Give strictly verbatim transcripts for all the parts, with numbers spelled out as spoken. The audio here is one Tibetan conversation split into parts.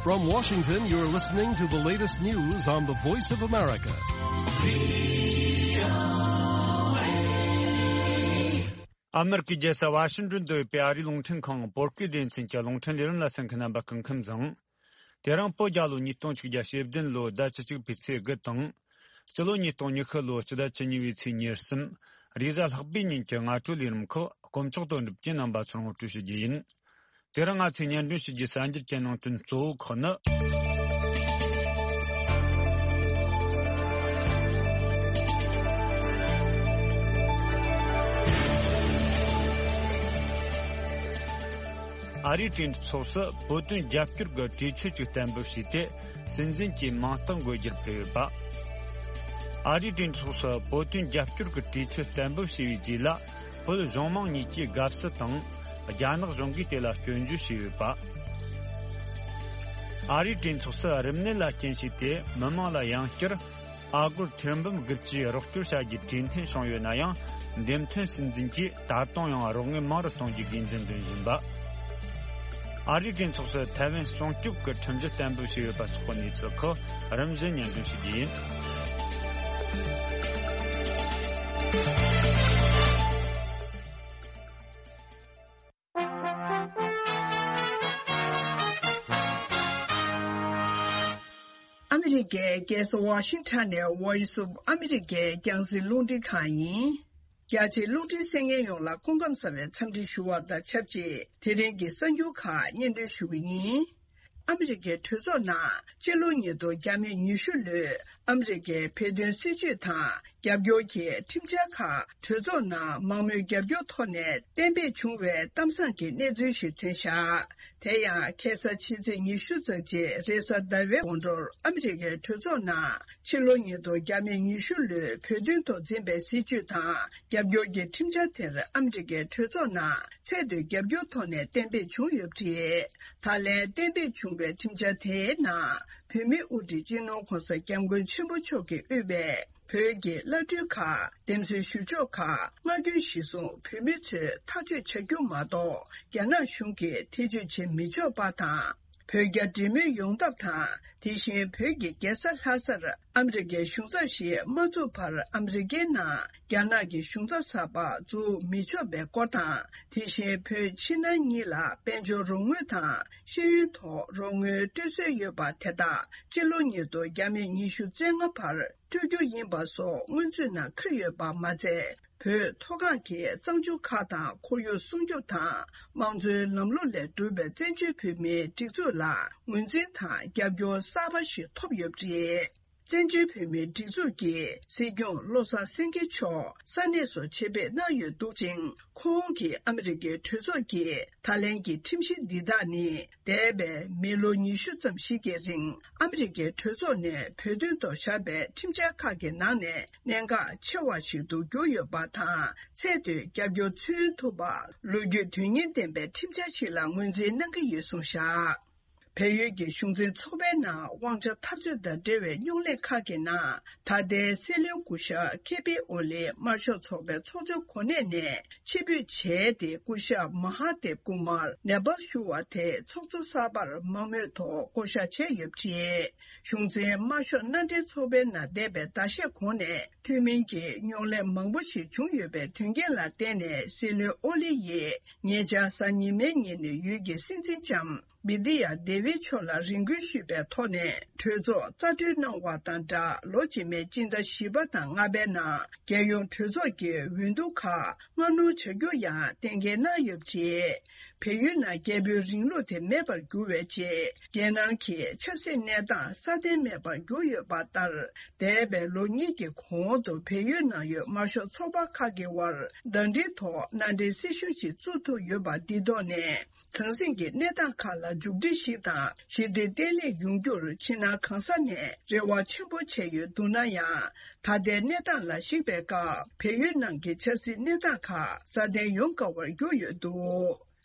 From Washington, you're listening to the latest news on the Voice of America. ཨ་མེ་རི་ཀའི་རྒྱལ་ས་ཝ་ཤིང་ཏོན་དུ་ཡོད་པའི་ཨ་རིའི་རླུང་འཕྲིན་ཁང་བོད་སྐད་སྡེ་ཚན་གྱི་རླུང་འཕྲིན་ལས་རིམ་ལ་གསན་མཁན་རྣམ་པ་སྐུ་ཁམས་བཟང་། དེ་རིང་བོད་རྒྱལ་ལོ་ཉིས་སྟོང་ཆིག་བརྒྱ་ཞེ་བདུན་ལོའི་ཟླ་བཅུ་གཅིག་པའི་ཚེས་དགུ་དང་། སྤྱི་ལོ་ཉིས་སྟོང་ཉི་ཤུ་ལོའི་སྤྱི་ཟླ་བཅུ་གཉིས་པའི་ཚེས་ཉེར་གསུམ། རེས་གཟའ་ལྷག་པའི་ཉིན་གྱི་སྔ་དྲོའི་ལས་རིམ་ཁག་དཀོན་མཆོག་དོན་གྲུབ་ཀྱིས་རྣམ་པ་ཚོར་ངོ་སྤྲོད་ཞུ་རྒྱུ་ཡིན། དེ་རིང་ང་ཚོས་སྙན་སྒྲོན་ཞུ་རྒྱུའི་གསར་འགྱུར་གྱི་ནང་དོན་གཙོ་བོ་ཁག་ནི། ཨ་རིའི་གྲོས་ཚོགས་སུ་བོད་དོན་རྒྱབ་སྐྱོར་གྱི་གྲོས་ཆོད་ཅིག་གཏན་འབེབས་བྱས་ཏེ། སྲིད་འཛིན་གྱི་མིང་རྟགས་འགོད་རྒྱུར་ཕེབས་ཡོད་པ། ཨ་རིའི་གྲོས་ཚོགས་སུ་བོད་དོན་རྒྱབ་སྐྱོར་གྱི་གྲོས་ཆོད་གཏན་འབེབས་བྱས་པའི་རྗེས་ལ། བོད་གཞུང་མང་གཉིས་ཀྱིས་དགའ་བསུ་དང་། རྒྱ་ནག་གཞུང་གིས་དེ་ལ་སྐྱོན་བརྗོད་བྱས་ཡོད་པ། ཨ་རིའི་གྲོས་ཚོགས་སུ་རིམས་ནད་ལ་རྐྱེན་བྱས་ཏེ་མི་མང་ལ་ཡང་བསྐྱར། ཨ་སྒོར་ཐེར་འབུམ་དགུ་བཅུའི་རོགས་སྐྱོར་བྱ་རྒྱུའི་གྲོས་མཐུན་བྱུང་ཡོད་ན་ཡང་། འདེམས་ཐོན་སྲིད་འཛིན་གྱིས་ད་དུང་ཡང་རོགས་དངུལ་མང་རུ་གཏོང་རྒྱུའི་དགོས་འདུན་འདོན་བཞིན་པ། ཨ་རིའི་གྲོས་ཚོགས་སུ་ཐའེ་ཝན་སྲུང་སྐྱོབ་ཀྱི་ཁྲིམས་གཞི་གཏན་འབེབས་བྱས་ཡོད་པ་སོགས་ཀྱི་གནས་ཚུལ་ཁག་རིམ་བཞིན་སྙན་སྒྲོན་ཞུ་རྒྱུ་ཡིན། ཨ་མི་རི་ཀའི་རྒྱལ་ས་ཝ་ཤིང་ཊོན་ནས་Voice of America་རྒྱང་སྲིང་རླུང་འཕྲིན་ཁང་ཡིན། རྒྱ་ཆེའི་རླུང་འཕྲིན་གསན་མཁན་ཡོངས་ལ་སྐུ་ཁམས་བཟང་བའི་འཚམས་འདྲི་ཞུ་བ་དང་ཆབས་ཅིག་དེ་རིང་གི་གསར་འགྱུར་ཁག་སྙན་སྒྲོན་ཞུ་གི་ཡིན། ཨ་མི་རི་ཀའི་གྲོས་ཚོགས་ནང་སྤྱི་ལོ་ཉིས་སྟོང་བརྒྱ་མེད་ཉི་ཤུ་ལོའི་ཨ་མི་རི་ཀའི་བོད་དོན་སྲིད་བྱུས་དང་རྒྱབ་སྐྱོར་གྱི་ཁྲིམས་འཆར་ཁག་གྲོས་ཚོགས་ནང་མང་མོས་རྒྱབ་སྐྱོར་ཐོག་ནས་གཏན་འབེབས་བྱུང་བའི་གཏམ་བཟང་གི་གནས་ཚུལ་ཞིག་ཐོན་བཞག་དེ་ཡང་ཁ་སང་ཕྱི་ཚེས་ཉི་ཤུ་རྩ་གཅིག་རེས་གཟའ་ཟླ་བའི་དགོང་དྲོར་ཨ་མི་རི་ཀའི་གྲོས་ཚོགས་ནང་ཕྱི་ལོ་ཉིས་སྟོང་བརྒྱ་མེད་ཉི་ཤུ་ལོའི་བོད་དོན་ཐོག་འཛིན་པའི་སྲིད་བྱུས་དང་རྒྱབ་སྐྱོར་གྱི་ཁྲིམས་འཆར་དེར་ཨ་མི་རི་ཀའི་གྲོས་ཚོགས་ནང་ཚད་མཐོའི་རྒྱབ་སྐྱོར་ཐོག་ནས་གཏན་འབེབས་བྱུང་ཡོད་པ་རེད། ད་ལན་གཏན་འབེབས་བྱུང་བའི་ཁྲིམས་འཆར་དེའི་ནང་བོད་མིའི་དབུ་ཁྲིད་སྤྱི་ནོར་༸གོང་ས་༸སྐྱབས་མགོན་ཆེན་པོ་མཆོག་གིས་དབུས་པའི་བོད་ཀྱི་བླ་སྤྲུལ་ཁག་འདེམས་གསོའི་ཞུ་ཕྱོགས་ཁག་མངའ་སྐྱོན་གཞིར་བཟུང་བོད་མི་ཚོས་ཐག་གཅོད་བྱ་རྒྱུ་མ་གཏོགས་རྒྱ་ནག་གཞུང་གིས་ཐེ་བྱུས་བྱེད་མི་ཆོག་པ་དང་། བོད་རྒྱ་འབྲེལ་མོལ་ཡོང་ཐབས་དང་། དེ་བཞིན་བོད་ཀྱི་རྒྱལ་ས་ལྷ་སར་ཨ་མི་རི་ཀའི་གཞུང་ཚབ་ཞིག་མ་བཙུགས་བར་ཨ་མི་རི་ཀའི་ནང་རྒྱ་ནག་གི་གཞུང་ཚབ་གསར་པ་འཛུགས་མི་ཆོག་པའི་སྐོར་དང་། དེ་བཞིན་བོད་ཕྱི་ནང་གཉིས་ལ་དཔལ་འབྱོར་རོགས་དངུལ་དང་ཤེས་ཡོན་ཐོག་རོགས་དངུལ་སྤྲོད་སྲོལ་ཡོད་པ་དེ་དག་སྤྱི་ལོ་ཉིས་སྟོང་བརྒྱ་མེད་ཉི་ཤུ་རྩ་ལྔ་བར་སྤྲོད་རྒྱུ་ཡིན་པ་སོགས་སྔོན་ཚུད་ནང་འཁོད་ཡོད་པ་མ་ཚད། བོད་མཐོ་སྒང་གི་གཙང་ཆུ་ཁག་དང་ཁོར་ཡུག་སྲུང་སྐྱོབ་དང་དམངས་གཙོའི་ལམ་ལུགས་ལས་གྲུབ་པའི་བཙན་བྱོལ་བོད་མིའི་སྒྲིག་འཛུགས་ལ་ངོས་འཛིན་དང་རྒྱབ་སྐྱོར་གསར་པ་ཞིག་ཐོབ་ཡོད་པ་རེད། བཙན་བྱོལ་བོད་མིའི་སྒྲིག་འཛུགས་ཀྱི་སྲིད་སྐྱོང་བློ་བཟང་སེང་གེ་མཆོག་ས་གནས་སུ་ཆེད་ཕེབས་གནང་ཡོད་འདུག་ཅིང་། ཁོང་གིས་ཨ་མི་རི་ཀའི་གྲོས་ཚོགས་ཀྱི་ད་ལན་གྱི་ཁྲིམས་གཞི་འདི་དག་ནི། འདས་པའི་མི་ལོ་ཉི་ཤུ་ཙམ་ཞིག་གི་རིང་ཨ་མི་རི་ཀའི་གྲོས་ཚོགས་ནས་བོད་དོན་ཐོག་བཞག་པའི་ཁྲིམས་འཆར་ཁག་གི་ནང་ནས་གནད་འགག་ཆེ་བ་ཞིག་ཏུ་གྱུར་ཡོད་པ་དང་། ཚད་མཐོའི་རྒྱབ་སྐྱོར་མཚོན་ཐུབ་པ། ལོ་རྒྱུས་དོན་གཉེར་ལྡན་པའི་ཁྲིམས་འཆར་ཞིག་ལ་ངོས་འཛིན་གནང་གི་ཡོད་གསུངས་བཞག་བལ་ཡུལ་གྱི་གཞུང་འཛིན་ཚོགས་པའི་ནང་དབང་ཆ་འཐབ་རྩོད་དང་འབྲེལ་བའི་རྙོག་གླེང་ཁག་གི་ནང་། ད་ལྟའི་སྲིད་བློན་སྐུ་ཞབས་ཁེ་པི་ཨོ་ལི་དམར་ཤོག་ཚོགས་པའི་ཚོགས་གཙོའི་གོ་གནས་ནས་ཕྱིར་འབུད་བྱས་ཏེ། སྐུ་ཞབས་མ་ཧ་དེབ་ཀུ་མར་ནེ་པཱལ་བཞུགས་པ་དེ་ཚོགས་གཙོ་གསར་པར་མང་མོས་ཐོག་བསྐོ་བཞག་བྱས་ཡོད་པ་རེད། གཞུང་འཛིན་དམར་ཤོག་མནའ་འབྲེལ་ཚོགས་པའི་ནང་འདས་པའི་ཟླ་ཤས་གོང་ནས་ཐུན་མིན་གྱི་རྙོག་གླེང་མང་པོ་ཞིག་བྱུང་ཡོད་པའི་དོན་རྐྱེན་ལ་བརྟེན་ནས། སྲིད་བློན་ཨོ་ལི་ཡིས་ཉེ་ཆར་གཟའ་ཉི་མའི་ཉིན་ནས་ཡུལ་གྱི་སྲིད་འཛིན་ལྕམ་བི་དི་ཡ་དེ་བི་མཆོག་ལ་རེ་སྐུལ་ཞུས་པའི་ཐོག་ནས་གྲོས་ཚོགས་རྩ་གྲོལ་གནང་བ་དང་སྦྲགས། ལོ་རྗེས་མའི་སྤྱི་ཟླ་བཞི་པ་དང་ལྔ་པའི་ནང་རྒྱལ་ཡོངས་གྲོས་ཚོགས་ཀྱི་འོས་བསྡུ་ཁག་སྔ་སྣུར་བྱ་རྒྱུ་ཡང་གཏན་འཁེལ་གནང་ཡོད་པ་རེད། བལ་ཡུལ་ནང་རྒྱལ་པོའི་རིང་ལུགས་དེ་མེད་པར་གྱུར་བའི་རྗེས། རྒྱལ་ནང་གི་ཆབ་སྲིད་གནས་སྟངས་སྲ་བརྟན་མེད་པར་གྱུར་ཡོད་པ་ལྟར། འདས་པའི་ལོ་གཉིས་ཀྱི་གོང་དུ་བལ་ཡུལ་ནང་ཡོད་དམར་ཤོག་ཚོགས་པ་ཁག་གི་དབར་ཟླ་སྒྲིལ་ཐོག་མནའ་འབྲེལ་སྲིད་གཞུང་ཞིག་བཙུགས་ཐུབ་ཡོད་པ་འདིའི་ཐོག་ནས། ཟང་ཟིང་གི་གནས་སྟངས་ཁག་ལ་མཇུག་སྒྲིལ་ཞིག་དང་། ཞི་བདེ་བརྟན་ལྷིང་ཡོང་རྒྱུར་ཕྱི་ནང་གང་ས་ནས་རེ་བ་ཆེན་པོ་བྱས་ཡོད་འདུག་ན་ཡང་། ད་ལྟའི་གནས་སྟངས་ལ་གཞིགས་པའི་སྐབས། བལ་ཡུལ་ནང་གི་ཆབ་སྲིད་གནས་སྟངས་ཁག་སྲ་བརྟན་ཡོང་དཀའ་བར་གྱུར་ཡོད་འདུག་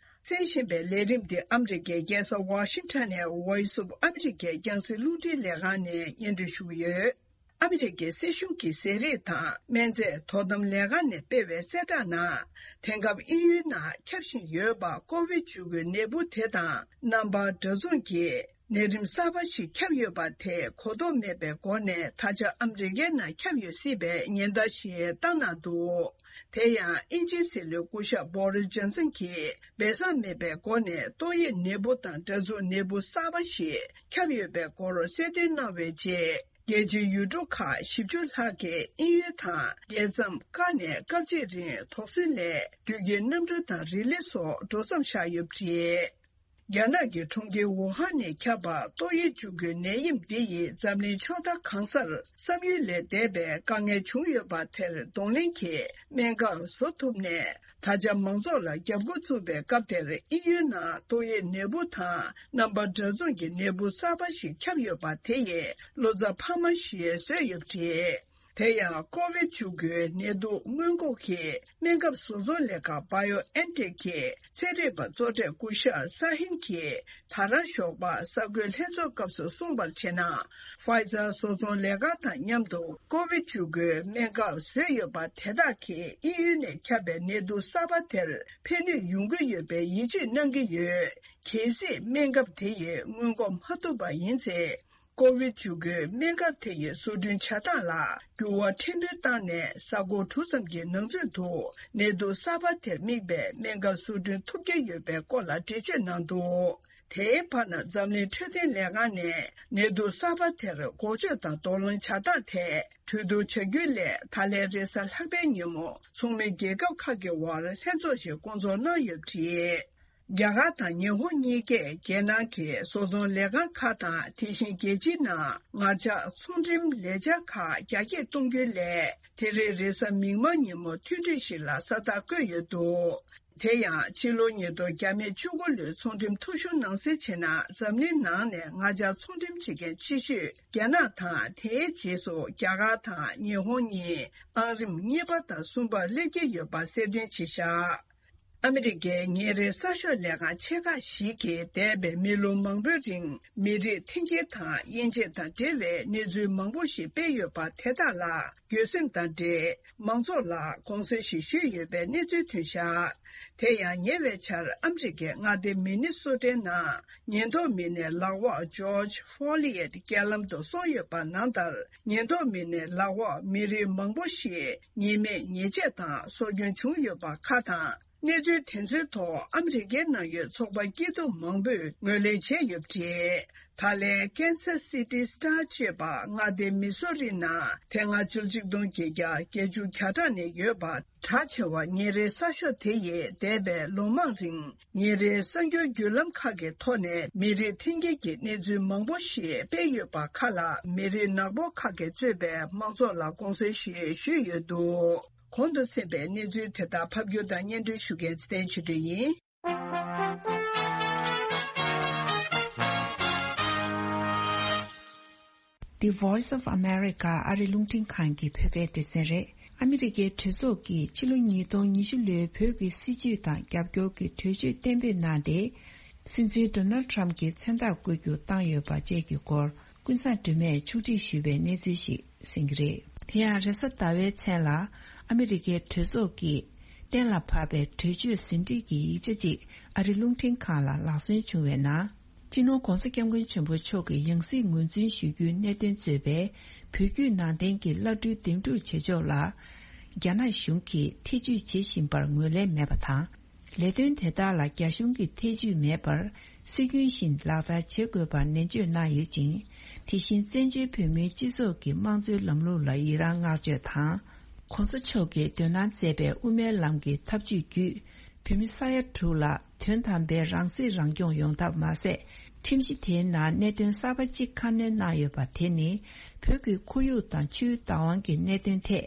གསན་བཞིན་པའི་ལས་རིམ་འདི་ཨ་མི་རི་ཀའི་རྒྱལ་ས་ཝ་ཤིང་ཊོན་ནས་Voice of America་རྒྱང་སྲིང་རླུང་འཕྲིན་ལས་ཁང་ནས་སྙན་སྒྲོན་ཞུ་གི་ཡོད། ཨ་མི་རི་ཀའི་སྲིད་གཞུང་གི་ཟས་རིགས་དང་སྨན་རྫས་དོ་དམ་ལས་ཁང་ནས་སྤེལ་བའི་གསལ་བསྒྲགས་ནང་། དེང་སྐབས་དབྱིན་ཡུལ་ནང་ཁྱབ་བཞིན་ཡོད་པ་ཀོ་བིད་བཅུ་དགུ་ནད་འབུ་དེ་དང་རྣམ་པ་འདྲ་མཚུངས་ཀྱི་ ནད་རིམས་གསར་པ་ཞིག་ཁྱབ་ཡོད་པ་དེ་གོ་རྟོགས་མེད་པའི་སྒོ་ནས་ད་ཆ་ཨ་མི་རི་ཀའི་ནང་ཁྱབ་ཡོད་སྲིད་པའི་ཉེན་བརྡ་ཞིག་བཏང་གནང་འདུག་དེ་ཡང་དབྱིན་ཇིའི་སྲིད་བློན་སྐུ་ཞབས་བྷོ་རི་སི་ཇོན་སན་གྱིས་སྦས་གསང་མེད་པའི་སྒོ་ནས་ཏོག་དབྱིབས་ནད་འབུ་དང་འདྲ་མཚུངས་ནད་འབུ་གསར་པ་ཞིག་ཁྱབ་ཡོད་པའི་སྐོར་གསལ་སྟོན་གནང་བའི་རྗེས། རྒྱལ་སྤྱིའི་ཡུལ་གྲུ་ཁག་བཞི་བཅུ་ལྷག་གིས་དབྱིན་ཡུལ་དང་རྒྱལ་མཚམས་བཀག་ནས་སྐབས་གཅིག་རིང་དོགས་ཟོན་ལས་འགྲུལ་སྐྱེལ་གནམ་གྲུ་དང་རི་ལི་སོགས་འགྲོ་མཚམས་བཞག་ཡོད་པ་རེད། རྒྱ་ནག་གི་གྲོང་ཁྱེར་ཝུ་ཧན་ནས་ཁྱབ་པ་ཏོག་དབྱིབས་འབྱུང་ཁུངས་ནད་ཡམས་འདི་ཡིས་འཛམ་གླིང་ཕྱོགས་མཐའ་གང་སར་བསམ་ཡུལ་ལས་འདས་པའི་དཀའ་ངལ་བྱུང་ཡོད་པ་དེར་གདོང་ལེན་གྱིས་སྨན་ཁབ་བཟོ་ཐུབ་ནས། ད་ཆ་མང་ཚོགས་ལ་རྒྱབ་འགོ་བཙུགས་པའི་སྐབས་དེར་དབྱིན་ཡུལ་ནང་ཏོག་དབྱིབས་ནད་འབུ་དང་རྣམ་པ་འདྲ་མཚུངས་ཀྱི་ནད་འབུ་གསར་པ་ཞིག་ཁྱབ་ཡོད་པ་དེ་ཡིས་བློ་འཚབ་འཕར་མ་ཞིག་བཟོས་ཡོད་པ་རེད། དེ་ཡང་ཀོ་བིད་བཅུ་དགུའི་ནད་དུག་སྔོན་འགོག་གི་སྨན་ཁབ་བཟོ་ཚོང་ལས་ཁང་བྷའི་ཨོ་ཨེན་ཊེག་གི་ཚན་རིག་པ་གཙོ་གྲས་སྐུ་ཞབས་ས་ཧིན་གྱིས། ད་རང་ཞོགས་པ་གསར་འགོད་ལྷན་ཚོགས་སྐབས་སུ་གསུངས་པར་བྱས་ན། ཕའི་ཛར་བཟོ་ཚོང་ལས་ཁང་དང་མཉམ་དུ་ཀོ་བིད་བཅུ་དགུའི་སྨན་ཁབ་བཟོས་ཡོད་པ་དེ་དག་གིས་དབྱིན་ཡུལ་ནས་ཁྱབ་པའི་ནད་དུག་གསར་པ་དེར་ཕན་ནུས་ཡོང་གི་ཡོད་པའི་ཡིད་ཆེས་གནང་གི་ཡོད། གལ་སྲིད་སྨན་ཁབ་དེ་ཡིས་སྔོན་འགོག་མ་ཐུབ་པ་ཡིན་ཚེ། ཀོ་བིད་བཅུ་དགུའི་སྨན་ཁབ་དེ་ཡི་བཟོ་སྐྲུན་བྱ་སྟངས་ལ་འགྱུར་བ་ཕྲན་བུ་བཏང་ནས། གཟའ་འཁོར་དྲུག་ཙམ་གྱི་ནང་ཚུད་དུ་ནད་དུག་གསར་པ་དེར་དམིགས་པའི་སྨན་ཁབ་བཟོ་སྐྲུན་ཐུབ་ཀྱི་ཡོད་པའི་སྐོར་ལ་འགྲེལ་བརྗོད་གནང་འདུག་དེའི་བར་ན་འཛམ་གླིང་འཕྲོད་བསྟེན་ལས་ཁང་ནས་ནད་དུག་གསར་པ་དེར་འགོག་བཅོས་དང་གདོང་ལེན་བྱ་སྟངས་ཐད་གྲོས་བསྡུར་བྱ་རྒྱུའི་སླད། ད་ལན་རེས་གཟའ་ལྷག་པའི་ཉིན་མོ་ཚོགས་མི་རྒྱལ་ཁབ་ཁག་གི་དབར་ལྷན་ཚོགས་ཤིག་བསྐོང་ཚོགས་གནང་ཡོད་པ་རེད། རྒྱ་གར་དང་ཉི་ཧོང་གཉིས་ཀས་རྒྱལ་ནང་གི་བཟོ་ཚོང་ལས་ཁང་ཁག་དང་། དེ་བཞིན་རྒྱལ་སྤྱིའི་ནང་ངར་ལྕགས་ཚོང་འགྲེམས་ལས་འཆར་ཁག་རྒྱ་སྐྱེད་གཏོང་རྒྱུའི་སླད། དེ་རིང་རེས་གཟའ་མིག་དམར་ཉིན་མོ་མཐུན་སྒྲིལ་ཞིག་ལ་ས་རྟགས་བཀོད་ཡོད་འདུག་དེ་ཡང་ཕྱི་ལོ་ཉིས་སྟོང་བཅུ་དགུ་ལོའི་ཚོང་འགྲེམས་ཐོ་གཞུང་ནང་གསལ་བྱས་ན། འཛམ་གླིང་ནང་ནས་ངར་ལྕགས་ཚོང་འགྲེམས་བྱེད་མཁན་ཆེ་ཤོས་རྒྱ་ནག་དང་། དེའི་རྗེས་སུ་རྒྱ་གར་དང་ཉི་ཧོང་གཉིས་ཨང་རིམ་གཉིས་པ་དང་གསུམ་པར་སླེབས་ཀྱི་ཡོད་པ་གསལ་སྟོན་བྱས་བཞག་ཨ་མི་རི་ཀའི་ཉིན་རེའི་གསར་ཤོག་ལས་ཁང་ཆེ་ཁག་ཞིག་གིས་འདས་པའི་མི་ལོ་མང་པོའི་རིང་མི་རིགས་འཐེན་འཁྱེར་དང་དབྱེ་འབྱེད་དང་འབྲེལ་བའི་གནས་ཚུལ་མང་པོ་ཞིག་སྤེལ་ཡོད་པ་དེ་དག་ལ་འགྱོད་སེམས་དང་འབྲེལ་མང་ཚོགས་ལ་དགོངས་སེལ་ཞིག་ཞུས་ཡོད་པའི་གནས་ཚུལ་ཐོན་བཞག་དེ་ཡང་ཉེ་བའི་ཆར་ཨ་མི་རི་ཀའི་མངའ་སྡེ་མི་ནི་སོ་ཊའི་ནང་ཉེན་རྟོག་མི་སྣས་ལག་འོག་ཇོརྗ་ཕོ་ལི་ཡེད་རྐྱེན་ལམ་དུ་སོང་ཡོད་པ་ནང་ལྟར། ཉེན་རྟོག་མི་སྣའི་ལག་འོག་མི་རིགས་མང་པོ་ཞིག་ཉེས་མེད་ཉེས་ཆད་དང་སྲོག་སྐྱོན་བྱུང་ཡོད་པ་ཁག་དང་། གནས་ཚུལ་དེ་ཚོའི་ཐོག་ཨ་མི་རི་ཀའི་ནང་ཡོད་ཚོགས་པ་སྐྱིད་སྡུག་མང་པོས་ངོས་ལེན་བྱས་ཡོད་པ་རེད། ད་ལན་Kansas City Star ཅེས་པ་མངའ་སྡེ་མི་སོ་རི་ནང་དེ་སྔ་ཕྱི་ལོ་ཆིག་སྟོང་བརྒྱད་བརྒྱ་བརྒྱད་ཅུ་གྱ་གྲངས་ནས་ཡོད་པ་གྲགས་ཆེ་བ་ཉིན་རེའི་གསར་ཤོག་དེ་ཡིས་འདས་པའི་ལོ་མང་རིང་ཉིན་རེའི་གསར་འགྱུར་བརྒྱུད་ལམ་ཁག་གི་ཐོག་ནས་མི་རིགས་འཐེན་འཁྱེར་གྱི་གནས་ཚུལ་མང་པོ་ཞིག་སྤེལ་ཡོད་པ་ཁག་ལ་མི་རིགས་ནག་པོ་ཁག་གིས་གཙོས་པའི་མང་ཚོགས་ལ་དགོངས་སེལ་ཞིག་ཞུས་ཡོད་འདུག་གོང་དུ་གསན་པའི་གནས་ཚུལ་དེ་དག་ཕབ་སྒྱུར་དང་སྙན་སྒྲོན་ཞུ་མཁན་ཚེ་བརྟན་ཆོས་སྒྲོན་ཡིན། The Voice of America ཨ་རི་རླུང་འཕྲིན་ཁང་གི་བོད་པའི་སྡེ་ཚན་རེད། ཨ་མི་རི་ཀའི་གྲོས་ཚོགས་ཀྱིས་ཕྱི་ལོ་ཉིས་སྟོང་ཉི་ཤུ་ལོའི་བོད་ཀྱི་སྲིད་བྱུས་དང་རྒྱབ་སྐྱོར་གྱི་གྲོས་ཆོད་གཏན་འབེབས་གནང་སྟེ། སྲིད་འཛིན་ཌོ་ནལ་ཊམ་གྱི་མཚན་རྟགས་བཀོད་རྒྱུ་བཏང་ཡོད་པ་བཅས་ཀྱི་སྐོར། ཀུན་བཟང་སྒྲོལ་མས་ཕྱོགས་སྒྲིག་ཞུས་པའི་གནས་ཚུལ་ཞིག་གསན་གྱི་རེད། དེ་ཡང་རེས་གཟའ་ཟླ་བའི་མཚན་ལ་ཨ་མི་རི་ཀའི་གྲོས་ཚོགས་ཀྱིས་གཏན་ལ་ཕབ་པའི་གྲོས་ཆོད་ཟིན་བྲིས་ཀྱི་ཡིག་ཆ་གཅིག་ཨ་རི་རླུང་འཕྲིན་ཁང་ལ་ལག་སོན་བྱུང་བའི་ནང་། སྤྱི་ནོར་༧གོང་ས་༧སྐྱབས་མགོན་ཆེན་པོ་མཆོག་གི་ཡང་སྲིད་ངོས་འཛིན་ཞུ་རྒྱུའི་གནད་དོན་གཙོས་པའི་བོད་བརྒྱུད་ནང་བསྟན་གྱི་བླ་སྤྲུལ་འདེམས་སྒྲུག་བྱེད་ཕྱོགས་ལ། རྒྱ་ནག་གཞུང་གིས་ཐེ་ཇུས་བྱེད་བཞིན་པར་ངོས་ལེན་མེད་པ་དང་། ལས་དོན་དེ་དག་ལ་རྒྱ་གཞུང་གི་ཐེ་ཇུས་མེད་པར་སྲོལ་རྒྱུན་བཞིན་ལག་བསྟར་བྱེད་དགོས་པར་ནན་བརྗོད་གནང་ཡོད་ཅིང་། དེ་བཞིན་བཙན་བྱོལ་བོད་མིའི་སྤྱི་ཚོགས་ཀྱི་དམངས་གཙོའི་ལམ་ལུགས་ལ་ཡི་རང་བསྔགས་བརྗོད་དང་། ྋགོང་ས་མཆོག་གིས་འདོན་གནང་མཛད་པའི་དབུ་མའི་ལམ་གྱི་ཐབས་ཇུས་བརྒྱུད། བོད་མི་ས་ཡ་དྲུག་ལ་དོན་དམ་པའི་རང་སྲིད་རང་སྐྱོང་ཡོང་ཐབས་མ་ཟད། ཁྲིམས་གཞི་དེའི་ནང་གནད་དོན་གསར་པ་གཅིག་ཁ་སྣོན་གནང་ཡོད་པ་དེ་ནི། བོད་ཀྱི་ཁོར་ཡུག་དང་ཆུའི་བདག་དབང་གི་གནད་དོན་ཐད།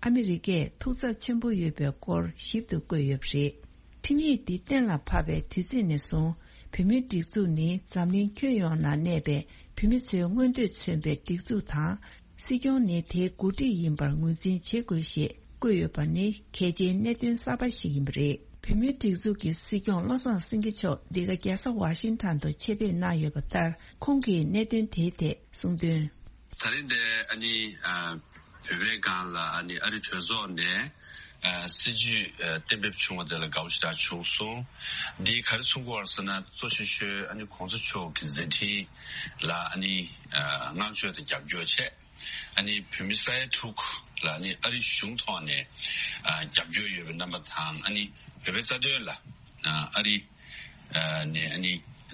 ཨ་མི་རི་ཀས་ཐུགས་འཚབ་ཆེན་པོ་ཡོད་པའི་སྐོར་ཞིབ་ཏུ་བཀོད་ཡོད་པ་རེད། ཁྲིམས་ཡིག་འདི་གཏན་ལ་ཕབ་པའི་དུས་ཚོད་ནས་བཟུང་། བོད་མིའི་སྒྲིག་འཛུགས་ནི་འཛམ་གླིང་ཁྱོན་ཡོངས་ན་གནས་པའི་བོད་མི་ཚོའི་མངོན་འདོད་མཚོན་པའི་སྒྲིག་འཛུགས་དང་། སྲིད་སྐྱོང་ནི་དེའི་འགོ་ཁྲིད་ཡིན་པར་ངོས་འཛིན་བྱེད་དགོས་ཞེས་བཀོད་ཡོད་པ་ནི་གལ་ཆེའི་གནད་དོན་གསར་པ་ཞིག་ཡིན་པ་རེད། བོད་མིའི་སྒྲིག་འཛུགས་ཀྱི་སྲིད་སྐྱོང་བློ་བཟང་སེང་གེ་མཆོག་འདི་ག་རྒྱལ་ས་ཝ་ཤིང་ཊོན་དུ་ཆེད་ཕེབས་གནང་ཡོད་པ་ལྟར། ཁོང་གིས་གནད་དོན་དེའི་ཐད་གསུངས་དོན། ད་རིང་འདི་ཨ་ནི་ཨ། བོད་པའི་སྒང་ལ་ཨ་ནི་ཨ་རི་གྲོས་ཚོགས་ནས་ཨ་སྲིད་ཇུས་ཨ་གཏན་འབེབས་བྱུང་བ་དེ་ལ་དགའ་བོ་ཞེ་དྲག་བྱུང་སོང་། འདིས་ག་རེ་མཚོན་གྱི་ཡོད་རེད་ཟེར་ན། གཙོ་ཆེ་ཤོས་ཨ་ནི་གོང་ས་མཆོག་གི་མཛད་འཕྲིན་ལ་ཨ་ནི་ཨ་བསྔགས་བརྗོད་དང་རྒྱབ་སྐྱོར་བྱས། ཨ་ནི་བོད་མི་ས་ཡ་དྲུག་ལ་ཨ་ནི་ཨ་རི་གཞུང་ཐོག་ནས་ཨ་རྒྱབ་སྐྱོར་ཡོད་པའི་རྣམ་པ་དང་། ཨ་ནི་བོད་པའི་རྩ་དོན་ལ་ཨ་ཨ་རི་ཨ་ནས་ཨ་ནི་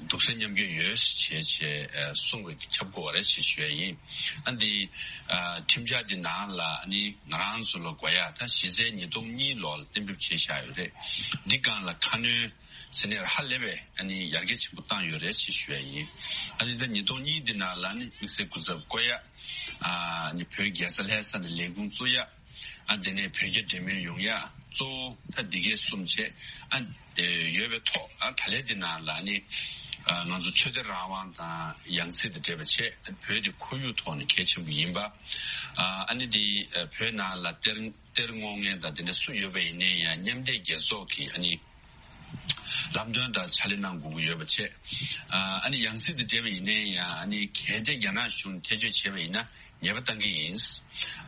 འདུག་སེམས་མཉམ་སྐྱེད་ཡོད་ཞེས་བྱས་ཨ་གསུངས་པའི་ཁྱབ་དགོས་པ་རེད་ཞེས་ཞུ་ཡ་ཡིན། ཨ་འདི་ཨ་ཁྲིམས་འཆར་འདི་ནང་ལ་ཨ་ནི་ང་རང་ཚོ་ལ་དགོས་ཡ་ད་གཞི་རྩའི་ཉིས་སྟོང་གཉིས་ལོ་ལ་གཏན་འབེབས་བྱས་བཞག་ཡོད་རེད། འདི་སྒང་ལ་ཁ་སྣོན་ཟེར་ནས་ཧ་ལས་པའི་ཨ་ནི་ཡར་རྒྱས་ཆེན་པོ་བཏང་ཡོད་རེད་ཅེས་ཞུ་ཡ་ཡིན། ཨ་ནི་ད་ཉིས་སྟོང་གཉིས་འདི་ནང་ལ་ནི་དམིགས་བསལ་སྐུ་ཚབ་བསྐོ་ཡ། ཨ་ནི་བོད་རྒྱལ་ས་ལྷ་ས་ནས་ལས་ཁུངས་བཙུགས་ཡ། ཨ་དེ་ནས་བོད་རྒྱ་འབྲེལ་མོལ་ཡོང་ཡ། གཙོ་བོ་ད་འདི་གས་གསུམ་བྱས། ཨ་ཡོད་པའི་ཐོག་ཨ་ད་ལན་འདི་ནང་ལ་ནི་ཨ་ང་ཚོ་ཆོས་དད་རང་དབང་དང་ཡང་སྲིད་དང་འབྲེལ་བ་བྱས། བོད་དེ་ཁོར་ཡུག་ཐོག་ནས་གལ་ཆེན་པོ་ཡིན་པ། ཨ་ཨ་ནི་འདི་ཨ་བོད་ནང་ལ་གཏེར་གཏེར་སྔོག་མཁན་དང་དེ་འདྲ་སུ་ཡོད་པ་ཡིན་ནའི་ཡང་མཉམ་འབྲེལ་རྒྱལ་ཚོགས་ཀྱི་ཨ་ནི་ལམ་སྟོན་དང་ཕྱག་ལས་གནང་དགོས་ཀྱི་ཡོད་པ་བྱས། ཨ་ཨ་ནི་ཡང་སྲིད་དང་འབྲེལ་བ་ཡིན་ནའི་ཡང་ཨ་ནི་གལ་ཏེ་རྒྱ་ནག་གཞུང་ཐེ་བྱུས་བྱས་པ་ཡིན་ན་ཉེས་པ་གཏང་གི་ཡིན།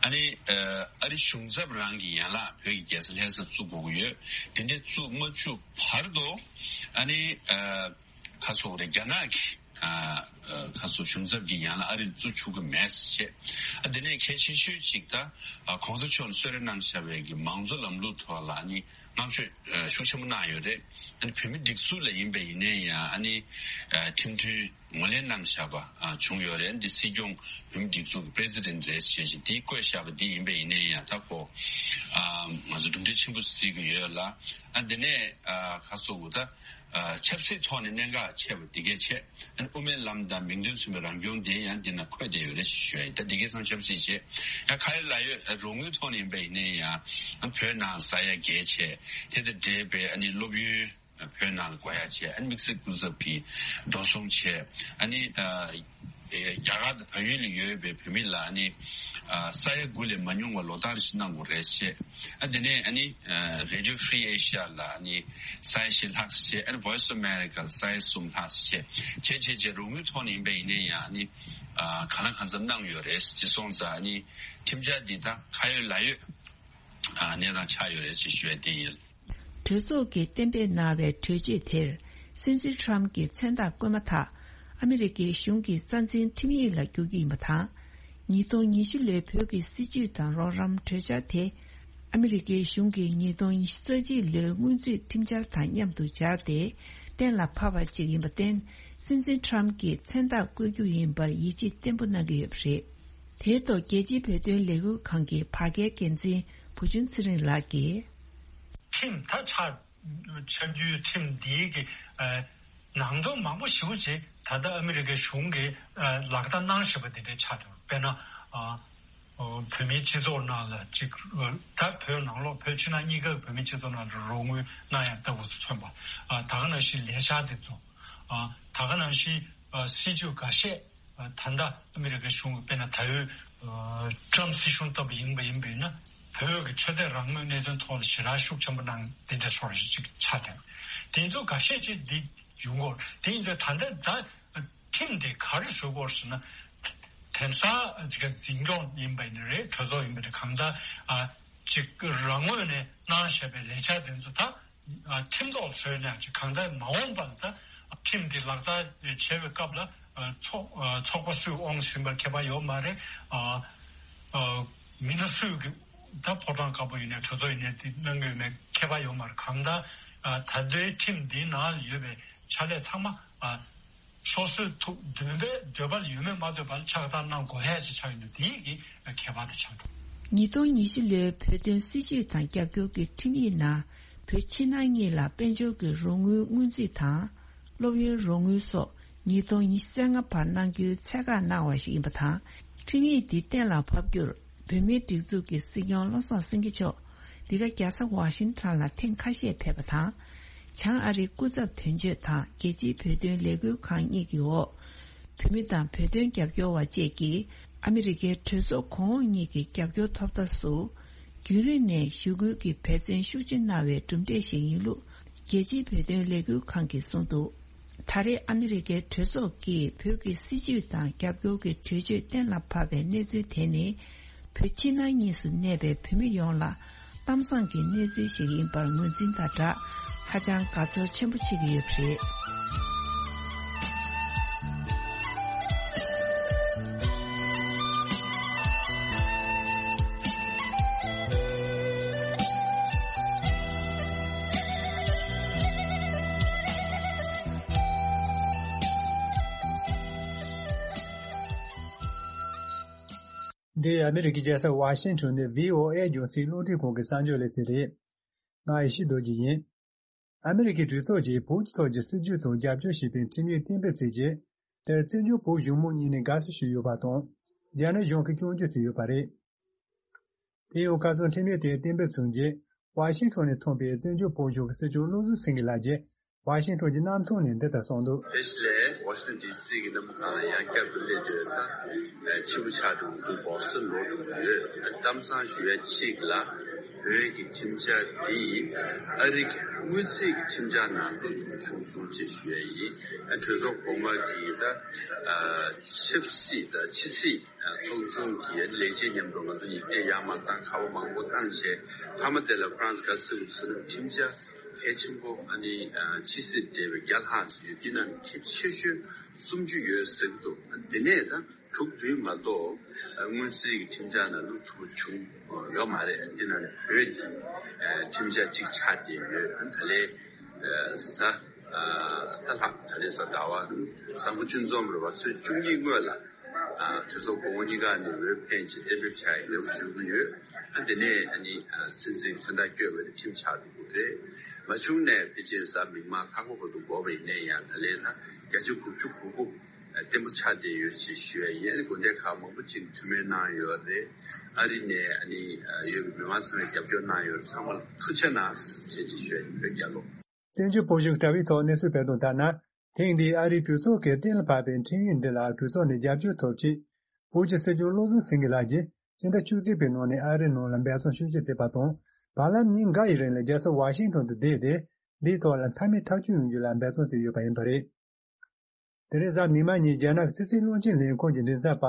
ཨ་ནི་ཨ་ཨ་རི་གཞུང་ཚབ་རང་གི་ཡན་ལག་བོད་ཀྱི་རྒྱལ་ས་ལྷ་ས་བཙུགས་དགོས་ཀྱི་ཡོད། དེ་འདྲའི་བཙུགས་མ་བཅུག་བར་དུ་ཨ་ནི་ཨ་ཁ་སོག་རེ་རྒྱ་ནག་གི་ཨ་ཨ་ཁ་སོག་གཞུང་ཚབ་ཀྱི་ཡན་ལག་ཨ་རིར་བཙུགས་ཆོག་གི་མེད་ཟེར་བྱས། ཨ་དེ་ནས་གལ་ཆེ་ཤོས་ཅིག་ད་ཨ་གོང་ས་མཆོག་ནས་གསོལ་རས་གནང་བཞག་པའི་གི་མང་གཙོ་ལམ་ལུགས་ཐོག་ལ་ཨ་ནི་བསྔགས་བརྗོད་ཨ་ཤུགས་ཆེན་པོ་གནང་ཡོད་རེད། ཨ་ནི་བོད་མི་སྒྲིག་འཛུགས་ལ་ཡིན་པ་ཡིན་ནའི་ཡང་ཨ་ནི་ཨ་ཁྲིམས་མཐུན་ངོས་ལེན་གནང་བཞག་པ་ཨ་བྱུང་ཡོད་རེད། འདི་སྲིད་སྐྱོང་བོད་མི་སྒྲིག་འཛུགས་ཀྱི་པི་རེ་སི་ཌེན་ཊི་རེད་ཅེས་བྱས་འདི་བཀོད་བཞག་པ་འདི་ཡིན་པ་ཡིན་ནའི་ཡང་ད་ཁོ་ཨ་ང་ཚོ་གྲུབ་འབྲས་ཆེན་པོ་གཟིགས་ཀྱི་ཡོད་ལ། ཨ་དེ་ནས་ཨ་ཁ་སོ་བོ་ད་ཨ་ཆབ་སྲིད་ཐོག་ནས་གནད་འགག་ཆེ་བ་འདི་གས་བྱས། ཨ་ནི་དབུ་མའི་ལམ་དང་མིང་དོན་མཚུངས་པའི་རང་སྐྱོང་དེ་ཡང་འདི་ན་འཁོད་བསྡད་ཡོད་རེད་ཞུ་ཡ་ཡིན། ད་འདི་གས་ཚང་ཆབ་སྲིད་བྱས། ཡང་ག་ཡེ་ལ་ཡོད་རོགས་དངུལ་ཐོག་ནས་ཡིན་པ་ཡིན་ནའི་ཡང་ཨ་བོད་ནང་ས་ཡ་བརྒྱད་བྱས། དེ་དང་འབྲེལ་བའི་ཨ་ནི་སློབ་ཡོན་བོད་ནང་ལ་དགོས་ཡ་བྱས། ཨ་ནི་དམིགས་བསལ་སྐུ་ཚབ་ཀྱིས་འགྲོ་སོང་བྱས། ཨ་ནི་ཨ་རྒྱ་གར་དང་བལ་ཡུལ་ལ་ཡོད་པའི་བོད་མི་ལ་ཨ་ནི་ཨ་ས་ཡ་དགུ་ལས་མ་ཉུང་བ་ལོ་ལྟར་ཞིག་གནང་དགོས་རེད་བཤད། ཨ་དེ་ནས་ཨ་ནི་ཨ་Radio Free Asia་ལ་ཨ་ནི་ས་ཡ་བཞི་ལྷག་བཤད། ཨ་ནི་Voice of America་ལ་ས་ཡ་གསུམ་ལྷག་བཤད། བྱས་བྱས་བྱས་རོགས་དངུལ་ཐོག་ནས་ཡིན་པ་ཡིན་ནའི་ཡང་ཨ་ནི་ཨ་གང་ལ་གང་འཚམ་གནང་ཡོད་རེད། ཅེས་སོང་ཙང་ཨ་ནི་ཁྲིམས་འཆར་འདི་དག་ག་ཡོད་ལ་ཡོད་ཨ་གནས་སྟངས་ཆགས་ཡོད་རེད་ཅེས་ཞུ་ཡ་དེ་ཡིན། གྲོས་ཚོགས་ཀྱིས་གཏན་འབེབས་གནང་བའི་གྲོས་ཆོད་དེར་སྲིད་འཛིན་ཁྲམ་གྱི་མཚན་རྟགས་བཀོད་མ་ཐག་ཨ་མི་རི་ཀའི་གཞུང་གི་རྩ་འཛིན་ཁྲིམས་ཡིག་ལ་འགྱུར་རྒྱུ་ཡིན་པ་དང་། ཉིས་སྟོང་ཉི་ཤུ་ལོའི་བོད་ཀྱི་སྲིད་བྱུས་དང་རོགས་རམ་གྲོས་འཆར་དེ་ཨ་མི་རི་ཀའི་གཞུང་གི་ཉིས་སྟོང་ཉི་ཤུ་རྩ་གཅིག་ལོའི་སྔོན་རྩིས་ཁྲིམས་འཆར་དང་མཉམ་དུ་སྦྱར་ཏེ་གཏན་ལ་ཕབ་པ་ཅིག་ཡིན་པར་བརྟེན། སྲིད་འཛིན་ཁྲམ་གྱི་མཚན་རྟགས་བཀོད་རྒྱུ་ཡིན་པར་ཡིད་ཆེས་བརྟན་པོ་གནང་གི་ཡོད་པ་རེད། དེའི་ཐོག་རྒྱལ་སྤྱིའི་བོད་དོན་ལས་འགུལ་ཁང་གི་བར་བརྒལ་འགན་འཛིན་བུ་ཆུང་ཚེ་རིང་ལགས་ཀྱིས། ཁྲིམས་ད་ཆགས། ཆགས་རྒྱུའི་ཁྲིམས་འདིའི་གི་ཨ་ནང་དོན་མང་པོ་ཞེ་པོ་ཅིག་ད་ལྟ་ཨ་མི་རི་ཀའི་གཞུང་གིས་ཨ་ལག་བསྟར་གནང་བཞིན་པ་འདི་འདྲའི་ཆགས་འདུག་དཔེར་ན་ཨ་བོད་མིའི་སྤྱི་ཚོགས་ནང་ལ་ཅིག་ད་བོད་ནང་ལོགས་བོད་ཕྱི་ནང་གཉིས་ཀ་བོད་མིའི་སྤྱི་ཚོགས་ནང་ལ་རོགས་དངུལ་གནང་ཡ་ལྟ་བུ་ཚོ་མཚོན་པ། ཨ་ད་ག་ནང་བཞིན་ལས་འཆར་འདི་ཚོ། ཨ་ད་ག་ནང་བཞིན་ཨ་སྲིད་བྱུས་འགའ་ཤས། ད་ལྟ་ཨ་མི་རི་ཀའི་གཞུང་གིས་དཔེར་ན་ད་ཡོད་ཨ་ཊམ་སྲིད་གཞུང་ལྟ་བུ་ཡིན་པ་ཡིན་པས་ན། བོད་ཀྱི་ཆོས་དད་རང་མོས་གནད་དོན་ཐོག་ལ་ཞེ་དྲག་ཤུགས་ཆེན་པོ་གནང་དེ་འདྲ་སོགས་ཅིག་ཆགས་བསྡད། དེ་ཚོ་འགའ་ཤས་ཅིག་འདི་ཡོང་གི་ཡོད་རེད། དེ་ཡིན་དུས་ད་ལྟ་ད་ཁྲིམས་དེ་ག་རེ་བཟོ་དགོས་ཟེར་ན། དེང་སང་ཅིག་འཛིན་སྐྱོང་ཡིན་པ་ཡིན་ན་རེད། གྲོས་ཚོགས་ཡིན་པ་རེད། གང་ལྟར་ཨ་ཅིག་རང་ངོས་ནས་གནང་བཞག་པའི་ལས་འཆར་དེ་ཚོ་ད། ཁྲིམས་ཐོག་བཟོས་ནས་ཅིག་གང་ལྟར་མ་འོངས་པར་ད་ཁྲིམས་འདི་ལག་བསྟར་བྱེད་པའི་སྐབས་ལ་ཚོགས་ཚོགས་པ་སུས་དབང་ཟིན་པར་ཁྱད་པར་ཡོད་མ་རེད། མི་སྣ་སུས་ཀྱི་ད་ཕོ་བྲང་དཀར་པོ་ཡིན་ནའི་གྲོས་ཚོགས་ཡིན་ནའི་འདི་གནང་གི་ཡོད་མེད་ཁྱད་པར་ཡོད་མ་རེད། གང་ལྟར་ད་ལྟའི་ཁྲིམས་འདིའི་ནང་ལ་ཡོད་པའི་ཕྱག་ལས་ཚང་མ། སོ་སོའི་ཐུགས་འདུན་པའི་འདོད་པ་ལ་ཡོད་མེད་མ་ལྟོས་པར་ཕྱག་བསྟར་གནང་དགོས་ཡ་ཅིག་ཆགས་ཡོད་འདུག་དེའི་གི་ཁྱད་པར་དེ་ཆགས་འདུག་ཉིས་སྟོང་ཉི་ཤུ་ལོའི་བོད་དོན་སྲིད་བྱུས་དང་རྒྱབ་སྐྱོར་གྱི་ཁྲིམས་ཡིག་ནང་བོད་ཕྱི་ནང་གཉིས་ལ་དཔལ་འབྱོར་གྱི་རོགས་དངུལ་སྔོན་རྩིས་དང་། སློབ་ཡོན་རོགས་དངུལ་སོགས་ཉིས་སྟོང་ཉི་ཤུ་རྩ་ལྔ་བར་གནང་རྒྱུའི་ཚད་བཀག་གནང་བ་ཞིག་ཡིན་པ་དང་། ཁྲིམས་ཡིག་འདི་གཏན་ལ་ཕབ་རྒྱུར། བོད་མིའི་སྒྲིག་འཛུགས་ཀྱི་སྲིད་སྐྱོང་བློ་བཟང་སེང་གེ་མཆོག་འདི་ག་རྒྱལ་ས་ཝ་ཤིང་ཊོན་ལ་ཐེངས་ཁ་ཤས་ཕེབས་པ་དང་། བྱང་ཨ་རིའི་སྐུ་ཚབ་དོན་གཅོད་དང་རྒྱལ་སྤྱིའི་བོད་དོན་ལས་འགུལ་ཁང་གཉིས་ཀྱི་འོག་བོད་མི་དང་བོད་དོན་རྒྱབ་སྐྱོར་བ་བཅས་ཀྱིས་ཨ་མི་རི་ཀའི་གྲོས་ཚོགས་གོང་འོག་གཉིས་ཀྱི་རྒྱབ་སྐྱོར་ཐོབ་ཐབས་སུ། རྒྱུན་རིང་ནས་ཞུ་སྐུལ་གྱི་འབད་བརྩོན་ཤུགས་ཆེ་གནང་བའི་གྲུབ་འབྲས་ཤིག་ཡིན་ལུགས་རྒྱལ་སྤྱིའི་བོད་དོན་ལས་འགུལ་ཁང་གིས་གསུངས་འདུག་ད་རེས་ཨ་མི་རི་ཀའི་གྲོས་ཚོགས་ཀྱིས་བོད་ཀྱི་སྲིད་བྱུས་དང་རྒྱབ་སྐྱོར་གྱི་གྲོས་ཆོད་གཏན་ལ་ཕབ་པའི་གནས་ཚུལ་དེ་ནི། བོད་ཕྱི་ནང་གཉིས་སུ་གནས་པའི་བོད་མི་ཡོངས་ལ་གཏམ་བཟང་གི་གནས་ཚུལ་ཞིག་ཡིན་པར་ངོས་འཛིན་དང་སྦྲགས། ཧ་ཅང་དགའ་ཚོར་ཆེན་པོ་བྱེད་ཀྱི་ཡོད་པ་རེད། འདི་ཨ་མི་རི་ཀའི་རྒྱལ་ས་ཝ་ཤིང་ཊོན་ནས་ཝི་ཨོ་ཨེ་རྒྱང་སྲིང་རླུང་འཕྲིན་ཁང་གི་གསར་འགྱུར་ལེ་ཚན་རེད། ང་ཡེ་ཤེས་རྡོ་རྗེ་ཡིན། ཨ་མི་རི་ཀའི་གྲོས་ཚོགས་ཀྱིས་བོད་ཀྱི་ཐོག་གི་སྲིད་ཇུས་དང་རྒྱབ་སྐྱོར་བྱེད་པའི་ཁྲིམས་ཡིག་གཏན་འབེབས་བྱས་རྗེས། དེར་བཙན་བྱོལ་བོད་གཞུང་མང་གཉིས་ནས་དགའ་བསུ་ཞུས་ཡོད་པ་དང་། རྒྱ་ནག་གཞུང་གིས་སྐྱོན་བརྗོད་བྱས་ཡོད་པ་རེད། དེ་ཡང་ཁ་སང་ཁྲིམས་ཡིག་དེ་གཏན་འབེབས་བྱུང་རྗེས། ཝ་ཤིང་ཊོན་ནས་ཐོན་པའི་བཙན་བྱོལ་བོད་གཞུང་གི་སྲིད་སྐྱོང་བློ་བཟང་སེང་གེ་ལགས་ཀྱིས་ཝ་ཤིང་ཊོན་གྱི་གནམ་ཐང་ནས་འདི་ལྟར་གསུངས་འདུག། ཕེ་ཤི་ལས་ཝ་ཤིང་ཊོན་ཌི་སི་གི་གནམ་ཐང་ལ་ཡང་བསྐྱར་དུ་སླེབས་དུས་ད་ཕྱི་པོ་ཆགས་འགྲོ་གི་འདུག། སྦོག་སི་འགྲོ་འགྲོ་གི་ཡོད། གཏམ་བཟང་ཞུ་ཡ་གཅིག་ལ་བོད་ཀྱི་ཁྲིམས་འཆར་འདི་ཨ་རི་གི་དངུལ་རྩིས་ཀྱི་ཁྲིམས་འཆར་ནང་བླུགས་ཐུབ་བྱུང་སོང་ཅེས་ཞུ་ཡ་ཡིན། གྲོས་ཚོགས་གོང་མ་གི་ད་ཆབ་སྲིད་དང་ཕྱི་སྲིད། ཚོགས་ཆུང་གི་ལས་བྱེད་མཉམ་དུ་ང་ཚོ་ཡིག་ཆ་ཡར་མར་བཏང་། ཁ་པར་མང་པོ་བཏང་བྱས། མཐའ་མ་དེ་ལ་ཧྥ་རན་སི་ག་སི་ཟེར་ན་ཁྲིམས་འཆར་གལ་ཆེན་པོ། ཨ་ནི་ཕྱི་སྲིད་འབྲེལ་བའི་བརྒྱ་ལྷག་ཙམ་ཡོད། དེ་ནང་གལ་ཆེ་ཤོས་སུམ་ཅུ་ཡོད་ཟེར་གྱི་འདུག། དེ་ནས་ད་དྲུག་བདུན་མ་གཏོགས་དངུལ་རྩིས་ཀྱི་ཁྲིམས་འཆར་ནང་བླུགས་ཐུབ་བྱུང་ཡོད་མ་རེད། དེ་ནང་ནས་བོད་ཀྱི་ཁྲིམས་འཆར་གཅིག་ཆགས་བསྡད་ཡོད། ད་ལས་ད་ལྷག་ད་ལས་ས་ཟླ་བ་བཟང་པོ་ཅུང་འཛོམས་རེད་བ། ཚེས་བཅུ་གཉིས་སྔོན་ལ་གྲོས་ཚོགས་གོང་འོག་གཉིས་ཀ་ནས་འོས་འཕེན་ཆེད་གཏན་འབེབས་བྱ་ཡི་ལེའུ་ཞུ་གི་ཡོད། ཨ་དེ་ནས་ཨ་ནི་སྲིད་འཛིན་མཚན་རྟགས་བསྐྱོན་པ་དེ་ཁྲིམས་ཆགས་འགྲོ་གི་རེད། མ་བྱུང་ནས་ཕལ་ཆེར་གཟའ་མིག་དམར་ཁ་ཁོག་བར་དུ་འགོར་བ་ཡིན་ན་ཡང་། ད་ལན་ན་བརྒྱ་ཆ་དགུ་བཅུ་གོ་དགུ་བརྟན་པོ་ཆགས་བསྡད་ཡོད་ཅེས་ཞུ་ཡ་ཡིན། ཨ་ནི་དགོན་སྡེ་ཁག་མང་པོ་ཅིག་ཐུགས་སྨོན་གནང་ཡོད་རེད། ཨ་རི་ནས་ཨ་ནི་ཡོད་པའི་མི་མང་ཚང་མས་རྒྱབ་སྐྱོར་གནང་ཡོད་རེད། ཚང་མ་ལ་ཐུགས་རྗེ་ཆེ་གནང་ཞེས་ཅིག་ཞུ་ཡ་ཡིན། བོད་རྒྱལ་ལོ། བཙན་བྱོལ་བོད་གཞུང་དྲ་བའི་ཐོག་གནས་ཚུལ་སྤེལ་དོན་ལྟར་ན། ཐེངས་འདིའི་ཨ་རིའི་གྲོས་ཚོགས་ཀྱིས་གཏན་ལ་ཕབ་པའི་ཁྲིམས་ཡིག་འདི་ལ་གྲོས་ཚོགས་ནས་རྒྱབ་སྐྱོར་ཐོབ་ཆེད། བོད་ཀྱི་སྲིད་སྐྱོང་བློ་བཟང་སེང་གེ་ལགས་ཀྱིས་ཕྱི་ཟླ་བཅུ་གཅིག་པའི་ནང་ནས་ཨ་རིའི་ནང་ལ་འབད་བརྩོན་ཤུགས་ཆེ་བྱས་པ་དང་། བར་ལམ་ཉིན་འགའ་ཡི་རིང་ལ་རྒྱལ་ས་ཝ་ཤིང་ཊོན་དུ་བསྡད་དེ། འདིའི་ཐོག་ལ་མཐའ་མའི་ཐག་གཅོད་ཡོང་རྒྱུ་ལ་འབད་བརྩོན་བྱས་ཡོད་པ་ཡིན་པ་རེད། དེ་རིང་གཟའ་མིག་དམར་ཉིན་རྒྱ་ནག་གི་ཕྱི་སྲིད་བློན་ཆེན་ལས་ཁུངས་ཀྱི་མགྲིན་ཚབ་པ་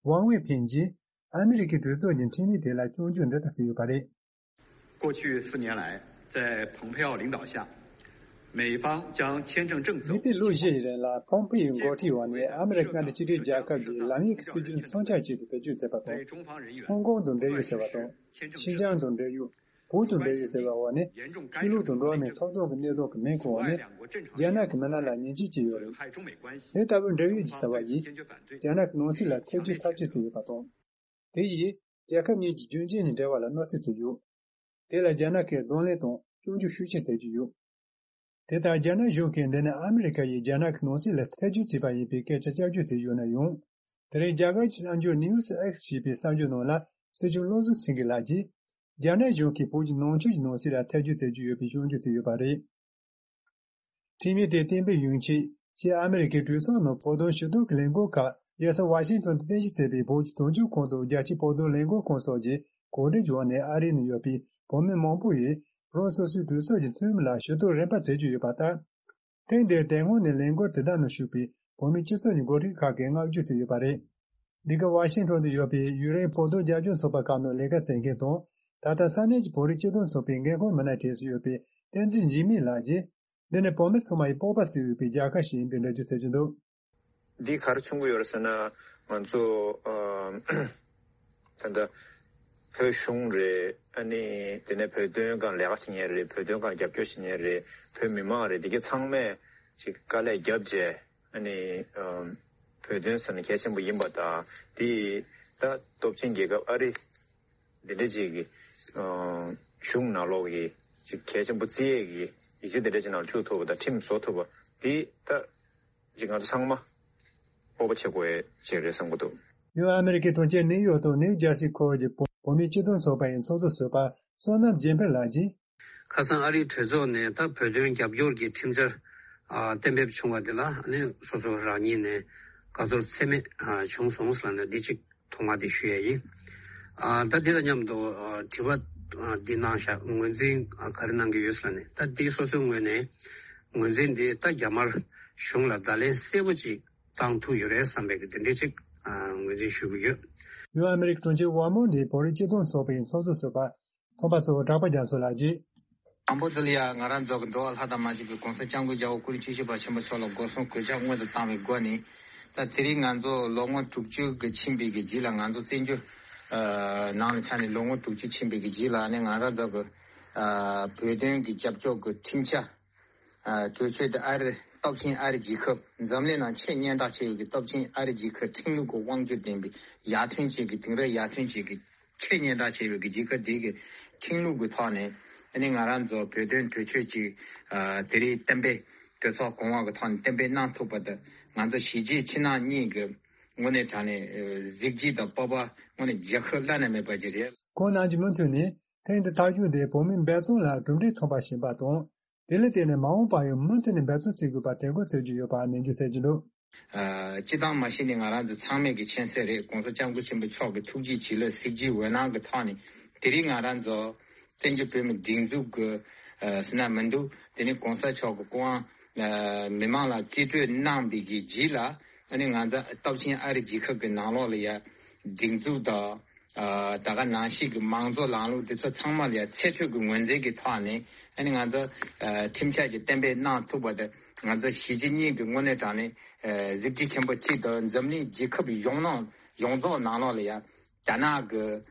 ཝང་ཝེ་ཕིན་གྱིས་ཨ་མི་རི་ཀའི་གྲོས་ཚོགས་ཀྱི་ཁྲིམས་ཡིག་དེ་ལ་སྐྱོན་བརྗོད་འདི་ལྟར་བྱས་ཡོད་པ་རེད། 过去四年来，在蓬佩奥领导下，美方将签证政策 མི་ཕྱེད་ལོ་བཞི་ཡི་རིང་ལ་ཕོམ་ཕེ་ཡི་འགོ་ཁྲིད་འོག་ནས་ཨ་མི་རི་ཀ་མཉམ་འབྲེལ་རྒྱལ་ཁབ་ཀྱི་ལམ་ཡིག་གི་སྲིད་ཇུས་མཚོན་ཆ་གཅིག་ཏུ་བེད་སྤྱོད་མཛད་པ་དང་། ཧོང་ཀོང་དང་འབྲེལ་ཡོད་ཟེར་བ་དང་། ཤིན་ཅང་དང་འབྲེལ་ཡོད། བོད་དང་འབྲེལ་ཡོད་ཟེར་བའི་འོག་ནས་ཆོས་ལུགས་དང་འགྲོ་བ་མིའི་ཐོབ་ཐང་གི་གནས་སྟངས་ཀྱི་སྨན་ཁང་འོག་ནས་རྒྱ་ནག་གི་མི་སྣ་ལ་ཉེས་ཆད་བཅད་ཡོད་རེད། དེ་ལྟ་བུའི་འབྲེལ་ཡོད་ཀྱི་བྱ་བ་ཡིས་རྒྱ་ནག་གི་ནང་སྲིད་ལ་ཐེ་ཇུས་ཚབས་ཆེ་བྱས་ཡོད་པ་དང་། དེ་ཡིས་རྒྱལ་ཁབ་གཉིས་ཀྱི་རྒྱུན་གཅིག་གཉིས་འབྲེལ་བ་ལ་གནོད་འཚེ་བྱས་ཡོད། དེ་ལ་རྒྱ་ནག་གིས་གདོང་ལེན་དང་སྐྱོན་བརྗོད་ཤུགས་ཆེ་བྱེད་ཀྱི་ཡོད། དེ་ལྟར་རྒྱ་ནག་གཞུང་གིས་འདི་ནི་ཨ་མི་རི་ཀ་ཡིས་རྒྱ་ནག་གི་ནང་སྲིད་ལ་ཐེ་ཇུས་བྱས་པ་ཡིན་པའི་སྐད་ཆ་བསྐྱར་བརྗོད་བྱས་ཡོད་ན་ཡང་། དེ་རིང་རྒྱ་གར་གྱི་གསར་འགྱུར་News X ཞེས་པའི་གསར་འགྱུར་ནང་ལ་སྲིད་སྐྱོང་བློ་བཟང་སེང་གེ་ལགས་ཀྱིས། རྒྱ་ནག་གཞུང་གིས་བོད་ཀྱི་ནང་ཆོས་ཀྱི་ནང་སྲིད་ལ་ཐེ་ཇུས་བྱེད་ཀྱི་ཡོད་པའི་སྐྱོན་བརྗོད་བྱས་ཡོད་པ་རེད། ཁྲིམས་ཡིག་དེ་གཏན་འབེབས་ཡོང་ཆེད་ཕྱི་ཨ་མི་རི་ཀའི་གྲོས་ཚོགས་ནང་བོད་དོན་ཞུ་གཏུག་གི་ལས་འགུལ་ཁག་རྒྱལ་ས་ཝ་ཤིང་ཊོན་དུ་རྟེན་གཞི་བྱས་པའི་བོད་ཀྱི་དོན་གཅོད་ཁང་དང་རྒྱལ་སྤྱིའི་བོད་དོན་ལས་འགུལ་ཁང་སོགས་ཀྱིས་གོ་སྒྲིག་བྱས་ནས་ཨ་རི་ནང་ཡོད་པའི་བོད་མི་མང་པོ་ཡིས་རང་སོ་སོའི་གྲོས་ཚོགས་ཀྱི་འཐུས་མི་ལ་ཞུ་གཏུག་རིམ་པ་བྱེད་ཀྱི་ཡོད་པ་ལྟར། ཐེངས་འདིར་དེ་སྔོན་ནས་ལས་འགུལ་དེ་དག་ནང་ཞུགས་པའི་བོད་མིའི་སྤྱི་ཚོགས་ཀྱི་འགོ་ཁྲིད་ཁག་གིས་བསྔགས་བརྗོད་བྱས་ཡོད་པ་རེད། འདི་ག་ཝ་ཤིང་ཊོན་དུ་ཡོད་པའི་ཡུན་རིང་བོད་དོན་རྒྱབ་སྐྱོར་ཚོགས་པ་ཁག་ནང་ལས་ཀ་བྱེད་མཁན་དང་། ད་ལྟ་ས་གནས་ཀྱི་བོད་རིགས་སྤྱི་མཐུན་ཚོགས་པའི་འགན་འཁུར་མི་སྣ་གྲས་སུ་ཡོད་པའི་བསྟན་འཛིན་འཇིགས་མེད་ལགས་ཀྱིས། འདི་ནི་བོད་མི་ཚང་མ་ཡི་སྤོབས་པ་བརྩི་འོས་པའི་རྒྱལ་ཁ་ཞིག་ཡིན་པའི་འགྲེལ་བརྗོད་བྱེད་ཀྱི་འདུག། འདི་ག་རེ་མཚོན་གྱི་ཡོད་རེད་ཟེར་ན། ང་ཚོ་ཨ་ད་ལྟ་བོད་གཞུང་རེད། ཨ་ནི་དེ་ནས་བོད་དོན་སྒང་ལས་ཀ་བྱེད་མཁན་རེད། བོད་དོན་སྒང་རྒྱབ་སྐྱོར་བྱེད་མཁན་རེད། བོད་མི་མང་རེད། འདི་ག་ཚང་མས་ཅིག་དཀའ་ལས་བརྒྱབ་བྱས། ཨ་ནི་ཨམ་བོད་དོན་ཟེར་ན་གལ་ཆེན་པོ་ཡིན་པ་དང་། དེ་ད་སྟོབས་ཆེན་རྒྱལ་ཁབ་ཨ་རི་འདི་འདྲ་ཅིག་གི་ཨམ་གཞུང་ནང་ལོགས་ཀྱི་ཅིག་གལ་ཆེན་པོ་བརྩི་ཡས་ཀྱི་ཡིག་ཆ་འདི་འདྲ་ཅིག་ནང་བཅུག་ཐུབ་པ་དང་ཁྲིམས་བཟོ་ཐུབ་པ་འདི་ད་ཅིག་ང་ཚོ་ཚང་མ་སྤོབས་པ་བྱེད་དགོས་ཡས་ཅིག་རེད་བསམ་གྱི་འདུག། ཡང་ཨ་མི་རི་ཀའི་དོན་རྐྱེན་ནིའུ་ཡོག་དང་ནིའུ་ཇར་སི་ཁུལ་གྱི་བོད་མིའི་སྤྱི་མཐུན་ཚོགས་པ་ཡི་ཚོགས་གཙོ་ཟུར་པ་བསོད་ནམས་རྒྱལ་འཕེལ་ལགས་ཀྱིས། ཁ་སང་ཨ་རིའི་གྲོས་ཚོགས་ནས་ད་བོད་དོན་རྒྱབ་སྐྱོར་གྱི་ཁྲིམས་འཆར་ཨ་གཏན་འབེབས་བྱུང་བ་དེ་ལ་ཨ་ནི་སོ་སོ་རང་ཉིད་ནས་དགའ་ཚོར་ཚད་མེད་ཨ་བྱུང་སོང་ལབ་ནས་འདི་གཅིག་ཐོག་མ་དེ་ཞུ་ཡས་ཡིན། ཨ་ད་འདི་དང་མཉམ་དུ་ཨ་དྲི་བ་ཨ་འདི་གནང་ཤག། ངོས་འཛིན་ཨ་ག་རེ་གནང་གི་ཡོད་ལབ་ནས། ད་འདི་སོ་སོའི་ངོས་ནས་ངོས་འཛིན་འདི་ད་རྒྱ་དམར་གཞུང་ལ་བརྡ་ལན་གསལ་པོ་ཅིག་བཏང་ཐུབ་ཡོད་རེད་བསམ་པའི་གི་དེ་འདྲའི་ཅིག་ཨ་ངོས་འཛིན་ཞུ་གི་ཡོད། ཡུལ་ཨ་མི་རི་ཀའི་གྲོང་ཁྱེར་ཝར་མོན་ཊི་བོད་རིགས་སྤྱི་མཐུན་ཚོགས་པའི་ཚོགས་གཙོ་ཟུར་པ་ཐོན་པ་གཙོ་བོ་གྲགས་པ་རྒྱ་མཚོ་ལགས་ཀྱིས། དང་པོ་དེ་ལ་ཡང་ང་རང་ཚོ་གི་འགྲོ་བ་ལྷ་དང་མ་གཅིག་པའི་༸གོང་ས་༸སྐྱབས་མགོན་རྒྱལ་བ་སྐུ་ཕྲེང་བཅུ་བཞི་པ་ཆེན་པོ་མཆོག་ལ་སྒོ་གསུམ་གུས་ཕྱག་སྔོན་དུ་བཏང་བའི་སྒོ་ནས། ད་དེ་རིང་ང་ཚོ་ལོ་ངོ་དྲུག་ཅུ་གི་ཕྱིན་པའི་གི་རྗེས་ལ། ང་ཚོ་བཙན་བྱོལ་ནང་ལ་ཆགས་ནས་ལོ་ངོ་དྲུག་ཅུ་ཕྱིན་པའི་གི་རྗེས་ལ་ནི། ང་རང་ཚོ་གི་བོད་དོན་གྱི་རྒྱབ་སྐྱོར་གྱི་ཁྲིམས་འཆར། གྲོས་ཆོད་དེ་ཨ་རི་སྟོབས་ཆེན་ཨ་རི་རྒྱལ་ཁབ། འཛམ་གླིང་ནང་ཆེས་སྙན་གྲགས་ཆེ་བའི་གི་སྟོབས་ཆེན་ཨ་རི་རྒྱལ་ཁབ་ཁྲིམས་ལུགས་ཀྱི་དབང་སྒྱུར་ལྡན་པའི་ཡར་ཐོན་ཅན་གྱི། དེང་རབས་ཡར་ཐོན་ཅན་གྱི་ཆེས་སྙན་གྲགས་ཆེ་བའི་གི་རྒྱལ་ཁབ་དེའི་གི་ཁྲིམས་ལུགས་ཀྱི་ཐོག་ནས། ཨ་ནི་ང་རང་ཚོ་བོད་དོན་གྲོས་ཆོད་ཅིག་དེ་རིང་གཏན་འབེབས། གྲོས་ཚོགས་གོང་འོག་གི་ཐོག་ནས་གཏན་འབེབས་གནང་ཐུབ་པ་དང་། ང་ཚོ་གཞིས་བྱེས་ཕྱི་ནང་གཉིས་ཀྱི་དངོས་གནས་དྲང་གནས་གཟི་བརྗིད་དང་སྤོབས་པ་དངོས་གནས་རྒྱལ་ཁབ་བླ་ན་མེད་པ་ཅིག་རེད། ཁོང་ནམ་རྒྱུན་མུ་མཐུད་ནས་ཐེངས་འདི་ཐག་གཅོད་དེ་བོད་མིའི་འབད་བརྩོན་ལ་གྲུབ་འབྲས་ཐོན་པ་ཞིག་ཡིན་པ་དང་། དེ་ལ་བརྟེན་ནས་མ་འོངས་པར་ཡང་མུ་མཐུད་ནས་འབད་བརྩོན་བྱེད་དགོས་པར་དྲན་སྐུལ་ཞུ་རྒྱུ་ཡོད་པ་ནན་གྱིས་གསལ་གྱི་འདུག། ཨ། སྤྱི་བཏང་མ་གཞི་ནས་ང་རང་ཚོ་ཚང་མས་ཀྱི་མཁྱེན་གསལ་རེད། ༸གོང་ས་༸སྐྱབས་མགོན་ཆེན་པོ་མཆོག་གི་ཐུགས་རྗེ་བྱིན་རླབས་གཟི་བརྗིད་འོད་སྣང་གི་ཐོག་ནས། དེ་རིང་ང་རང་ཚོ་བཙན་བྱོལ་བོད་མིའི་སྒྲིག་འཛུགས་ཀྱི་ཟེར་ན་མི་འདུག། དེ་ནི་༸གོང་ས་མཆོག་གི་སྐུ་དབང་མི་མང་ལ་རྩིས་སྤྲོད་གནང་བའི་གི་རྗེས་ལ། ཨ་ནི་ང་ཚོ་སྟོབས་ཆེན་ཨ་རི་རྒྱལ་ཁབ་ཀྱི་ནང་ལོགས་ལ་ཡ་སྒྲིག་འཛུགས་དང་། ཨ། ད་ག་ནང་བཞིན་གྱི་མང་གཙོ་ལམ་ལུགས་དེ་ཚོ་ཚང་མ་ལ་ཡང་ཚད་མཐོའི་གི་ངོས་འཛིན་གྱི་ཐོག་ནས། ཨ་ནི་ང་ཚོ་ཨ་ཁྲིམས་འཆར་གྱི་གཏན་འབེབས་གནང་ཐུབ་པ་དེ། ང་ཚོ་གཞིས་བྱེས་གཉིས་ཀྱི་དངོས་གནས་དྲང་གནས་ཨ་གཟི་བརྗིད་ཆེན་པོ་གཅིག་དང་། འཛམ་གླིང་རྒྱལ་ཁབ་ཡོངས་ནང་ཡོངས་རྫོགས་ནང་ལོགས་ལ་ཡང་རྒྱ་ནག་གི་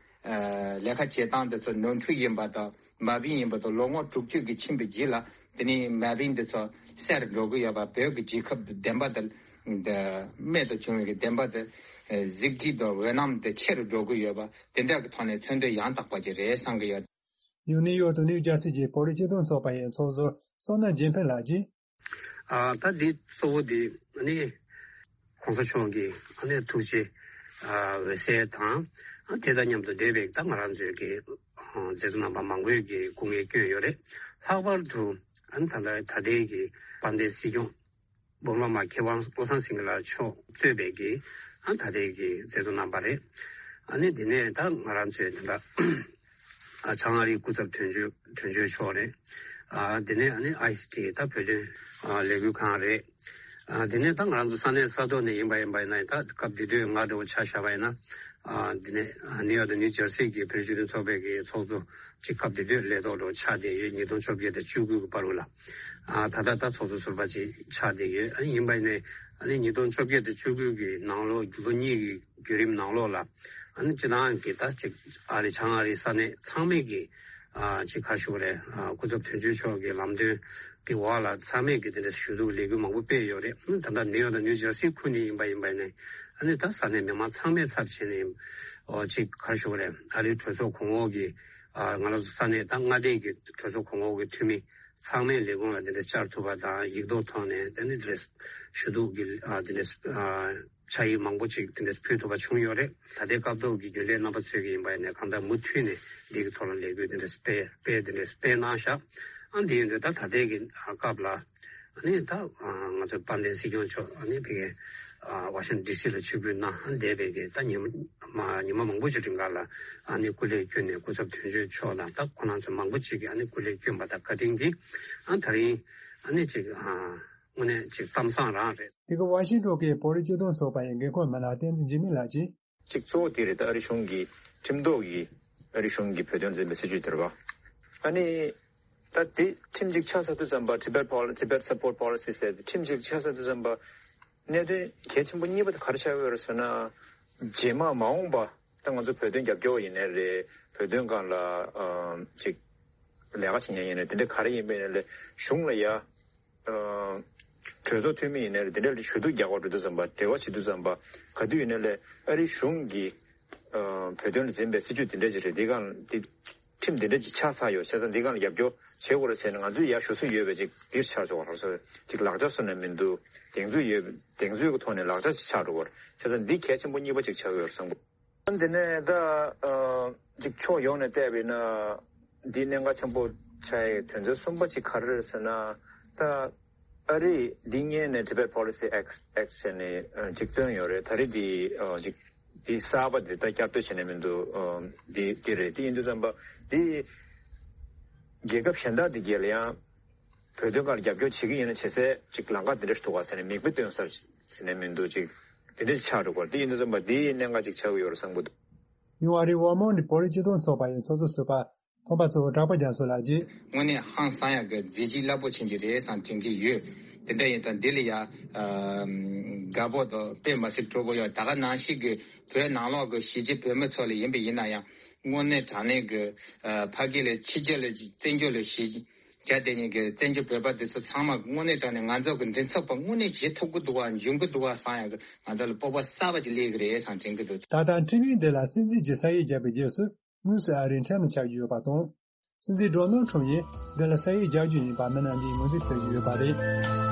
ཨ་ལས་ཀ་བྱེད་སྟངས་དེ་ཚོ་ནོར་འཁྲུལ་ཡིན་པ་དང་། མ་བིང་ཡིན་པ་དང་། ལོ་ངོ་དྲུག་ཅུ་གི་ཕྱིན་པའི་རྗེས་ལ་དེ་ནས་མ་བིང་དེ་ཚོ་སེལ་འགྲོ་གི་ཡོད་པ། བོད་ཀྱི་རྒྱལ་ཁབ་བདེན་པ་དེ། འདི་རྨད་དུ་བྱུང་བའི་གི་བདེན་པ་དེ། གཟི་བརྗིད་དང་འོད་སྣང་དེ་ཆེ་རུ་འགྲོ་གི་ཡོད་པ། དེ་འདྲ་གི་ཐོག་ནས་མཚོན་དོན་ཡང་དག་པ་ཅིག་རེད་བསམ་གི་ཡོད། ཡང་ནིའུ་ཡོག་དང་ནིའུ་ཇར་སི་གྱི་བོད་རིགས་སྤྱི་མཐུན་ཚོགས་པ་ཡི་ཚོགས་ཟུར་བསོད་ནམས་རྒྱལ་ཕྲན་ལགས་ཀྱིས། ཨ། ད་འདི་གཙོ་བོ་འདི་ནི་༸གོང་ས་མཆོག་གི་ཨ་ནི་ཐུགས་རྗེ་ཨ་འོད་གསལ་དང་། ཨ། དེ་དང་མཉམ་དུ་འབྲེལ་བའི་ད་ང་རང་ཚོའི་གི་ཨ་མཛད་གཙོ་རྣམ་པ་མང་པོས་ཀྱི་སྐུ་ངལ་བསྐྱོན་ཡོད་རེད། ལྷག་པར་དུ་ཨ་ནི་ད་ལྟ་ད་ལྟའི་གི་དཔལ་ལྡན་སྲིད་སྐྱོང་སྤོམ་ར་མ་མཁས་དབང་བློ་བཟང་སེང་གེ་ལགས་མཆོག་གཙོས་པའི་གི་ཨ་ད་ལྟའི་གི་མཛད་གཙོ་རྣམ་པ་རེད། ཨ་ནི་དེ་ནས་ད་ང་རང་ཚོའི་དེ་འདྲ་ཨ་བྱང་ཨ་རིའི་སྐུ་ཚབ་དོན་གཅོད་དོན་གཅོད་མཆོག་རེད། ཨ་དེ་ནས་ཨ་ནི་ཨའི་སི་ཊི་ད་བོད་དོན་ཨ་ལས་འགུལ་ཁང་རེད། ཨ་དེ་ནས་ད་ང་རང་ཚོ་ས་གནས་ས་ཐོག་ནས་ཡིན་པ་ཡིན་པ་ཡིན་ན། ད་སྐབས་དེ་དུས་ང་འདྲ་བོ་ཆ་བཞག་པ་ཡིན་ན། ཨ་དེ་ནས་ཨ་ནིའུ་ཡོག་དང་ནིའུ་ཇར་སི་གི་བོད་རིགས་སྤྱི་མཐུན་ཚོགས་པའི་གི་ཚོགས་གཙོ་ཅིག་སྐབས་དེ་དུས་ལས་ཐོག་འགྲོ་ཆགས་བསྡད་ཡོད། ཉིས་སྟོང་བཅོ་བརྒྱད་དང་བཅུ་དགུ་གི་བར་དུ་ལ། ཨ་ད་ལྟ་ད་ཚོགས་གཙོ་ཟུར་པ་ཅིག་ཆགས་བསྡད་ཡོད། ཨ་ཡིན་པ་ཡིན་ནའི་ཨ་ནི་ཉིས་སྟོང་བཅོ་བརྒྱད་དང་བཅུ་དགུ་གི་ནང་ལོགས་ལོ་གཉིས་ཀྱི་བརྒྱུད་རིམ་ནང་ལོགས་ལ། ཨ་ནི་སྤྱི་བཏང་གི་ད་ཅིག་ཨ་རི་བྱང་ཨ་རིའི་ས་གནས་ཚང་མས་ཀྱི་ཨ་ཅིག་ག་རེ་ཞུ་དགོས་རེད། ཨ་སྐུ་ཚབ་དོན་གཅོད་མཆོག་གི་ལམ་སྟོན་གྱི་འོག་ལ་ཚང་མས་ཀྱི་དེ་འདྲ་ཞུ་གཏུག་ལས་འགུལ་མང་པོ་སྤེལ་ཡོད་རེད། ཨ་ནི་ད་ལྟ་ནིའུ་ཡོག་དང་ནིའུ་ཇར་སི་ཁུལ་ནས་ཡིན་པ་ཡིན་པ་ཡིན་ནའི། ཨ་ནི་ད་ས་གནས་མི་མང་ཚང་མའི་ཚབ་བྱས་ནས་ཨོ་ཅིག་ག་རེ་ཞུ་དགོས་རེད། ཨ་རིའི་གྲོས་ཚོགས་གོང་འོག་གི་ཨ་ང་རང་ཚོ་ས་གནས་ད་མངའ་སྡེ་གི་གྲོས་ཚོགས་གོང་འོག་གི་འཐུས་མི་ཚང་མས་ལས་ཁུངས་ལ་དེ་འདྲ་བཅར་ཐུབ་པ་དང་། ཡིག་ཐོག་ཐོག་ནས་དེ་ནི་དེ་འདྲ་ཞུ་གཏུག་གི་ཨ་དེ་འདྲ་ཨ་ཕྱག་ཡིག་མང་པོ་ཅིག་དེ་འདྲ་ཕུལ་ཐུབ་པ་བྱུང་ཡོད་རེད། ད་ལྟའི་སྐབས་ཐོག་གི་རྒྱུན་ལས་རྣམ་པ་ཚོས་ཀྱི་ཡིན་པ་ཡིན་ནའི་གང་ལྟར་མུ་མཐུད་ནས་འདི་གི་ཐོག་ལ་ལས་འགུལ་དེ་འདྲ་སྤེལ་སྤེལ་དེ་འདྲ་སྤེལ་གནང་ཤག། ཨ་འདི་ཡིན་དུས་ད་ད་ལྟའི་གི་ཨ་སྐབས་ལ་ཨ་ནི་ད་ཨ་ང་ཚོའི་དཔལ་ལྡན་སྲིད་སྐྱོང་མཆོག་ཨ་ནི་ཕ་གིའི་ཨ་ཝ་ཤིང་ཊོན་ཌི་སི་ལ་ཆིབས་བསྒྱུར་གནང་བསྡད་པའི་གི་ད་ཉི་མ་ཉི་མ་མང་པོ་ཞིག་རིང་ག་ལ་ཨ་ནི་སྐུ་ལས་བསྐྱོན་ནས་སྐུ་ཚབ་དོན་གཅོད་མཆོག་དང་ད་ཁོ་རང་ཚོ་མང་པོ་ཅིག་གིས་ཨ་ནི་སྐུ་ལས་བསྐྱོན་པ་དང་བཀའ་དྲིན་གྱིས་ཨ་ད་རིང་ཨ་ནི་ཅིག་ཨ་དངོས་གནས་ཅིག་གཏམ་བཟང་རང་རེད། དེ་ག་ཝ་ཤིང་ཊོན་གྱི་བོད་རིགས་སྤྱི་མཐུན་ཚོགས་པ་ཡི་འགན་འཁུར་མི་སྣ་བསྟན་འཛིན་འཇིགས་མེད་ལགས་ཀྱིས། གཅིག་གཙོ་བོ་དེ་རེད། ད་ཨ་རི་གཞུང་གིས་ཁྲིམས་ཐོག་གི་ཨ་རི་གཞུང་གིས་བོད་དོན་འཛིན་པའི་སྲིད་བྱུས་དེ་རེད་པ། ཨ་ནི་ད་དེ་ཁྲིམས་གཅིག་ཆགས་ཚར་དུས་ཙམ་པ། Tibet Pol- Tibet Support Policy ཟེར་དེ་ཁྲིམས་གཅིག་ཆགས་ཚར་དུས་ཙམ་པ་གནད་དོན་གལ་ཆེན་པོ་གཉིས་པ་དེ་ག་རེ་ཆགས་ཀྱི་ཡོད་རེད་ཟེར་ན། རྗེས་མ་མ་འོངས་པ་ད་ང་ཚོ་བོད་དོན་རྒྱབ་སྐྱོར་ཡིན་ནའི་རེད། བོད་དོན་སྒང་ལ་ཨ་ཅིག་ལས་ཀ་བྱེད་མཁན་ཡིན་ནའི་དེ་འདྲ་ག་རེ་ཡིན་པ་ཡིན་ནའི་ལས་གཞུང་ལ་ཡ། ཨ་གྲོས་ཚོགས་འཐུས་མི་ཡིན་ནའི་དེ་འདྲ་ལ་ཞུ་གཏུག་རྒྱག་པར་འགྲོ་དུས་ཙམ་པ། འབྲེལ་བ་བྱེད་དུས་ཙམ་པ། ག་དུས་ཡིན་ནའི་ལས་ཨ་རི་གཞུང་གིས་ཨ་བོད་དོན་ལ་འཛིན་པའི་སྲིད་བྱུས་དེ་འདྲ་ཅིག་རེད། འདི་སྒང་འདི་ཁྲིམས་དེ་འདྲ་ཅིག་ཆགས་ཚར་ཡོད། བྱས་ཙང་འདི་སྒང་ལ་རྒྱབ་སྐྱོར་བྱེད་དགོས་རེད་ཟེར་ནས་ང་ཚོས་ཡར་ཞུ་སྲོལ་ཡོད་པའི་ཅིག་འདིར་ཆགས་ཆོག་པ་རེད། ཅིག་ལག་ཆ་བཟོ་ནས་མི་འདུག། གདེང་ཚོད་ཡོད། གདེང་ཚོད་ཀྱི་ཐོག་ནས་ལག་ཆ་ཅིག་ཆགས་འགྲོ་གི་རེད། བྱས་ཙང་འདི་གལ་ཆེན་པོ་གཉིས་པ་ཅིག་ཆགས་ཀྱི་ཡོད་རེད་བསམ་གི། འདི་ནས་ད་ཨ་ཅིག་ཕྱོགས་ཡོངས་ནས་བལྟས་པ་ཡིན་ན། འདི་གནད་འགག་ཆེན་པོ་ཆགས་ཡའི་དོན་ཚན་གསུམ་པ་ཅིག་ག་རེ་རེད་ཟེར་ན། ད་ཨ་རིས་འདི་སྔོན་ནས་Tibet Policy Act Act ཟེར་ནས་ཨ་ཅིག་བཏོན་ཡོད་རེད། ད་རེས་འདི་ཨ་ཅིག་འདི་གསར་པ་འདི་ད་བསྐྱར་ཟློས་བྱས་ནས་མི་འདུག། ཨ་འདི་འདི་རེད། འདི་ཡིན་དུས་ཙམ་པ་འདི་རྒྱལ་ཁབ་གཞན་དག་འདི་གས་ལ་ཡང་བོད་དོན་སྒང་ལ་རྒྱབ་སྐྱོར་བྱེད་ཀྱི་ཡིན་ན་བྱེད་སའི་ཅིག་ལམ་ཁ་འདི་འདྲ་ཞིག་འདུག་ག་ཟེར་ནས་མིག་དཔེ་སྟོན་ས་ཟེར་ནས་མི་འདུག། ཅིག་འདི་འདྲ་ཞིག་ཆགས་འགྲོ་གི་རེད། འདི་ཡིན་དུས་ཙམ་པ་འདི་གནད་འགག་ཅིག་ཆགས་ཀྱི་ཡོད་རེད་བསམ་གྱི་ ཡུང་ཨ་རིའི་འོག་མིན་གྱི་བོད་རིགས་སྤྱི་མཐུན་ཚོགས་པ་ཡི་ཚོགས་གཙོ་ཟུར་པ། ཚོགས་པ་གཙོ་བོ་གྲགས་པ་རྒྱ་མཚོ་ལགས་ཀྱིས། དངོས་གནས་ཧང་སང་ཡག་གི་མཛད་རྗེས་རླབས་པོ་ཆེན་ཅིག་རེད་བསམ་དྲན་གྱི་ཡོད། དེ་འདྲ་ཡིན་ཙང་འདི་ལ་ཡ། དགའ་པོ་དང་དཔེ་མ་སྲིད་སྤྲོ་པོ་ཡོད། ད་ག་ནང་བཞིན་གྱི་བོད་ནང་ལོགས་ཀྱི་གཞིས་བྱེས་བོད་མི་ཚོ་ལ་ཡིན་པ་ཡིན་ན་ཡང་། དངོས་གནས་དྲང་གནས་ཀྱི་ཕ་གི་ལ་ཕྱི་རྒྱལ་ལ་བཙན་བྱོལ་ལ་གཞིས་བྱས་དེ་ཉིད་ཀྱི་བཙན་བྱོལ་བོད་པ་དེ་ཚོ་ཚང་མ་དངོས་གནས་དྲང་གནས་ང་ཚོ་གི་མགྲིན་ཚབ་པ་དངོས་གནས་བྱེད་ཐུབ་ཀྱི་འདུག་བ། འཇོན་གྱི་འདུག་བ་བསམ་ཡག་གི་ང་ཚོ་ལ་སྤོབས་པ་གསར་པ་ཅིག་སླེབས་ཀྱི་རེད་བསམ་དྲན་གྱི་འདུག། ད་ལྟ་ཁྲིམས་ཡིག་འདི་ལ་སྲིད་འཛིན་གྱི་ས་ཡིག་བརྒྱབ་པའི་རྗེས་སུ། དངོས་སུ་ཨ་རིའི་ཁྲིམས་ལ་ཆགས་ཀྱི་ཡོད་པ་དང་། སྲིད་འཛིན་ཌོ་ནལ་ཁྲམ་ཡིས་འདི་ལ་ས་ཡིག་རྒྱག་རྒྱུ་ཡིན་པ་མི་རྣམས་ཀྱིས་ངོས་འཛིན་བྱེད་ཀྱི་ཡོད་པ་རེད།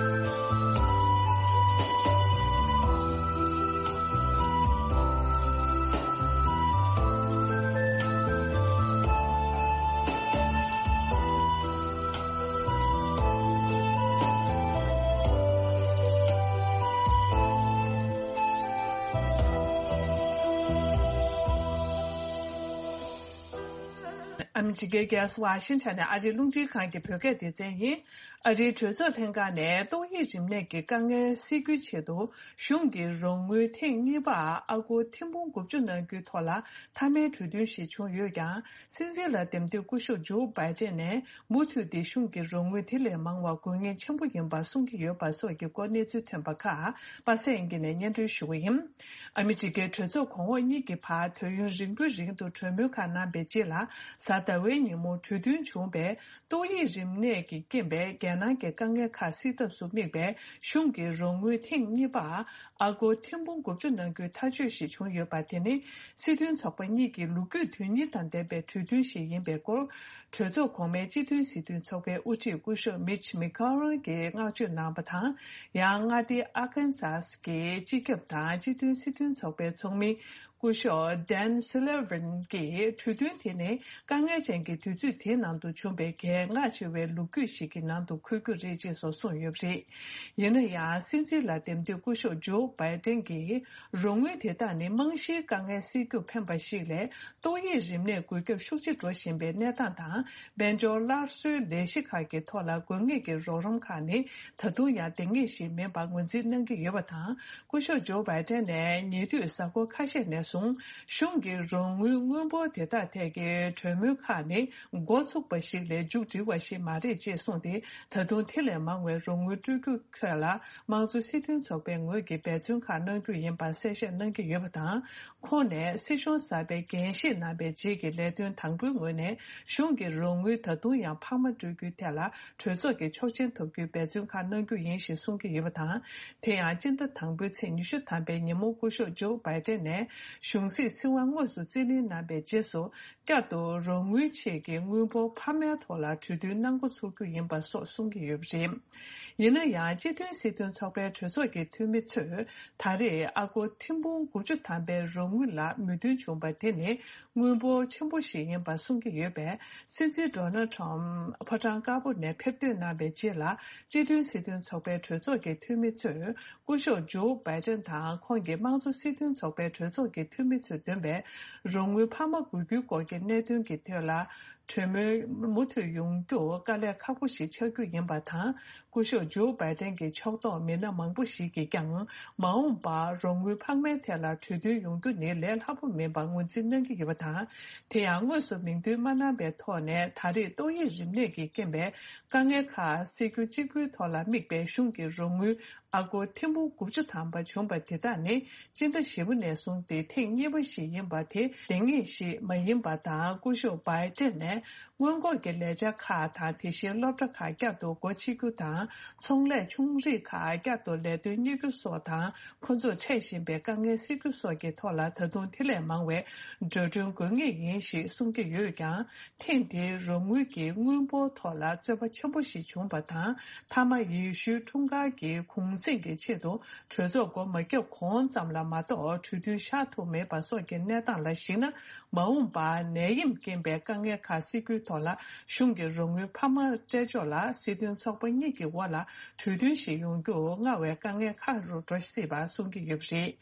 ཨ་མི་རི་ཀའི་རྒྱལ་ས་ཝ་ཤིང་ཊོན་ནས་ཨ་རིའི་རླུང་འཕྲིན་ཁང་གི་བོད་སྐད་སྡེ་ཚན་ཡིན། ཨ་རིའི་གྲོས་ཚོགས་ལྷན་ཁང་ནས་ཏོག་དབྱིབས་རིམས་ནད་ཀྱི་དཀའ་ངལ་སེལ་རྒྱུའི་ཆེད་དུ་གཞུང་གི་རོགས་དངུལ་ཐེངས་གཉིས་པ་ཨ་སྒོར་ཐེར་འབུམ་དགུ་བཅུ་གནང་རྒྱུའི་ཐོག་ལ་མཐའ་མའི་གྲོས་མཐུན་ཞིག་བྱུང་ཡོད་ཀྱང་། སྲིད་འཛིན་ལ་འདེམས་ཐོན་སྐུ་ཞབས་ཇོ་བྷའི་ཏན་ནས་མུ་མཐུད་དེ་གཞུང་གི་རོགས་དངུལ་དེ་ལས་མང་བ་དགོས་ངེས་ཆེན་པོ་ཡིན་པ་གསུང་གི་ཡོད་པ་སོགས་ཀྱི་སྐོར་གནས་ཚུལ་ཐོན་པ་ཁག་པ་སངས་དབྱངས་སྐྱིད་ནས་སྙན་སྒྲོན་ཞུ་གི་ཡིན། ཨ་མི་རི་ཀའི་གྲོས་ཚོགས་གོང་འོག་གཉིས་ཀྱི་བར་དུས་ཡུན་རིང་པོའི་རིང་དུ་གྲོས་མོལ་ཁག་གནང་པའི་རྗེས་ལ། གཟའ་ཟླ་བའི་ཉིན་མོ་གྲོས་མཐུན་བྱུང་བའི་ཏོག་དབྱིབས་རིམས་ནད་ཀྱི་རྐྱེན་པས་རྒྱལ་ནང་གི་དཀའ་ངལ་ཁག་སེལ་ཐབས་སུ་དམིགས་པའི་གཞུང་གི་རོགས་དངུལ་ཐེངས་གཉིས་པ་ཨ་སྒོར་ཐེར་འབུམ་དགུ་བཅུ་གནང་རྒྱུའི་ཐག་གཅོད་ཞིག་བྱུང་ཡོད་པ། དེ་ནི་སྲིད་དོན་ཚོགས་པ་གཉིས་ཀྱི་ལོ་རྒྱུས་དོན་གཉེར་དང་ལྡན་པའི་གྲོས་མཐུན་ཞིག་ཡིན་པའི་སྐོར། གྲོས་ཚོགས་གོང་མའི་སྤྱི་མཐུན་སྲིད་དོན་ཚོགས་པའི་དབུ་ཁྲིད་སྐུ་ཞབས་མིཆ་མེ་ཁོ་ལན་གྱིས་བསྔགས་བརྗོད་གནང་བ་དང་། ཡང་མངའ་སྡེ་ཨར་ཀན་སཱ་སི་ཀྱི་སྤྱི་ཁྱབ་དང་སྤྱི་མཐུན་སྲིད་དོན་ཚོགས་པའི་ཚོགས་མི་སྐུ་ཞབས་ཌན་སུ་ལེ་ཝན་གྱིས་གྲོས་མཐུན་དེ་ནི་དཀའ་ངལ་ཅན་གྱི་དུས་ཚོད་དེའི་ནང་དུ་བྱུང་བའི་གལ་འགངས་ཆེ་བའི་ལོ་རྒྱུས་ཤིག་གི་ནང་དུ་འཁོད་རྒྱུ་རེད་ཅེས་སོགས་གསུངས་ཡོད་པ་རེད། ཡིན་ན་ཡང་། སྲིད་འཛིན་ལ་འདེམས་ཐོན་སྐུ་ཞབས་ཇོ་བྷའི་ཏན་གྱིས། རོགས་དངུལ་དེ་དག་ནི་རྨང་གཞིའི་དཀའ་ངལ་སེལ་རྒྱུར་ཕན་པ་ཞིག་ལས། ཏོག་དབྱིབས་རིམས་ནད་འགོས་ཁྱབ་ཤུགས་ཆེ་འགྲོ་བཞིན་པའི་གནས་སྟངས་དང་། དཔལ་འབྱོར་སླར་གསོའི་ལས་གཞི་ཁག་གི་ཐོག་ལ་དགོས་ངེས་ཀྱི་རོགས་རམ་ཁག་ནི་ད་དུང་ཡང་ལྡང་ངེས་ཤིག་མིན་པ་ངོས་འཛིན་གནང་གི་ཡོད་པ་དང་། སྐུ་ཞབས་ཇོ་བྷའི་ཏན་ནས་ཉེ་དུས་གཟའ་འཁོར་ཁ་ཤས་ནས་བཟུང་གཞུང་གི་རོགས་དངུལ་དངུལ་འབོར་དེ་དག་ཐད་ཀྱི་གྲོས་མོལ་ཁག་ནི་འགོ་ཚུགས་པ་ཞིག་ལས་མཇུག་སྒྲིལ་བ་ཞིག་མ་རེད་ཅེས་གསུངས་ཏེ། ད་དུང་དེ་ལས་མང་བའི་རོགས་དངུལ་སྤྲོད་རྒྱུ་ཐད་ལ་དམངས་གཙོ་སྲིད་དོན་ཚོགས་པའི་ངོས་ཀྱི་འབད་བརྩོན་ཁག་གནང་རྒྱུ་ཡིན་པ་གསལ་བཤད་གནང་གི་ཡོད་པ་དང་། ཁོང་ནས་སྲིད་གཞུང་གསར་པའི་འགན་བཞེས་གནང་བའི་རྗེས་ཀྱི་ལས་དོན་དང་པོའི་ངོས་ནས་གཞུང་གི་རོགས་དངུལ་ད་དུང་ཡང་འཕར་མ་སྤྲོད་རྒྱུའི་ཐད་ལ་གྲོས་ཚོགས་ཀྱི་ཆོག་མཆན་ཐོབ་རྒྱུའི་འབད་བརྩོན་ཁག་གནང་རྒྱུ་ཡིན་ཞེས་གསུང་གི་ཡོད་པ་དང་། དེ་ཡང་སྤྱི་ཟླ་དང་པོའི་ཚེས་ཉི་ཤུ་ཐམ་པའི་ཉིན་མོ་སྐུ་ཞབས་ཇོ་བྷའི་ཏན་ནས་གཞུང་སྲིད་སྲིད་དབང་དངོས་སུ་རྩིས་ལེན་གནང་བའི་རྗེས་སུ། བསྐྱར་དུ་རོགས་དངུལ་ཆེད་ཀྱི་དངུལ་འབོར་འཕར་མའི་ཐོག་ལ་གྲོས་མཐུན་གནང་འགོ་ཚུགས་རྒྱུ་ཡིན་པ་སོགས་གསུང་གི་ཡོད་པ་རེད། ཡིན་ན་ཡང་། སྤྱི་མཐུན་སྲིད་དོན་ཚོགས་པའི་གྲོས་ཚོགས་ཀྱི་འཐུས་མི་ཚོས་ད་རེས་ཨ་སྒོར་ཐེར་འབུམ་དགུ་བཅུ་ཐམ་པའི་རོགས་དངུལ་ལ་མོས་མཐུན་བྱུང་པ་དེ་ནི་དངུལ་འབོར་ཆེན་པོ་ཞིག་ཡིན་པ་གསུང་གི་ཡོད་པས། སྲིད་འཛིན་ཌོ་ནལ་ཁྲམ་ཕོ་བྲང་དཀར་པོ་ནས་ཕེབས་ཐོན་གནང་བའི་རྗེས་ལ། སྤྱི་མཐུན་སྲིད་དོན་ཚོགས་པའི་གྲོས་ཚོགས་ཀྱི་འཐུས་མི་ཚོས། སྐུ་ཞབས་ཇོ་བྷའི་ཏན་དང་ཁོང་གི་དམངས་གཙོ་སྲིད་དོན་ཚོགས་པའི་གྲོས་ཚོགས་ཀྱི་འཐུས་མི་ཚོས་འདོན་པའི་རོགས་དངུལ་འཕར་མ་དགོས་རྒྱུའི་སྐོར་གྱི་གནད་དོན་གྱི་ཐད་ལ་གྲོས་མོལ་མུ་མཐུད་ཡོང་རྒྱུ་དཀའ་ལས་ཁག་པོ་ཞིག་ཆགས་རྒྱུ་ཡིན་པ་དང་། སྐུ་ཞབས་ཇོ་བྷའི་ཏན་གྱི་ཕྱོགས་གཏོགས་མི་སྣ་མང་པོ་ཞིག་གིས་ཀྱང་མ་འོངས་པར་རོགས་དངུལ་འཕར་མའི་ཐད་ལ་གྲོས་མཐུན་ཡོང་རྒྱུ་ནི་ལས་སླ་པོ་མིན་པ་ངོས་འཛིན་གནང་གི་ཡོད་པ་དང་། དེ་ཡང་དངོས་སུ་མིང་འདོན་མ་གནང་པའི་ཐོག་ནས་ད་རེས་ཏོག་དབྱིབས་རིམས་ནད་ཀྱི་རྐྱེན་པས་དཀའ་ངལ་ཁག་སེལ་རྒྱུ་གཅིག་པུའི་ཐོག་ལ་དམིགས་པའི་གཞུང་གི་རོགས་དངུལ། ཨ་སྒོར་ཐེར་འབུམ་དགུ་བཅུ་ཐམ་པ་བྱུང་བ་དེ་དག་ནི་སྤྱི་ཟླ་བཞི་པ་ནས་བཟུང་སྟེ་ཐེངས་གཉིས་པ་ཞིག་ཡིན་པ་དེ་ལྡང་ངེས་ཤིག་མ་ཡིན་པ་དང་། སྐུ་ཞབས་བྷའི་ཏན་ནས་སྔོན་འགོག་གི་ལས་འཆར་ཁག་དང་། དེ་བཞིན་སློབ་གྲྭ་ཁག་བསྐྱར་དུ་སྒོ་ཕྱེ་རྒྱུ་དང་། ཚོང་ལས་ཆུང་རིགས་ཁག་བསྐྱར་དུ་ལས་དོན་གཉེར་རྒྱུ་སོགས་དང་། ཁོ་ཚོར་འཕྲད་བཞིན་པའི་དཀའ་ངལ་སེལ་རྒྱུ་སོགས་ཀྱི་ཐོག་ལ་ད་དུང་དེ་ལས་མང་བའི་འགྲོ་གྲོན་དགོས་ངེས་ཡིན་ཞེས་གསུང་གི་ཡོད་ཀྱང་། ཐེངས་འདིའི་རོགས་དངུལ་གྱི་དངུལ་འབོར་ཐོག་ལ་རྩོད་པ་ཆེན་པོ་ཞིག་བྱུང་བ་དང་། མཐའ་མ་ཡེ་ཤུའི་འཁྲུངས་སྐར་གྱི་གུང་གསེང་གི་ཆེད་དུ་གྲོས་ཚོགས་སྒོ་མ་བརྒྱབ་གོང་ཙམ་ལ་མ་གཏོགས་གྲོས་མཐུན་བཞག་ཐུབ་མེད་པ་སོགས་ཀྱི་གནས་སྟངས་ལ་གཞིགས་ན། མ་འོངས་པར་ནད་ཡམས་རྐྱེན་པས་དཀའ་ངལ་ཁག་ སྲིད་སྐྱོང་ཐོག་ལ་གཞུང་གི་རོགས་དངུལ་འཕར་མ་སྤྲད་ཕྱོགས་ལ་སྲིད་དོན་ཚོགས་པ་གཉིས་ཀྱི་དབར་ལ་གྲོས་མཐུན་ཞིག་ཡོང་རྒྱུ་སྔར་བས་དཀའ་ངལ་ཁག་རུ་འགྲོ་སྲིད་པ་གསུང་གི་ཡོད་པ་རེད།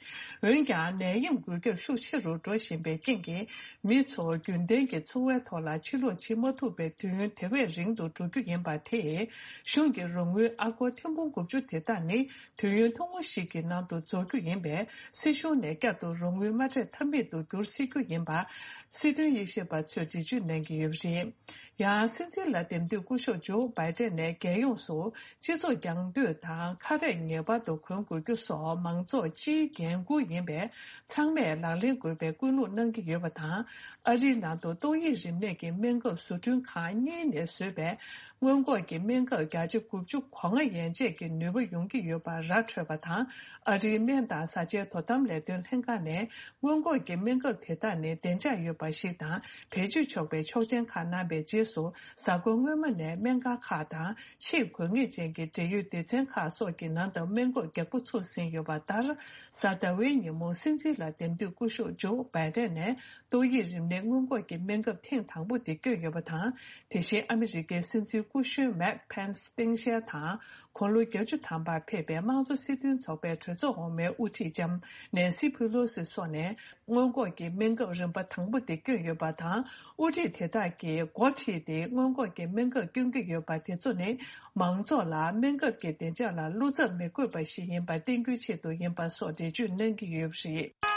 འོན་ཀྱང་ནད་ཡམས་འགོས་ཁྱབ་ཤུགས་ཆེ་རུ་འགྲོ་བཞིན་པའི་རྐྱེན་གྱིས། མི་ཚོ་རྒྱུན་ལྡན་གྱི་འཚོ་བའི་ཐོག་ལ་ཕྱིར་ལོག་བྱེད་མ་ཐུབ་པའི་དུས་ཡུན་དེ་བས་རིང་དུ་འགྲོ་རྒྱུ་ཡིན་པ་དེས། གཞུང་གི་རོགས་དངུལ་ཨ་སྒོར་ཐེར་འབུམ་དགུ་བཅུ་དེ་དག་ནི་དུས་ཡུན་ཐུང་ངུ་ཞིག་གི་ནང་དུ་རྫོགས་རྒྱུ་ཡིན་པས། སྲིད་གཞུང་ནས་བསྐྱར་དུ་རོགས་དངུལ་མ་སྤྲད་ཐབས་མེད་དུ་འགྱུར་སྲིད་རྒྱུ་ཡིན་པ། སྲིད་དོན་དབྱེ་ཞིབ་པ་ཚོས་འགྲེལ་བརྗོད་གནང་གི་ཡོད་པ་རེད། ཡང་སྲིད་འཛིན་ལ་འདེམས་ཐོན་སྐུ་ཞབས་ཇོ་བྷའི་ཏན་ནས་རྒྱལ་ཡོངས་སུ་སྤྱི་ཚོགས་རྒྱང་སྡོད་དང་ཁ་རས་ངེས་པར་དུ་གོན་དགོས་རྒྱུ་སོགས་མང་ཚོགས་སྤྱིའི་འགན་འཁུར་ཡིན་པས། ཚང་མས་ལག་ལེན་དགོས་པའི་སྐུལ་སློང་གནང་གི་ཡོད་པ་དང་། ཨ་རིའི་ནང་དུ་ཏོག་དབྱིབས་རིམས་ནད་ཀྱི་སྨན་ཁབ་བཟོ་སྐྲུན་ཁང་གཉིས་ནས་བཟོས་པའི་སྔོན་འགོག་གི་སྨན་ཁབ་བརྒྱ་ཆ་དགུ་བཅུ་གོ་ལྔ་ཡན་ཆད་ཀྱི་ནུས་པ་ཡོང་གི་ཡོད་པ་ར་འཕྲོད་པ་དང་། ཨ་རིའི་སྨན་དང་བཟའ་བཅའི་དོ་དམ་ལས་དོན་ལྷན་ཁང་ནས། སྔོན་འགོག་གི་སྨན་ཁབ་དེ་དག་ནི་བདེ་འཇགས་ཡོད་པ་ཞིག་དང་། བེད་སྤྱོད་ཆོག་པའི་ཆོག་མཆན་ཁག་གནང་པའི་རྗེས་སུ། གཟའ་འཁོར་སྔོན་མ་ནས་སྨན་ཁང་ཁག་དང་། ཆེས་དགོས་ངེས་ཅན་གྱི་འབྲེལ་ཡོད་སྡེ་ཚན་ཁག་སོགས་ཀྱི་ནང་དུ་སྨན་འགོག་རྒྱག་པོ་ཚུད་ཟིན་ཡོད་པ་ལྟར། གཟའ་ཟླ་བའི་ཉིན་མོ་སྲིད་འཛིན་ལ་འདེམས་ཐོན་སྐུ་ཞབས་ཇོ་བྷའི་ཏན་ནས་ཏོག་དབྱིབས་རིམས་ནད་སྔོན་འགོག་གི་སྨན་ཁབ་ཐེངས་དང་པོ་དེ་བསྐྱོན་ཡོད་པ་དང་། དེ་བཞིན་ཨ་མི་རི་ཀའི་སྲིད་འཛིན་སྐུ་གཞོན་མེག་ཕེན་སི་སྟངས་དཔྱལ་དང་། དགུང་ལོ་བརྒྱད་ཅུ་ཐམ་པར་ཕེབས་པའི་དམངས་གཙོ་སྲིད་དོན་ཚོགས་པའི་གྲོས་ཚོགས་འོག་མའི་དབུ་ཁྲིད་ལྕམ་ནན་སི་ཕེ་ལོ་སི་སོགས་ནས། སྔོན་འགོག་གི་སྨན་ཁབ་རིམ་པ་དང་པོ་དེ་བསྐྱོན་ཡོད་པ་དང་། དབུ་ཁྲིད་དེ་དག་གིས་འགོ་ཁྲིད་དེ་སྔོན་འགོག་གི་སྨན་ཁབ་བསྐྱོན་གྱི་ཡོད་པ་དེ་ཚོ་ནི། མང་ཚོགས་ལ་སྨན་ཁབ་ཀྱི་བདེ་འཇགས་ལ་བློ་འཚབ་མི་དགོས་པ་ཞིག་ཡིན་པ་བསྟན་རྒྱུའི་ཆེད་དུ་ཡིན་པ་སོགས་འགྲེལ་བརྗོད་གནང་གི་ཡོད་པ་རེད།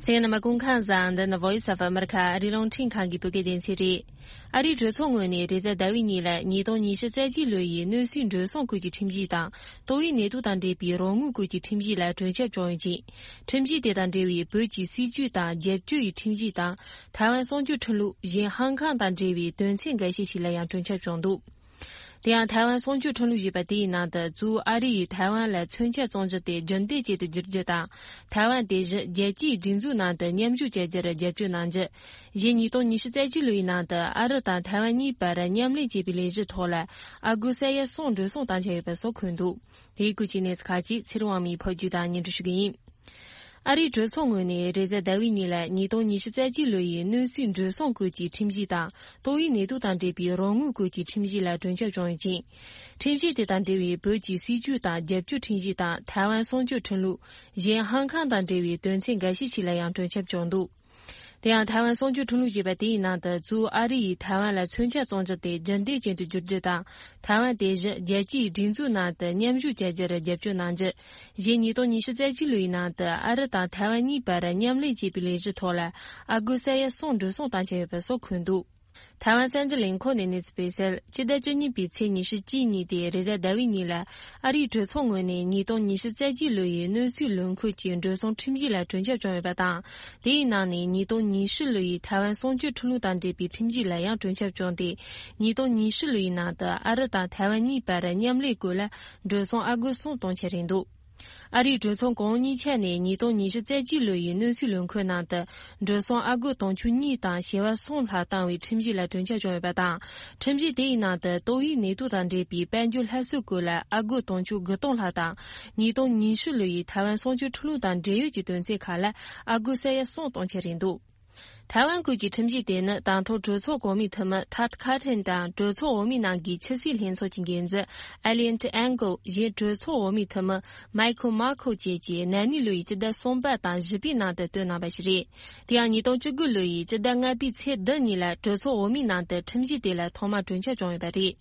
གསན་མཁན་རྣམ་པ་སྐུ་ཁམས་བཟང་། འདི་ནི་Voice of America ཨ་རིའི་རླུང་འཕྲིན་ཁང་གི་བོད་སྐད་སྡེ་ཚན་རེད། ཨ་རིའི་གྲོས་ཚོགས་ངོས་ནས་རེས་གཟའ་ཟླ་བའི་ཉིན་ལ་ཉིས་སྟོང་ཉི་ཤུ་རྩ་གཅིག་ལོ་ཡི་གནོད་འཚེའི་འགྲོ་སོང་སྐོར་གྱི་ཁྲིམས་གཞི་དང་། ཏོག་དབྱིབས་ནད་དུག་དང་འབྲེལ་བའི་རོགས་དངུལ་སྐོར་གྱི་ཁྲིམས་གཞི་ལ་གྲོས་འཆར་བྱུང་ཡོད་ཅིང་། ཁྲིམས་གཞི་དེ་དང་འབྲེལ་བའི་བོད་ཀྱི་སྲིད་ཇུས་དང་རྒྱབ་སྐྱོར་ཡི་ཁྲིམས་གཞི་དང་། ཐའེ་ཝན་གསང་སྤྱོད་ཁྲིམས་ལུགས། གཞན་ཧང་ཀང་དང་འབྲེལ་བའི་དོན་ཚན་འགའ་ཤས་ཤིག་ལ་ཡང་གྲོས་འཆར་བྱུང་འདུག། དེ་ཡང་ཐའེ་ཝན་གསང་སྤྱོད་ཁྲིམས་ལུགས་ཞེས་པ་དེའི་ནང་དུ། གཙོ་བོ་ཨ་རི་ཡིས་ཐའེ་ཝན་ལ་མཚོན་ཆ་བཙོང་རྒྱུ་དེ་རྒྱུན་ལྡན་ཅན་དུ་བསྒྱུར་རྒྱུ་དང་། ཐའེ་ཝན་དེ་བཞིན་རྒྱལ་སྤྱིའི་སྒྲིག་འཛུགས་ནང་དུ་མཉམ་ཞུགས་བྱ་རྒྱུར་རྒྱབ་སྐྱོར་གནང་རྒྱུ། གཞན་ཉིས་སྟོང་ཉི་ཤུ་རྩ་གཅིག་ལོའི་ནང་དུ་ཨ་རི་དང་ཐའེ་ཝན་གཉིས་བར་མཉམ་ལས་བྱེད་པའི་ལས་གཞི་ཐོག་ལ་ཨ་སྒོར་ས་ཡ་གསུམ་འགྲོ་སོང་བཏང་འཆར་ཡོད་པ་སོགས་འཁོད་འདུག། དེའི་སྐོར་གྱི་གནས་ཚུལ་ཁག་ཅིག་ཚེ་རིང་དབང་མོས་ཕབ་སྒྱུར་དང་སྙན་སྒྲོན་ཞུ་གི་ཡིན། ཨ་རིའི་གྲོས་ཚོགས་ངོས་ནས་རེས་གཟའ་ཟླ་བའི་ཉིན་ལ་ཉིས་སྟོང་ཉི་ཤུ་རྩ་གཅིག་ལོ་ཡི་གནོད་འཚེའི་འགྲོ་སོང་སྐོར་གྱི་ཁྲིམས་གཞི་དང་། ཏོག་དབྱིབས་ནད་དུག་དང་འབྲེལ་བའི་རོགས་དངུལ་སྐོར་གྱི་ཁྲིམས་གཞི་ལ་གྲོས་འཆར་བྱུང་ཡོད་ཅིང་། ཁྲིམས་གཞི་དེ་དང་འབྲེལ་བའི་བོད་ཀྱི་སྲིད་ཇུས་དང་རྒྱབ་སྐྱོར་ཁྲིམས་གཞི་དང་། ཐའེ་ཝན་གསང་སྤྱོད་ཁྲིམས་ལུགས། གཞན་ཧང་ཀང་དང་འབྲེལ་བའི་དོན་ཚན་འགའ་ཤས་ཤིག་ལ་ཡང་གྲོས་འཆར་བྱུང་འདུག། དེ་ཡང་ཐའེ་ཝན་གསང་སྤྱོད་ཁྲིམས་ལུགས་ཞེས་པ་དེའི་ནང་དུ། གཙོ་བོ་ཨ་རི་ཡིས་ཐའེ་ཝན་ལ་མཚོན་ཆ་བཙོང་རྒྱུ་དེ་རྒྱུན་ལྡན་ཅན་དུ་བསྒྱུར་རྒྱུ་དང་། ཐའེ་ཝན་དེ་བཞིན་རྒྱལ་སྤྱིའི་སྒྲིག་འཛུགས་ནང་དུ་མཉམ་ཞུགས་བྱ་རྒྱུར་རྒྱབ་སྐྱོར་གནང་རྒྱུ། གཞན་ཉིས་སྟོང་ཉི་ཤུ་རྩ་གཅིག་ལོའི་ནང་དུ་ཨ་རི་དང་ཐའེ་ཝན་གཉིས་བར་མཉམ་ལས་བྱེད་པའི་ལས་གཞི་ཐོག་ལ་ཨ་སྒོར་ས་ཡ་གསུམ་འགྲོ་སོང་བཏང་འཆར་ཡོད་པ་སོགས་འཁོད་འདུག། ཐའེ་ཝན་གསར་འགྱུར་ལས་ཁུངས་ནས་གནས་ཚུལ་སྤེལ་གསལ། སྤྱི་ཟླ་བཅུ་གཉིས་པའི་ཚེས་ཉི་ཤུ་གཅིག་ཉིན་ཏེ་རེས་གཟའ་ཟླ་བའི་ཉིན་ལ་ཨ་རིའི་གྲོས་ཚོགས་ངོས་ནས་ཉིས་སྟོང་ཉི་ཤུ་རྩ་གཅིག་ལོ་ཡི་གནོད་འཚེའི་ལོ་འཁོར་གྱི་འགྲོ་སོང་ཁྲིམས་གཞི་ལ་གྲོས་འཆར་བྱུང་ཡོད་པ་དང་། དེའི་ནང་ནས་ཉིས་སྟོང་ཉི་ཤུ་ལོ་ཡི་ཐའེ་ཝན་གསང་སྤྱོད་ཁྲིམས་ལུགས་དང་འབྲེལ་བའི་ཁྲིམས་གཞི་ལ་ཡང་གྲོས་འཆར་བྱུང་སྟེ། ཉིས་སྟོང་ཉི་ཤུ་ལོ་ཡི་ནང་དུ་ཨ་རི་དང་ཐའེ་ཝན་གཉིས་བར་མཉམ་ལས་སྐོར་ལ་འགྲོ་སོང་ཨ་སྒོར་གསུམ་གཏོང་འཆར་རེད་འདུག། ཨ་རིའི་གྲོས་ཚོགས་གོང་འོག་གཉིས་ཆ་ནས་ཉིས་སྟོང་ཉི་ཤུ་རྩ་གཅིག་ལོ་ཡི་གནོད་འཚེའི་ལོ་འཁོར་ནང་དུ་འགྲོ་སོང་ཨ་སྒོར་དུང་ཕྱུར་གཉིས་དང་བྱེ་བ་གསུམ་ལྷག་བཏང་བའི་ཁྲིམས་གཞི་ལ་གྲོས་འཆར་བྱུང་ཡོད་པ་དང་། ཁྲིམས་གཞི་དེའི་ནང་དུ་ཏོག་དབྱིབས་ནད་དུག་དང་འབྲེལ་བའི་དཔལ་འབྱོར་སླར་གསོའི་སྐོར་ལ་ཨ་སྒོར་དུང་ཕྱུར་དགུ་སྟོང་ལྷག་དང་། ཉིས་སྟོང་ཉི་ཤུ་ལོ་ཡི་ཐའེ་ཝན་གསང་སྤྱོད་ཁྲིམས་ལུགས་དང་འབྲེལ་ཡོད་ཀྱི་དོན་ཚན་ཁག་ལ་ཨ་སྒོར་ས་ཡ་གསུམ་གཏོང་འཆར་རེད་འདུག། ཐའེ་ཝན་སྐོར་གྱི་ཁྲིམས་གཞི་དེ་ནི་དང་ཐོག་གྲོས་ཚོགས་གོང་མའི་འཐུས་མི་Todd Cotton དང་གྲོས་ཚོགས་འོག་མའི་ནང་གི་ཆབ་སྲིད་ལྷན་ཚོགས་ཀྱི་འགན་འཛིན་Eliot Engel གཞན་གྲོས་ཚོགས་འོག་མའི་འཐུས་མི་Michael McCaul བཅས་ཀྱིས་ན་ནིང་ལོ་ཡི་སྤྱི་ཟླ་གསུམ་པ་དང་བཞི་པའི་ནང་དུ་བཏོན་གནང་བ་ཞིག་རེད། དེ་ཡང་ཉིས་སྟོང་བཅུ་དགུ་ལོ་ཡི་སྤྱི་ཟླ་ལྔ་པའི་ཚེས་བདུན་ཉིན་ལ་གྲོས་ཚོགས་འོག་མའི་ནང་དུ་ཁྲིམས་གཞི་དེ་ལ་ཐོག་མར་གྲོས་འཆར་བྱུང་ཡོད་པ་རེད།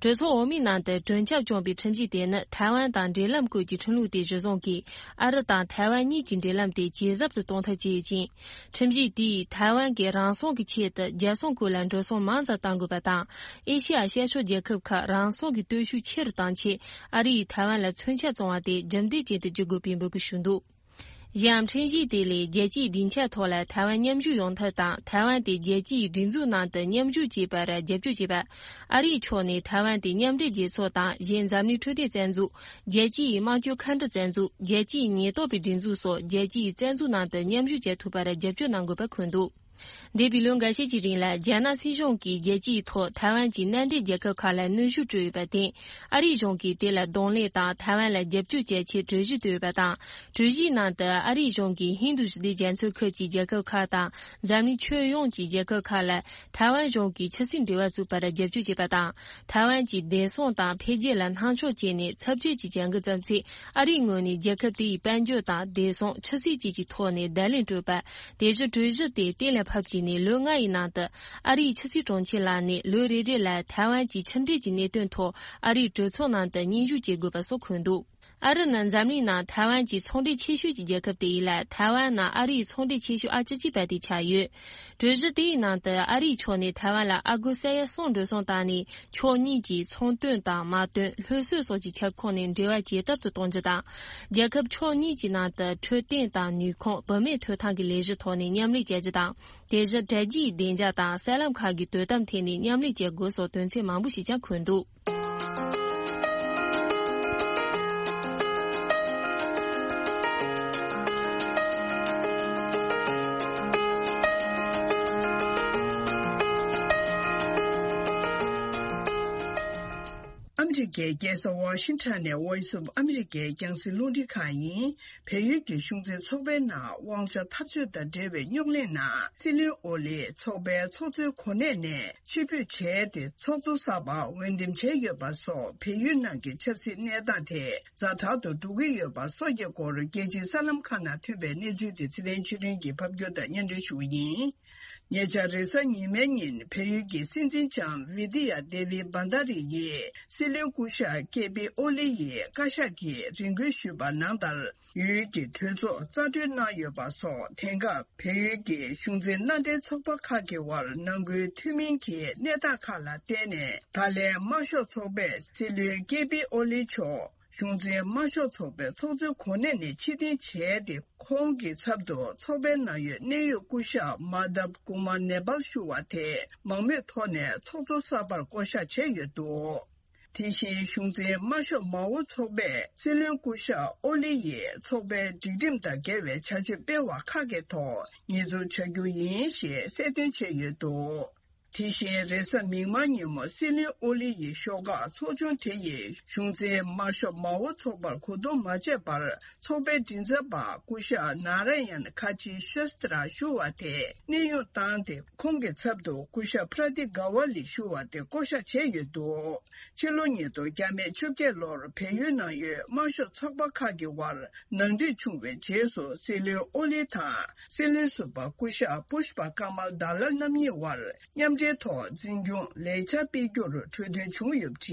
གྲོས་ཚོགས་འོག་མའི་ནང་དུ་གྲོས་འཆར་བྱུང་བའི་ཁྲིམས་གཞི་དེ་ནི་ཐའེ་ཝན་དང་འབྲེལ་ལམ་སྐོར་གྱི་ཁྲིམས་ལུགས་དེ་གཞིར་བཟུང་གིས་ཨ་རི་དང་ཐའེ་ཝན་གཉིས་ཀྱི་འབྲེལ་ལམ་དེ་ཇེ་ཟབ་ཏུ་གཏོང་ཐབས་བྱས་ཡོད་ཅིང་། ཁྲིམས་གཞི་དེས་ཐའེ་ཝན་གྱིས་རང་སྲུང་གི་ཆེད་དུ་རྒྱལ་སྲུང་སྐོར་ལ་འགྲོ་སོང་མང་ཙམ་གཏང་དགོས་པ་དང་། ཨེ་ཤེ་ཡ་ཤར་ཕྱོགས་རྒྱལ་ཁབ་ཁག་རང་སྲུང་གི་སྟོབས་ཤུགས་ཆེ་རུ་གཏང་ཆེད་ཨ་རི་ཡིས་ཐའེ་ཝན་ལ་མཚོན་ཆ་བཙོང་བ་དེ་རྒྱུན་ལྡན་ཅན་དུ་བསྒྱུར་དགོས་པའི་འབོད་སྐུལ་ཞུས་འདུག། གཞན་ཡང་ཁྲིམས་གཞི་དེ་ལས་རྒྱལ་སྤྱིའི་སྡིངས་ཆ་ཐོག་ལ་ཐའེ་ཝན་མཉམ་ཞུགས་ཡོང་ཐབས་དང་། ཐའེ་ཝན་དེ་རྒྱལ་སྤྱིའི་སྒྲིག་འཛུགས་ནང་དུ་མཉམ་ཞུགས་བྱེད་པར་རྒྱབ་སྐྱོར་བྱེད་པ། ཨ་རིའི་ཕྱོགས་ནས་ཐའེ་ཝན་དེ་མཉམ་འབྲེལ་རྒྱལ་ཚོགས་དང་། གཞན་འཛམ་གླིང་འཕྲོད་བསྟེན་རྩ་འཛུགས། རྒྱལ་སྤྱིའི་དམངས་སྤྱོད་མཁའ་འགྲུལ་རྩ་འཛུགས། རྒྱལ་སྤྱིའི་ཉེན་རྟོག་པའི་སྒྲིག་འཛུགས་སོགས་རྒྱལ་སྤྱིའི་རྩ་འཛུགས་ནང་དུ་མཉམ་ཞུགས་བྱེད་ཐུབ་པར་རྒྱབ་སྐྱོར་གནང་དགོས་པ་འཁོད་འདུག། འདས་པའི་ལོ་འགའ་ཤས་ཀྱི་རིང་ལ་རྒྱ་ནག་སྲིད་གཞུང་གིས་རྒྱལ་སྤྱིའི་ཐོག་ཐའེ་ཝན་གྱི་མནའ་འབྲེལ་རྒྱལ་ཁབ་ཁག་ལ་གནོན་ཤུགས་སྤྲོད་ཡོད་པར་བརྟེན། ཨ་རིའི་གཞུང་གིས་དེ་ལ་གདོང་ལེན་དང་ཐའེ་ཝན་ལ་རྒྱབ་སྐྱོར་བྱེད་ཆེད་གྲོས་གཞི་བཏོན་ཡོད་པ་དང་། གྲོས་གཞིའི་ནང་དུ་ཨ་རིའི་གཞུང་གིས་ཧིན་རྡུ་ཞི་བདེ་རྒྱ་མཚོའི་ཁུལ་གྱི་རྒྱལ་ཁབ་ཁག་དང་འཛམ་གླིང་ཁྱོན་ཡོངས་ཀྱི་རྒྱལ་ཁབ་ཁག་ལ་ཐའེ་ཝན་གཞུང་གིས་ཆབ་སྲིད་འབྲེལ་བ་བཙུགས་པར་རྒྱབ་སྐྱོར་བྱེད་པ་དང་། ཐའེ་ཝན་གྱི་བདེ་སྲུང་དང་འཕེལ་རྒྱས་ལ་སྣང་ཆུང་བྱས་ནས་ཚབས་ཆེ་གྱི་བྱ་འགུལ་བརྩམས་ཚེ། ཨ་རིའི་ངོས་ནས་རྒྱལ་ཁབ་དེའི་དཔལ་འབྱོར་དང་བདེ་སྲུང་ཆབ་སྲིད་བཅས་ཀྱི་ཐོག་ནས་བརྡ་ལན་སྤྲོད་པ། དེ་བཞིན་གྲོས་གཞི་དེ་གཏན་ལ་ཕབ་བྱས་ནས་ལོ་ལྔ་ཡི་ནང་དུ། ཨ་རིའི་ཕྱི་སྲིད་དྲུང་ཆེ་ལགས་ནས་ལོ་རེ་རེ་ལ་ཐའེ་ཝན་གྱི་ཕྱི་འབྲེལ་གྱི་གནད་དོན་ཐོག་ཨ་རིའི་གྲོས་ཚོགས་ནང་དུ་སྙན་ཞུ་བྱེད་དགོས་པ་སོགས་འཁོད་འདུག་ཨ་རི་ནི་འཛམ་གླིང་ནང་ཐའེ་ཝན་གྱི་ཚོང་འབྲེལ་ཆེ་ཤོས་ཀྱི་རྒྱལ་ཁབ་དེ་ཡིན་ལ། ཐའེ་ཝན་ནི་ཨ་རིའི་ཚོང་འབྲེལ་ཆེ་ཤོས་ཨ་ཅི་གཅིག་པ་དེ་ཆགས་ཡོད། གྲོས་གཞི་དེའི་ནང་དུ་ཨ་རིའི་ཕྱོགས་ནས་ཐའེ་ཝན་ལ་ཨ་སྒོར་ས་ཡ་གསུམ་འགྲོ་སོང་བཏང་ནས། ཕྱོགས་གཉིས་ཀྱིས་ཚོང་དོན་དང་མ་དོན། སློབ་གསོ་སོགས་ཀྱི་ཁྱབ་ཁོངས་ནས་འབྲེལ་བ་ཇེ་སྟོབས་སུ་གཏོང་རྒྱུ་དང་། རྒྱལ་ཁབ་ཕྱོགས་གཉིས་ཀྱི་ནང་དུ་འཕྲོད་བསྟེན་དང་ནུས་ཁུངས། བུད་མེད་ཐོབ་ཐང་གི་ལས་གཞི་ཐོག་ནས་མཉམ་ལས་བྱ་རྒྱུ་དང་། དེ་བཞིན་དྲ་རྒྱའི་བདེ་འཇགས་དང་གསར་ལམ་ཁག་གི་དོ་དམ་ཐད་ནས་མཉམ་ལས་བྱེད་དགོས་སོགས་དོན་ཚན་མང་པོ་ཞིག་ཀྱང་འཁོད་འདུག་ཨ་མི་རི་ཀའི་རྒྱལ་ས་ཝ་ཤིང་ཊོན་ནས་Voice of America རྒྱང་སྲིང་རླུང་འཕྲིན་ཁང་ཡིན། བལ་ཡུལ་གྱི་གཞུང་འཛིན་ཚོགས་པའི་ནང་དབང་ཆ་འཐབ་རྩོད་དང་འབྲེལ་བའི་རྙོག་གླེང་ནང་སྲིད་བློན་ཨོ་ལི་ཚོགས་པའི་ཚོགས་གཙོའི་གོ་གནས་ནས་ཕྱིར་འབུད་བྱས་ཏེ། ཚོགས་གཙོ་གསར་པ་འོས་འདེམས་བྱས་ཡོད་པ་སོགས་བལ་ཡུལ་ནང་གི་ཆབ་སྲིད་གནས་སྟངས་དེ་ཛ་དྲག་ཏུ་འགྲོ་གི་ཡོད་པ་སོགས་ཀྱི་སྐོར། རྒྱལ་སྤྱིའི་གསར་ལམ་ཁག་ནང་ཐོན་པའི་གནས་ཚུལ་དེ་ཚེ་བརྟན་ཆོས་སྒྲོན་གྱིས་ཕབ་སྒྱུར་དང་སྙན་སྒྲོན་ཞུ་བ་ཡིན། ཉེ་ཆར་རེས་གཟའ་ཉི་མའི་ཉིན་བལ་ཡུལ་གྱི་སྲིད་འཛིན་ལྕམ་བི་དི་ཡ་དེ་བི་བྷན་དྷ་རི་ཡིས་སྲིད་བློན་སྐུ་ཞབས་ཀེ་པི་ཨོ་ལི་ཡི་བཀའ་ཤག་གིས་རེ་སྐུལ་ཞུས་པ་ནང་ལྟར། ཡུལ་གྱི་གྲོས་ཚོགས་རྩ་གྲོན་གནང་ཡོད་པ་སོགས། དེང་སྐབས་བལ་ཡུལ་གྱི་གཞུང་འཛིན་མནའ་འབྲེལ་ཚོགས་པ་ཁག་གི་དབར་ནང་ཁུལ་མཐུན་མིན་གྱི་གནས་སྟངས་ཁག་ལ་བརྟེན་ནས། ད་ལན་དམར་ཤོག་ཚོགས་པས་སྲིད་བློན་ཀེ་པི་ཨོ་ལི་མཆོག་གཞུང་འཛིན་དམར་ཤོག་ཚོགས་པའི་ཚོགས་གཙོའི་གོ་གནས་ནས་ཕྱིར་འཐེན་བྱས་ཏེ། ཁོང་གི་ཚབ་ཏུ་ཚོགས་པའི་ནང་ཡོད་གནད་ཡོད་སྐུ་ཞབས་མ་དབ་ཀུ་མར་ནེ་པཱལ་ཞུ་བ་དེ་མང་མོས་ཐོག་ནས་ཚོགས་གཙོ་གསར་པར་བསྐོ་གཞག་བྱས་ཡོད་འདུག་དེ་བཞིན་གཞུང་འཛིན་དམར་ཤོག་མའོ་ཚོགས་པས་སྲིད་བློན་སྐུ་ཞབས་ཨོ་ལི་ཡིས་ཚོགས་པའི་སྒྲིག་ཁྲིམས་དང་འགལ་བའི་བྱ་སྤྱོད་སྤེལ་བ་ཁག་གི་ཐོག་ཉེས་འཛུགས་བྱ་རྒྱུ་ཡིན་ཞེས་གསལ་སྟོན་བྱས་ཡོད་འདུག་དེ་བཞིན་རེས་གཟའ་མིག་དམར་ཉིན་མོ་སྲིད་བློན་ཨོ་ལི་ཡི་ཤོག་ཁག་ཚོགས་ཆུང་དེ་ཡིས་གཞུང་འཛིན་དམར་ཤོག་མའོ་ཚོགས་པར་གོ་བསྡུར་མ་བྱས་པར། ཚོགས་པའི་མགྲིན་ཚབ་པ་སྐུ་ཞབས་ནཱ་ར་ཡན་ཁ་ཆི་ཤོས་ཏྲ་ཞུ་བ་དེ་གནས་དབྱུང་བཏང་སྟེ། ཁོང་གི་ཚབ་ཏུ་སྐུ་ཞབས་པྲ་ཏི་ག་ཝ་ལི་ཞུ་བ་དེ་བསྐོ་གཞག་བྱས་ཡོད་འདུག་ཕྱི་ལོ་ཉིས་སྟོང་བརྒྱ་མེད་བཅོ་བརྒྱད་ལོར་བལ་ཡུལ་ནང་ཡོད་དམར་ཤོག་ཚོགས་པ་ཁག་གི་དབར་ནང་འགྲིག་བྱུང་བའི་རྗེས་སུ། སྲིད་བློན་ཨོ་ལི་དང་སྲིད་བློན་ཟུར་པ་སྐུ་ཞབས་པུཤ་པ་ཀ་མལ་དཱ་ལལ་རྣམ་གཉིས་དབར་མཉམ་འབྲེལ་ཐོག་འཛིན་སྐྱོང་ལས་འཆར་སྤེལ་རྒྱུར་གྲོས་མཐུན་བྱུང་ཡོད་པ་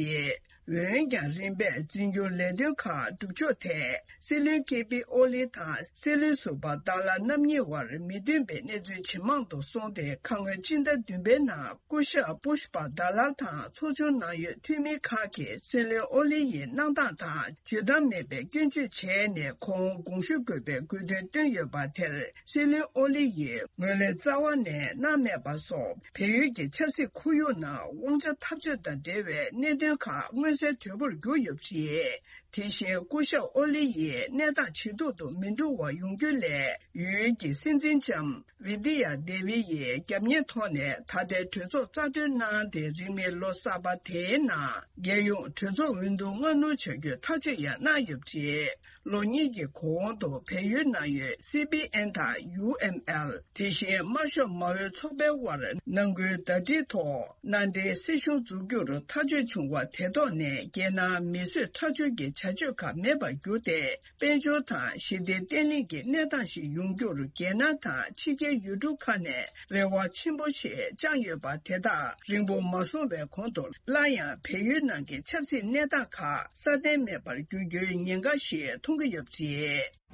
རེད། འོན་ཀྱང་། རིམ་པས་འཛིན་སྐྱོང་ལས་དོན་ཁག་སྒྲུབ་ཕྱོགས་ཐད་སྲིད་བློན་ཀེ་པི་ཨོ་ལི་དང་སྲིད་བློན་ཟུར་པ་དཱ་ལལ་རྣམ་གཉིས་དབར་མི་མཐུན་པའི་གནས་ཚུལ་ཇེ་མང་དུ་སོང་སྟེ། ཁ་སྔོན་སྤྱི་ཟླ་བདུན་པའི་ནང་སྐུ་ཞབས་པུཤ་པ་དཱ་ལལ་དང་ཚོགས་ཆུང་ནང་ཡོད་འཐུས་མི་ཁག་གིས་སྲིད་བློན་ཨོ་ལི་ཡི་གནང་སྟངས་དང་འཇོན་ཐང་མེད་པའི་སྐྱོན་བརྗོད་བྱས་ནས། ཁོང་དགོངས་ཞུ་དགོས་པའི་དགོས་འདུན་བཏོན་ཡོད་པ་དེར། སྲིད་བློན་ཨོ་ལི་ཡིས་ངོས་ལེན་རྩ་བ་ནས་གནང་མེད་པ་སོགས། བལ་ཡུལ་གྱི་ཆབ་སྲིད་ཁོར་ཡུག་ནང་དབང་ཆ་འཐབ་རྩོད་དང་འབྲེལ་བའི་གནད་དོན་ཁག་མངོན་གསལ་དོད་པོར་གྱུར་ཡོད་པ་རེད། དེ་བཞིན་སྐུ་ཞབས་ཨོ་ལི་ཡིས་གནས་སྟངས་ཇེ་སྡུག་ཏུ་མི་འགྲོ་བ་ཡོང་རྒྱུ་ལས། ཡུལ་གྱི་སྲིད་འཛིན་ལྕམ་བི་དི་ཡ་དེ་བི་ཡིས་རྒྱབ་གཉེར་ཐོག་ནས་ད་ལྟའི་གྲོས་ཚོགས་རྩ་གྲོན་གནང་སྟེ། རིང་མིན་ལོ་གསར་པ་དེའི་ནང་རྒྱལ་ཡོངས་གྲོས་ཚོགས་འོས་བསྡུ་སྔ་སྣུར་བྱ་རྒྱུའི་ཐག་གཅོད་ཡང་གནང་ཡོད་པ་རེད། ལོ་གཉིས་ཀྱི་གོང་དུ་བལ་ཡུལ་ནང་ཡོད་སི་པི་ཨེན་དང་ཡུ་ཨེམ་ཨེལ། དེ་བཞིན་དམར་ཤོག་མའོའི་ཚོགས་པའི་དབར་ནང་ཁུལ་ཟླ་སྒྲིལ་ཐོག་མནའ་འབྲེལ་སྲིད་གཞུང་འཛུགས་རྒྱུར་ཐག་གཅོད་བྱུང་བ་དེ་ཐོག་ནས། རྒྱལ་ནང་མི་གསོད་ཁྲག་སྦྱོར་གྱི་བྱ་སྤྱོད་ཁག་མེད་པར་གྱུར་ཏེ། དཔལ་འབྱོར་དང་ཞི་བདེ་བརྟན་ལྷིང་གི་གནས་སྟངས་ཤིག་ཡོང་རྒྱུར། རྒྱལ་ནང་དང་ཕྱི་རྒྱལ་ཡུལ་གྲུ་ཁག་ནས་རེ་བ་ཆེན་པོ་ཞིག་བཅངས་ཡོད་པ་དེ་དག་རིང་པོ་མ་སོང་བའི་གོང་དུ། སླར་ཡང་བལ་ཡུལ་ནང་གི་ཆབ་སྲིད་གནས་སྟངས་ཁག་སྲ་བརྟན་མེད་པར་འགྱུར་རྒྱུའི་ཉེན་ཁ་ཞིག་མཐོང་གི་ཡོད་པ་རེད།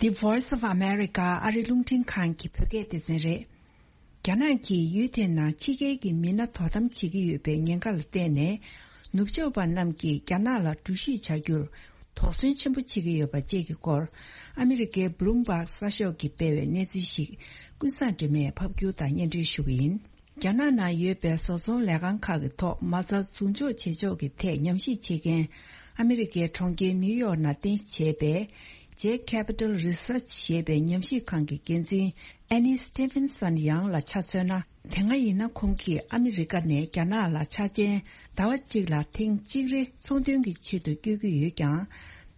The Voice of America ཨ་རི་རླུང་འཕྲིན་ཁང་གི་བོད་སྐད་སྡེ་ཚན་རེད། རྒྱ་ནག་གིས་ཡུལ་དེའི་ནང་ཕྱི་རྒྱལ་གྱི་མི་སྣ་དོ་དམ་བྱེད་ཀྱི་ཡོད་པའི་ཉེན་ཁ་ལ་བརྟེན་ནས། ནུབ་ཕྱོགས་པ་རྣམས་ཀྱིས་རྒྱ་ནག་ལ་འགྲུལ་བཞུད་བྱ་རྒྱུར་ དོགས་ཟོན་ཆེན་པོ་བྱེད་ཀྱི་ཡོད་པ་བཅས་ཀྱི་སྐོར། ཨ་མི་རི་ཀའི་Bloomberg་གསར་ཤོག་གིས་སྤེལ་བའི་གནས་ཚུལ་ཞིག་ཀུན་བཟང་སྒྲོལ་མས་ཕབ་སྒྱུར་དང་སྙན་སྒྲོན་ཞུ་གི་ཡིན། རྒྱ་ནག་ནང་ཡོད་པའི་བཟོ་ཚོང་ལས་ཁང་ཁག་གི་ཐོག་མ་རྩ་འཛུགས་འཇོག་བྱེད་ཕྱོགས་ཀྱི་ཐད་ཉམས་ཞིབ་བྱེད་མཁན། ཨ་མི་རི་ཀའི་གྲོང་ཁྱེར་ནིའུ་ཡོག་ནང་རྟེན་གཞི་བྱས་པའི་J Capital Research ཞེས་པའི་ཉམས་ཞིབ་ཁང་གི་འགན་འཛིན་Annie Stevenson ཡང་ལ་ཆ་མཚོན་ན། དེ་སྔ་ཡིན་ན་ཁོང་གིས་ཨ་མི་རི་ཀ་ནས་རྒྱ་ནག་ལ་ཆ་ཅན་ཟླ་བ་གཅིག་ལ་ཐེངས་གཅིག་རེ་ཚོང་དོན་གྱི་ཆེད་དུ་བསྐྱོད་ཀྱི་ཡོད་ཀྱང་།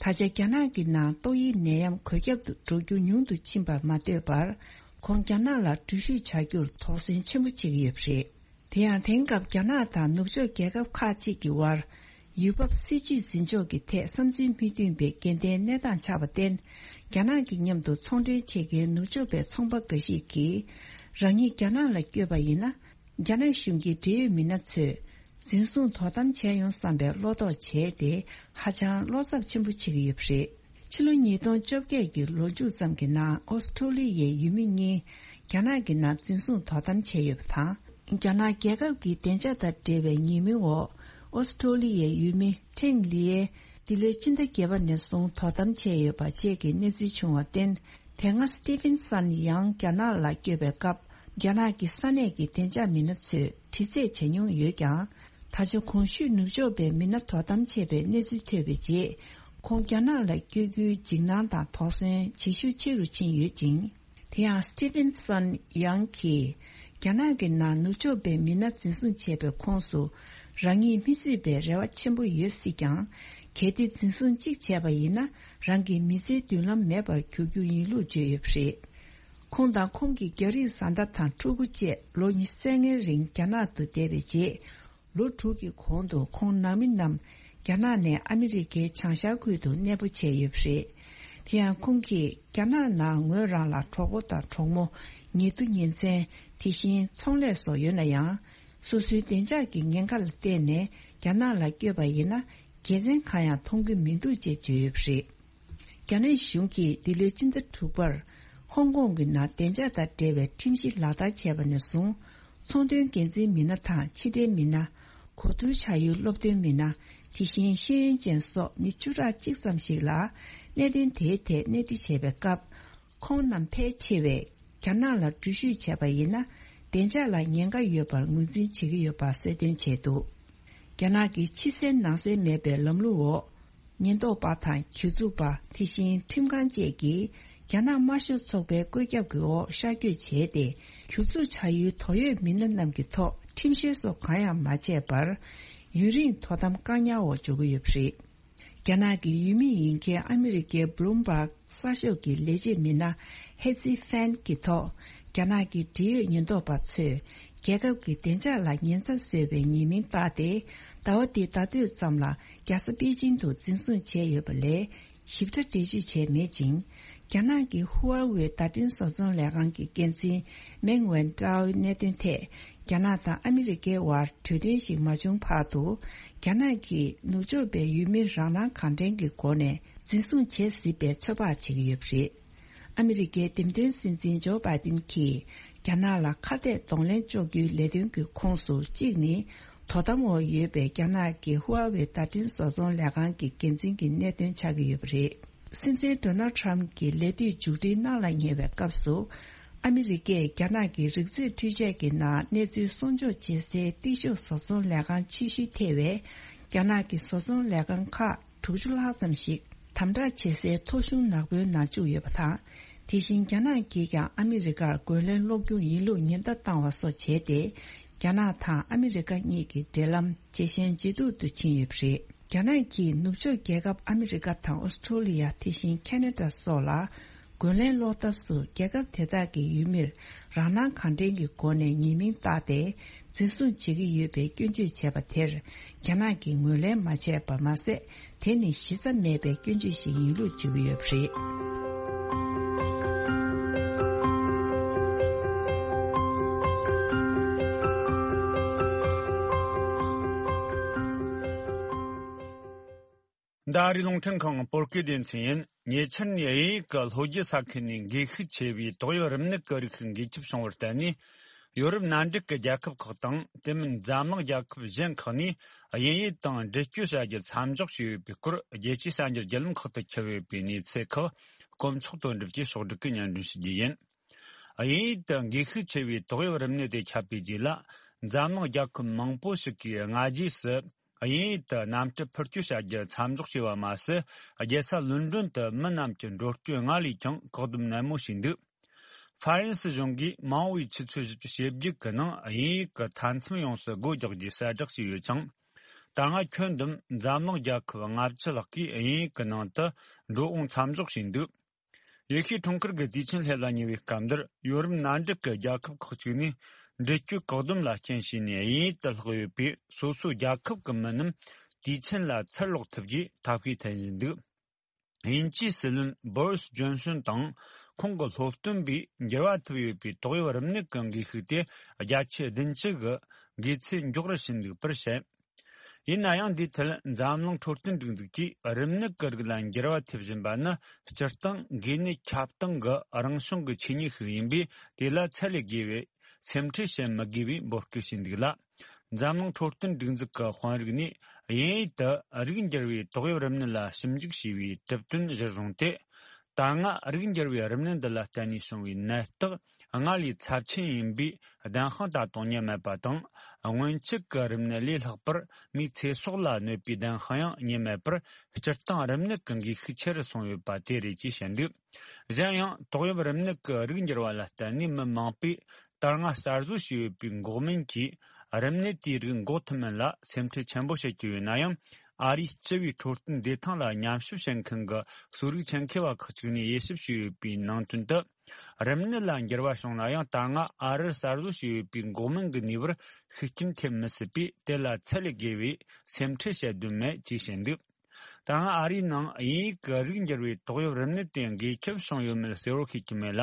ད་ཆ་རྒྱ་ནག་གི་ནང་ཏོག་དབྱིབས་ནད་ཡམས་འགོས་ཁྱབ་ཏུ་འགྲོ་རྒྱུ་ཉུང་དུ་ཕྱིན་པར་མ་ལྟོས་པར། ཁོང་རྒྱ་ནག་ལ་འགྲུལ་བཞུད་བྱ་རྒྱུར་དོགས་ཟོན་ཆེན་པོ་བྱེད་ཀྱི་ཡོད་པ་རེད། དེ་ཡང་དེང་སྐབས་རྒྱ་ནག་དང་ནུབ་ཕྱོགས་རྒྱལ་ཁབ་ཁག་ཅིག་གི་དབར། ཡུལ་བབ་སྲིད་ཇུས་འཛིན་ཕྱོགས་ཀྱི་ཐད་བསམ་ཚུལ་མི་མཐུན་པའི་འགལ་ཟླའི་གནས་སྟངས་ཆགས་པར་བརྟེན། རྒྱ་ནག་གི་མཉམ་དུ་ཚོང་འབྲེལ་བྱེད་མཁན་ནུབ་ཕྱོགས་པའི་ཚོང་པ་འགའ་ཞིག་གིས། རང་ཉིད་རྒྱ་ནག་ལ་བསྐྱོད་པ་ཡིན་ན། རྒྱ་ནག་གཞུང་གི་འབྲེལ་ཡོད་མི་སྣ་ཚོས། འཛིན་བཟུང་དོ་དམ་བྱས་ཡོང་བསམ་པའི་བློ་དོགས་བྱས་ཏེ། ཧ་ཅང་བློ་འཚབ་ཆེན་པོ་བྱེད་ཀྱི་ཡོད་པ་རེད། ཕྱི་ལོ་ཉིས་སྟོང་བཅོ་བརྒྱད་ཀྱི་ལོ་མཇུག་ཙམ་གྱི་ནང་ཨོ་སི་ཁྲུ་ལི་ཡའི་ཡུལ་མི་གཉིས་རྒྱ་ནག་གི་ནང་འཛིན་བཟུང་དོ་དམ་བྱས་ཡོད་པ་དང་། རྒྱ་ནག་རྒྱལ་ཁབ་ཀྱི་བདེ་འཇགས་དང་འབྲེལ་བའི་ཉེས་མིང་འོག་ཨོ་སི་ཁྲུ་ལི་ཡའི་ཡུལ་མི་ཁྲེང་ལི་ཡའི་འདི་ལོའི་ཕྱི་ཟླ་བརྒྱད་པ་ནས་བཟུང་དོ་དམ་བྱས་ཡོད་པ་བཅས་ཀྱི་གནས་ཚུལ་བྱུང་བར་བརྟེན། དེ་སྔ་སི་ཏི་ཕིན་སན་ཡང་རྒྱ་ནག་ལ་བསྐྱོད་པའི་སྐབས། རྒྱ་ནག་གི་ས་གནས་ཀྱི་བདེ་འཇགས་མི་སྣ་ཚོས་དྲི་རྩད་བྱས་མྱོང་ཡོད་ཀྱང་། ད་ཆ་གོང་ཞུས་ནུབ་ཕྱོགས་པའི་མི་སྣ་དོ་དམ་བྱས་པའི་གནས་ཚུལ་ཐོས་པའི་རྗེས། ཁོང་རྒྱ་ནག་ལ་བསྐྱོད་རྒྱུའི་འཇིགས་སྣང་དང་དོགས་ཟོན་ཇེ་ཤུགས་ཆེ་རུ་ཕྱིན་ཡོད་ཅིང་། དེ་ཡང་སི་ཏི་ཕིན་སན་ཡང་གིས། རྒྱ་ནག་གི་ནང་ནུབ་ཕྱོགས་པའི་མི་སྣ་འཛིན་བཟུང་བྱས་པའི་ཁོངས་སུ། རང་ཉིད་མི་གཙོས་པའི་རེ་བ་ཆེན་པོ་ཡོད་སྲིད་ཀྱང་། གལ་ཏེ་འཛིན་བཟུང་གཅིག་བྱས་པ་ཡིན་ན། རང་གི་མི་ཚེའི་མདུན་ལམ་མེད་པར་འགྱུར་རྒྱུ་ཡིན་ལུགས་བརྗོད་ཡོད་པ་རེད། ཁོང་དང་ཁོང་གི་རྒྱ་རིགས་བཟའ་ཟླ་དང་ཕྲུ་གུ་བཅས་ལོ་ཉི་ཤུ་རྩ་ལྔའི་རིང་རྒྱ་ནག་ཏུ་བསྡད་པའི་རྗེས། ལོ་དྲུག་གི་གོང་དུ་ཁོང་ནང་མི་རྣམས་རྒྱ་ནག་ནས་ཨ་མི་རི་ཀའི་བྱང་ཤར་ཁུལ་དུ་གནས་སྤོ་བྱས་ཡོད་པ་རེད། དེ་ཡང་ཁོང་གིས་རྒྱ་ནག་ནང་ངོས་རང་ལ་གྲོགས་པོ་དང་གྲོགས་མོ། ཉེ་དུ་ཉེ་ཚན། དེ་བཞིན་ཚོང་ལས་སོགས་ཡོད་ན་ཡང་། སོ་སོའི་བདེ་འཇགས་ཀྱི་ཉེན་ཁ་ལ་བརྟེན་ནས་རྒྱ་ནག་ལ་བསྐྱོད་པ་ཡིན་ན། དགེ་མཚན་གང་ཡང་མཐོང་གི་མི་འདུག་ཅེས་བརྗོད་ཡོད་པ་རེད། རྒྱ་ནག་གཞུང་གིས་འདི་ལོའི་ཕྱི་ཟླ་དྲུག་པར། ཧོང་ཀོང་གི་ནང་བདེ་འཇགས་དང་འབྲེལ་བའི་ཁྲིམས་གཞི་ལག་བསྟར་བྱས་པ་ནས་བཟུང་། ཚོང་དོན་འགན་འཛིན་མི་སྣ་དང་ཕྱི་འབྲེལ་མི་སྣ། གོ་བསྡུར་བྱ་ཡུལ་སློབ་སྟོན་མི་སྣ། དེ་བཞིན་ཤེས་ཡོན་ཅན་སོགས་མི་བཅུ་ཕྲག་གཅིག་ཙམ་ཞིག་ལ། གནད་དོན་དེའི་ཐད་གནས་འདྲི་བྱས་པའི་སྐབས། ཁོང་རྣམས་ཕལ་ཆེ་བས་རྒྱ་ནག་ལ་འགྲུལ་བཞུད་བྱས་པ་ཡིན་ན། བདེ་འཇགས་ལ་ཉེན་ཁ་ཡོད་པར་ངོས་འཛིན་བྱེད་ཀྱི་ཡོད་པ་གསལ་སྟོན་བྱས་འདུག་རྒྱ་ནག་གི་ཕྱི་གསལ་ནང་གསལ་མེད་པའི་ལམ་ལུགས་འོག་ཉེན་རྟོག་པ་དང་གྱོད་འཛུགས་པ། དེ་བཞིན་ཁྲིམས་ཁང་བཅས་ཀྱིས་རྒྱ་ནག་དམར་ཤོག་ཚོགས་པའི་བཀོད་ཁྱབ་ཀྱི་འོག་ཤར་བསྐྱོད་བྱས་ཏེ། གྱོད་འཛུགས་བྱ་ཡུལ་དོགས་ཡོད་མི་སྣ་རྣམས་ཀྱི་ཐོག་ཁྲིམས་བཤེར་སོགས་གང་ཡང་མ་བྱས་པར། ཡུན་རིང་དོ་དམ་བཀག་ཉར་འོག་འཇོག་གི་ཡོད་པ་རེད། རྒྱ་ནག་གི་ཡུལ་མི་ཡིན་མཁན་ཨ་མི་རི་ཀའི་Bloomberg གསར་ཤོག་གི་ལས་བྱེད་མི་སྣ་Hezzy Fan གྱི་ཐོག་རྒྱ་ནག་གི་འབྲེལ་ཡོད་ཉེན་རྟོག་པ་ཚོས་རྒྱལ་ཁབ་ཀྱི་བདེ་འཇགས་ལ་ཉེན་ཚབས་བཟོས་པའི་ཉེས་མིང་བཏགས་ཏེ། ཟླ་བ་འདིའི་ཟླ་སྟོད་ཙམ་ལ་རྒྱལ་ས་པེ་ཅིང་དུ་འཛིན་བཟུང་བྱས་ཡོད་པ་ལས། ཞིབ་ཕྲ་འགྲེལ་བརྗོད་བྱས་མེད་ཅིང་། རྒྱ་ནག་གི་ཧུའེ་ཝེ་བརྡ་འཕྲིན་བཟོ་ཚོང་ལས་ཁང་གི་འགན་འཛིན་Meng Wanzhou གནད་དོན་ཐད། རྒྱ་ནག་དང་ཨ་མི་རི་ཀའི་དབར་གྲོས་མཐུན་ཞིག་མ་བྱུང་བར་དུ། རྒྱ་ནག་གིས་ནུབ་ཕྱོགས་པའི་ཡུལ་མི་རང་སྣང་གང་དྲན་གྱི་སྒོ་ནས་འཛིན་བཟུང་བྱེད་སྲིད་པའི་ཚོད་དཔག་བྱེད་ཀྱི་ཡོད་པ་རེད། ཨ་མི་རི་ཀའི་འདེམས་ཐོན་སྲིད་འཛིན་ཇོ་བྷའི་ཏིན་གྱིས་རྒྱ་ནག་ལ་ཁ་གཏད་གདོང་ལེན་གཅོག་རྒྱུའི་ལས་དོན་གྱི་ཁོངས་སུ་གཅིག་ནི། དོ་དམ་འོག་ཡོད་པའི་རྒྱ་ནག་གི་ཧུའེ་ཝེ་བརྡ་འཕྲིན་བཟོ་ཚོང་ལས་ཁང་གི་འགན་འཛིན་གྱི་གནད་དོན་ཆགས་ཀྱི་ཡོད་པ་རེད། སྲིད་འཛིན་Donald Trump གྱི་ལས་དུས་མཇུག་སྒྲིལ་གནང་ལ་ཉེ་བའི་སྐབས་སུ། ཨ་མི་རི་ཀས་རྒྱ་ནག་གི་རིག་མཛོད་འཕྲུལ་ཆས་ཀྱི་ནང་གནས་ཚུལ་སྲུང་སྐྱོབ་བྱེད་སའི་ཏིག་ཤོག་བཟོ་ཚོང་ལས་ཁང་ཆེ་ཤོས་ཐེ་བའི་རྒྱ་ནག་གི་བཟོ་ཚོང་ལས་ཁང་ཁག་དྲུག་ཅུ་ལྷག་ཙམ་ཞིག་དམ་དྲག་བྱེད་སའི་ཐོ་གཞུང་ནག་པོའི་ནང་བཅུག་ཡོད་པ་དང་། དེ་བཞིན་རྒྱ་ནག་གིས་ཀྱང་ཨ་མི་རི་ཀར་རྒོལ་ལན་སློག་རྒྱུ་ཡིན་ལུགས་ཉེན་བརྡ་བཏང་བ་སོགས་བྱས་ཏེ། རྒྱ་ནག་དང་ཨ་མི་རི་ཀ་གཉིས་ཀྱི་འབྲེལ་ལམ་ཇེ་ཞན་ཇེ་སྡུག་ཏུ་ཕྱིན་ཡོད་པ་རེད། རྒྱ་ནག་གིས་ནུབ་ཕྱོགས་རྒྱལ་ཁབ་ཨ་མི་རི་ཀ་དང་ཨོ་སི་ཁྲུ་ལི་ཡ། དེ་བཞིན་ཁ་ན་ཌ་སོགས་ལ། རྒོལ་ལན་སློག་ཐབས་སུ་རྒྱལ་ཁབ་དེ་དག་གི་ཡུལ་མིར་རང་སྣང་གང་དྲན་གྱི་སྒོ་ནས་ཉེས་མིང་བཏགས་ཏེ། འཛིན་བཟུང་བྱེད་ཀྱི་ཡོད་པའི་སྐྱོན་བརྗོད་བྱས་པ་དེར། རྒྱ་ནག་གིས་ངོས་ལེན་མ་བྱས་པར་མ་ཟད། དེ་ནི་གཞི་རྩ་མེད་པའི་སྐྱོན་བརྗོད་ཞིག་ཡིན་ལུགས་བརྗོད་ཀྱི་ཡོད་པ་རེད། འདི་ཨ་རིའི་རླུང་འཕྲིན་ཁང་བོད་སྐད་སྡེ་ཚན་ཡིན། ཉེ་ཆར་ནས་དབྱིན་ཡིག་གི་ལྷོ་རྒྱུད་ས་ཁུལ་ནས་འགོས་ཤུགས་ཆེ་བའི་ཏོག་དབྱིབས་རིམས་ནད་ཀྱི་རིགས་ཤིག་འགོས་ཁྱབ་བྱུང་བར་བརྟེན་ནས། ཡོ་རོབ་མནའ་འབྲེལ་གྱི་རྒྱལ་ཁབ་ཁག་དང་དེ་མིན་འཛམ་གླིང་རྒྱལ་ཁབ་གཞན་ཁག་ནས་དབྱིན་ཡུལ་དང་འབྲེལ་གཅོད་བྱ་རྒྱུ་མཚམས་འཇོག་བྱས་ཡོད་པའི་སྐོར། རྒྱལ་སྤྱིའི་གསར་འགྱུར་བརྒྱུད་ལམ་ཁག་ཏུ་ཁྱབ་ཡོད་པའི་གནས་ཚུལ་ཁག་དཀོན་མཆོག་དོན་གྲུབ་ཀྱིས་ཕྱོགས་སྒྲིག་གིས་སྙན་སྒྲོན་ཞུ་རྒྱུ་ཡིན། དབྱིན་ཡུལ་དུ་འགོས་ཤུགས་ཆེ་བའི་ཏོག་དབྱིབས་རིམས་ནད་དེ་ཁྱབ་པའི་རྗེས་ལ། འཛམ་གླིང་རྒྱལ་ཁབ་མང་པོ་ཞིག་གིས་སྔ་རྗེས་སུ་དབྱིན་ཡུལ་དུ་གནམ་གྲུ་འཕུར་སྐྱོད་བྱ་རྒྱུ་མཚམས་འཇོག་བྱས་པ་མ་ཟད། རྒྱལ་ས་ལོན་ཌོན་དུ་མི་རྣམས་ཀྱི་འགྲོ་སྐྱོད་སྔར་ལས་ཀྱང་བཀག་སྡོམ་ནན་མོ་བྱས་འདུག་ཧྥ་རན་སི་གཞུང་གིས་མ་འོངས་པའི་ཆུ་ཚོད་བཞི་བཅུ་ཞེ་བརྒྱད་ཀྱི་ནང་དབྱིན་ཡུལ་གྱི་མཐའ་མཚམས་ཡོངས་སུ་སྒོ་རྒྱག་རྒྱུའི་གསལ་བསྒྲགས་བྱས་ཡོད་ཅིང་། ད་སྔ་ཁྱོན་བསྡོམས་འཛམ་གླིང་རྒྱལ་ཁབ་ལྔ་བཅུ་ལྷག་གིས་དབྱིན་ཡུལ་གྱི་ནང་དུ་འགྲོ་འོང་མཚམས་འཇོག་བྱས་འདུག་ཡེ་ཤུའི་འཁྲུངས་སྐར་གྱི་དུས་ཆེན་སླེབས་ལ་ཉེ་བའི་སྐབས་འདིར། ཡོ་རོབ་མནའ་འབྲེལ་གྱི་རྒྱལ་ཁབ་ཁག་ཅིག་ནས་འབྲེལ་གཅོད་བཀག་སྡོམ་ལ་རྐྱེན་བྱས་ནས་དབྱིན་ཡུལ་དུ་ལྷག་ཡོད་པའི་སོ་སོའི་རྒྱལ་ཁབ་ཀྱི་མི་རྣམས་དུས་ཆེན་ལ་ཚུར་ལོག་ཐུབ་རྒྱུའི་ཐབས་ཤེས་འཐེན་བཞིན་འདུག་དབྱིན་ཇིའི་སྲིད་བློན་བོ་རིས་ཇོན་སོན་དང་ཁོང་གི་སློབ་སྟོན་པས་འགྱུར་བ་ཐེབས་ཡོད་པའི་ཏོག་དབྱིབས་རིམས་ནད་ཀྱི་འགོས་ཤུགས་དེ་བརྒྱ་ཆ་བདུན་ཅུ་གི་འགོས་ཚད་མགྱོགས་རུ་ཕྱིན་འདུག་པར་བཤད། ཡིན་ན་ཡང་འདིའི་ཐད་འཛམ་གླིང་འཕྲོད་བསྟེན་སྒྲིག་འཛུགས་ཀྱིས་རིམས་ནད་ཀྱི་རིགས་ལ་འགྱུར་བ་ཐེབས་བཞིན་པ་ནི་སྤྱིར་བཏང་འགོས་ནད་ཁྱབ་སྟངས་ཀྱི་རང་བྱུང་གི་ཆོས་ཉིད་ཤིག་ཡིན་པས། དེ་ལ་ཚད་ལས་བརྒལ་བའི་སེམས་ཁྲལ་བྱེད་མི་དགོས་པའི་འབོད་སྐུལ་བྱས་འདུག་ལ། འཛམ་གླིང་འཕྲོད་བསྟེན་སྒྲིག་འཛུགས་ཀྱི་དཔོན་རིགས་ནས་དབྱིན་ཡུལ་དུ་རིགས་འགྱུར་བའི་ཏོག་དབྱིབས་རིམས་ནད་ལ་ཞིབ་འཇུག་བྱས་པའི་གྲུབ་དོན་གཞིར་བཟུང་སྟེ། ད་སྔ་རིགས་འགྱུར་བའི་རིམས་ནད་འདི་ལ་བརྟེན་ནས་བྱུང་བའི་ནད་རྟགས་སྔར་ལས་ཚབས་ཆེན་ཡིན་པའི་གདན་དབང་ད་དུང་རྙེད་མེད་པ་དང་། སྔོན་ཆད་ཀྱི་རིམས་ནད་ལས་ལྷག་པར་མིའི་ཚེ་སྲོག་ལ་གནོད་པའི་གདན་དབང་ཡང་རྙེད་མེད་པར། སྤྱིར་བཏང་རིམས་ནད་ཀྱི་འགོས་ཤུགས་ཆེ་རུ་སོང་ཡོད་པ་དེ་རེད་ཅེས་བཤད་འདུག་གཞན་ཡང་ཏོག་དབྱིབས་རིམས་ནད་ཀྱི་རིགས་འགྱུར་བ་ལ་བརྟེན་ནས་མི་མང་པོས་ད་སྔ་གསར་བཟོ་བྱས་ཡོད་པའི་འགོག་སྨན་གྱིས་རིམས་ནད་དེའི་རིགས་འགོག་ཐུབ་མིན་ལ་སེམས་ཁྲལ་ཆེན་པོ་བྱེད་ཀྱི་ཡོད་ན་ཡང་། ཨ་རིའི་སྤྱི་པའི་འཕྲོད་བསྟེན་བདེ་ཐང་ལ་ཉམས་ཞིབ་བྱེད་མཁན་གྱི་གསོ་རིག་ཆེད་མཁས་པ་ཁག་ཅིག་ནས་དབྱེ་ཞིབ་བྱས་ཡོད་པའི་ནང་དོན་དུ། རིམས་ནད་ལ་འགྱུར་བ་བྱུང་ན་ཡང་། ད་སྔ་ཨ་རིར་གསར་བཟོ་བྱས་ཡོད་པའི་འགོག་སྨན་གྱི་ནུས་པར་ཤུགས་རྐྱེན་ཐེབས་མི་སྲིད་པས། དེ་ལ་ཚད་ལས་བརྒལ་བའི་སེམས་ཁྲལ་བྱེད་དོན་མེད་ཅེས་བཤད་འདུག་ད་སྔ་ཨ་རིའི་ནང་དབྱིན་ཡུལ་གྱི་རིགས་འགྱུར་བའི་ཏོག་དབྱིབས་རིམས་ནད་དེ་འགོས་ཁྱབ་བྱུང་ཡོད་མེད་གསལ་བོ་ཤེས་ཀྱི་མེད་ལ།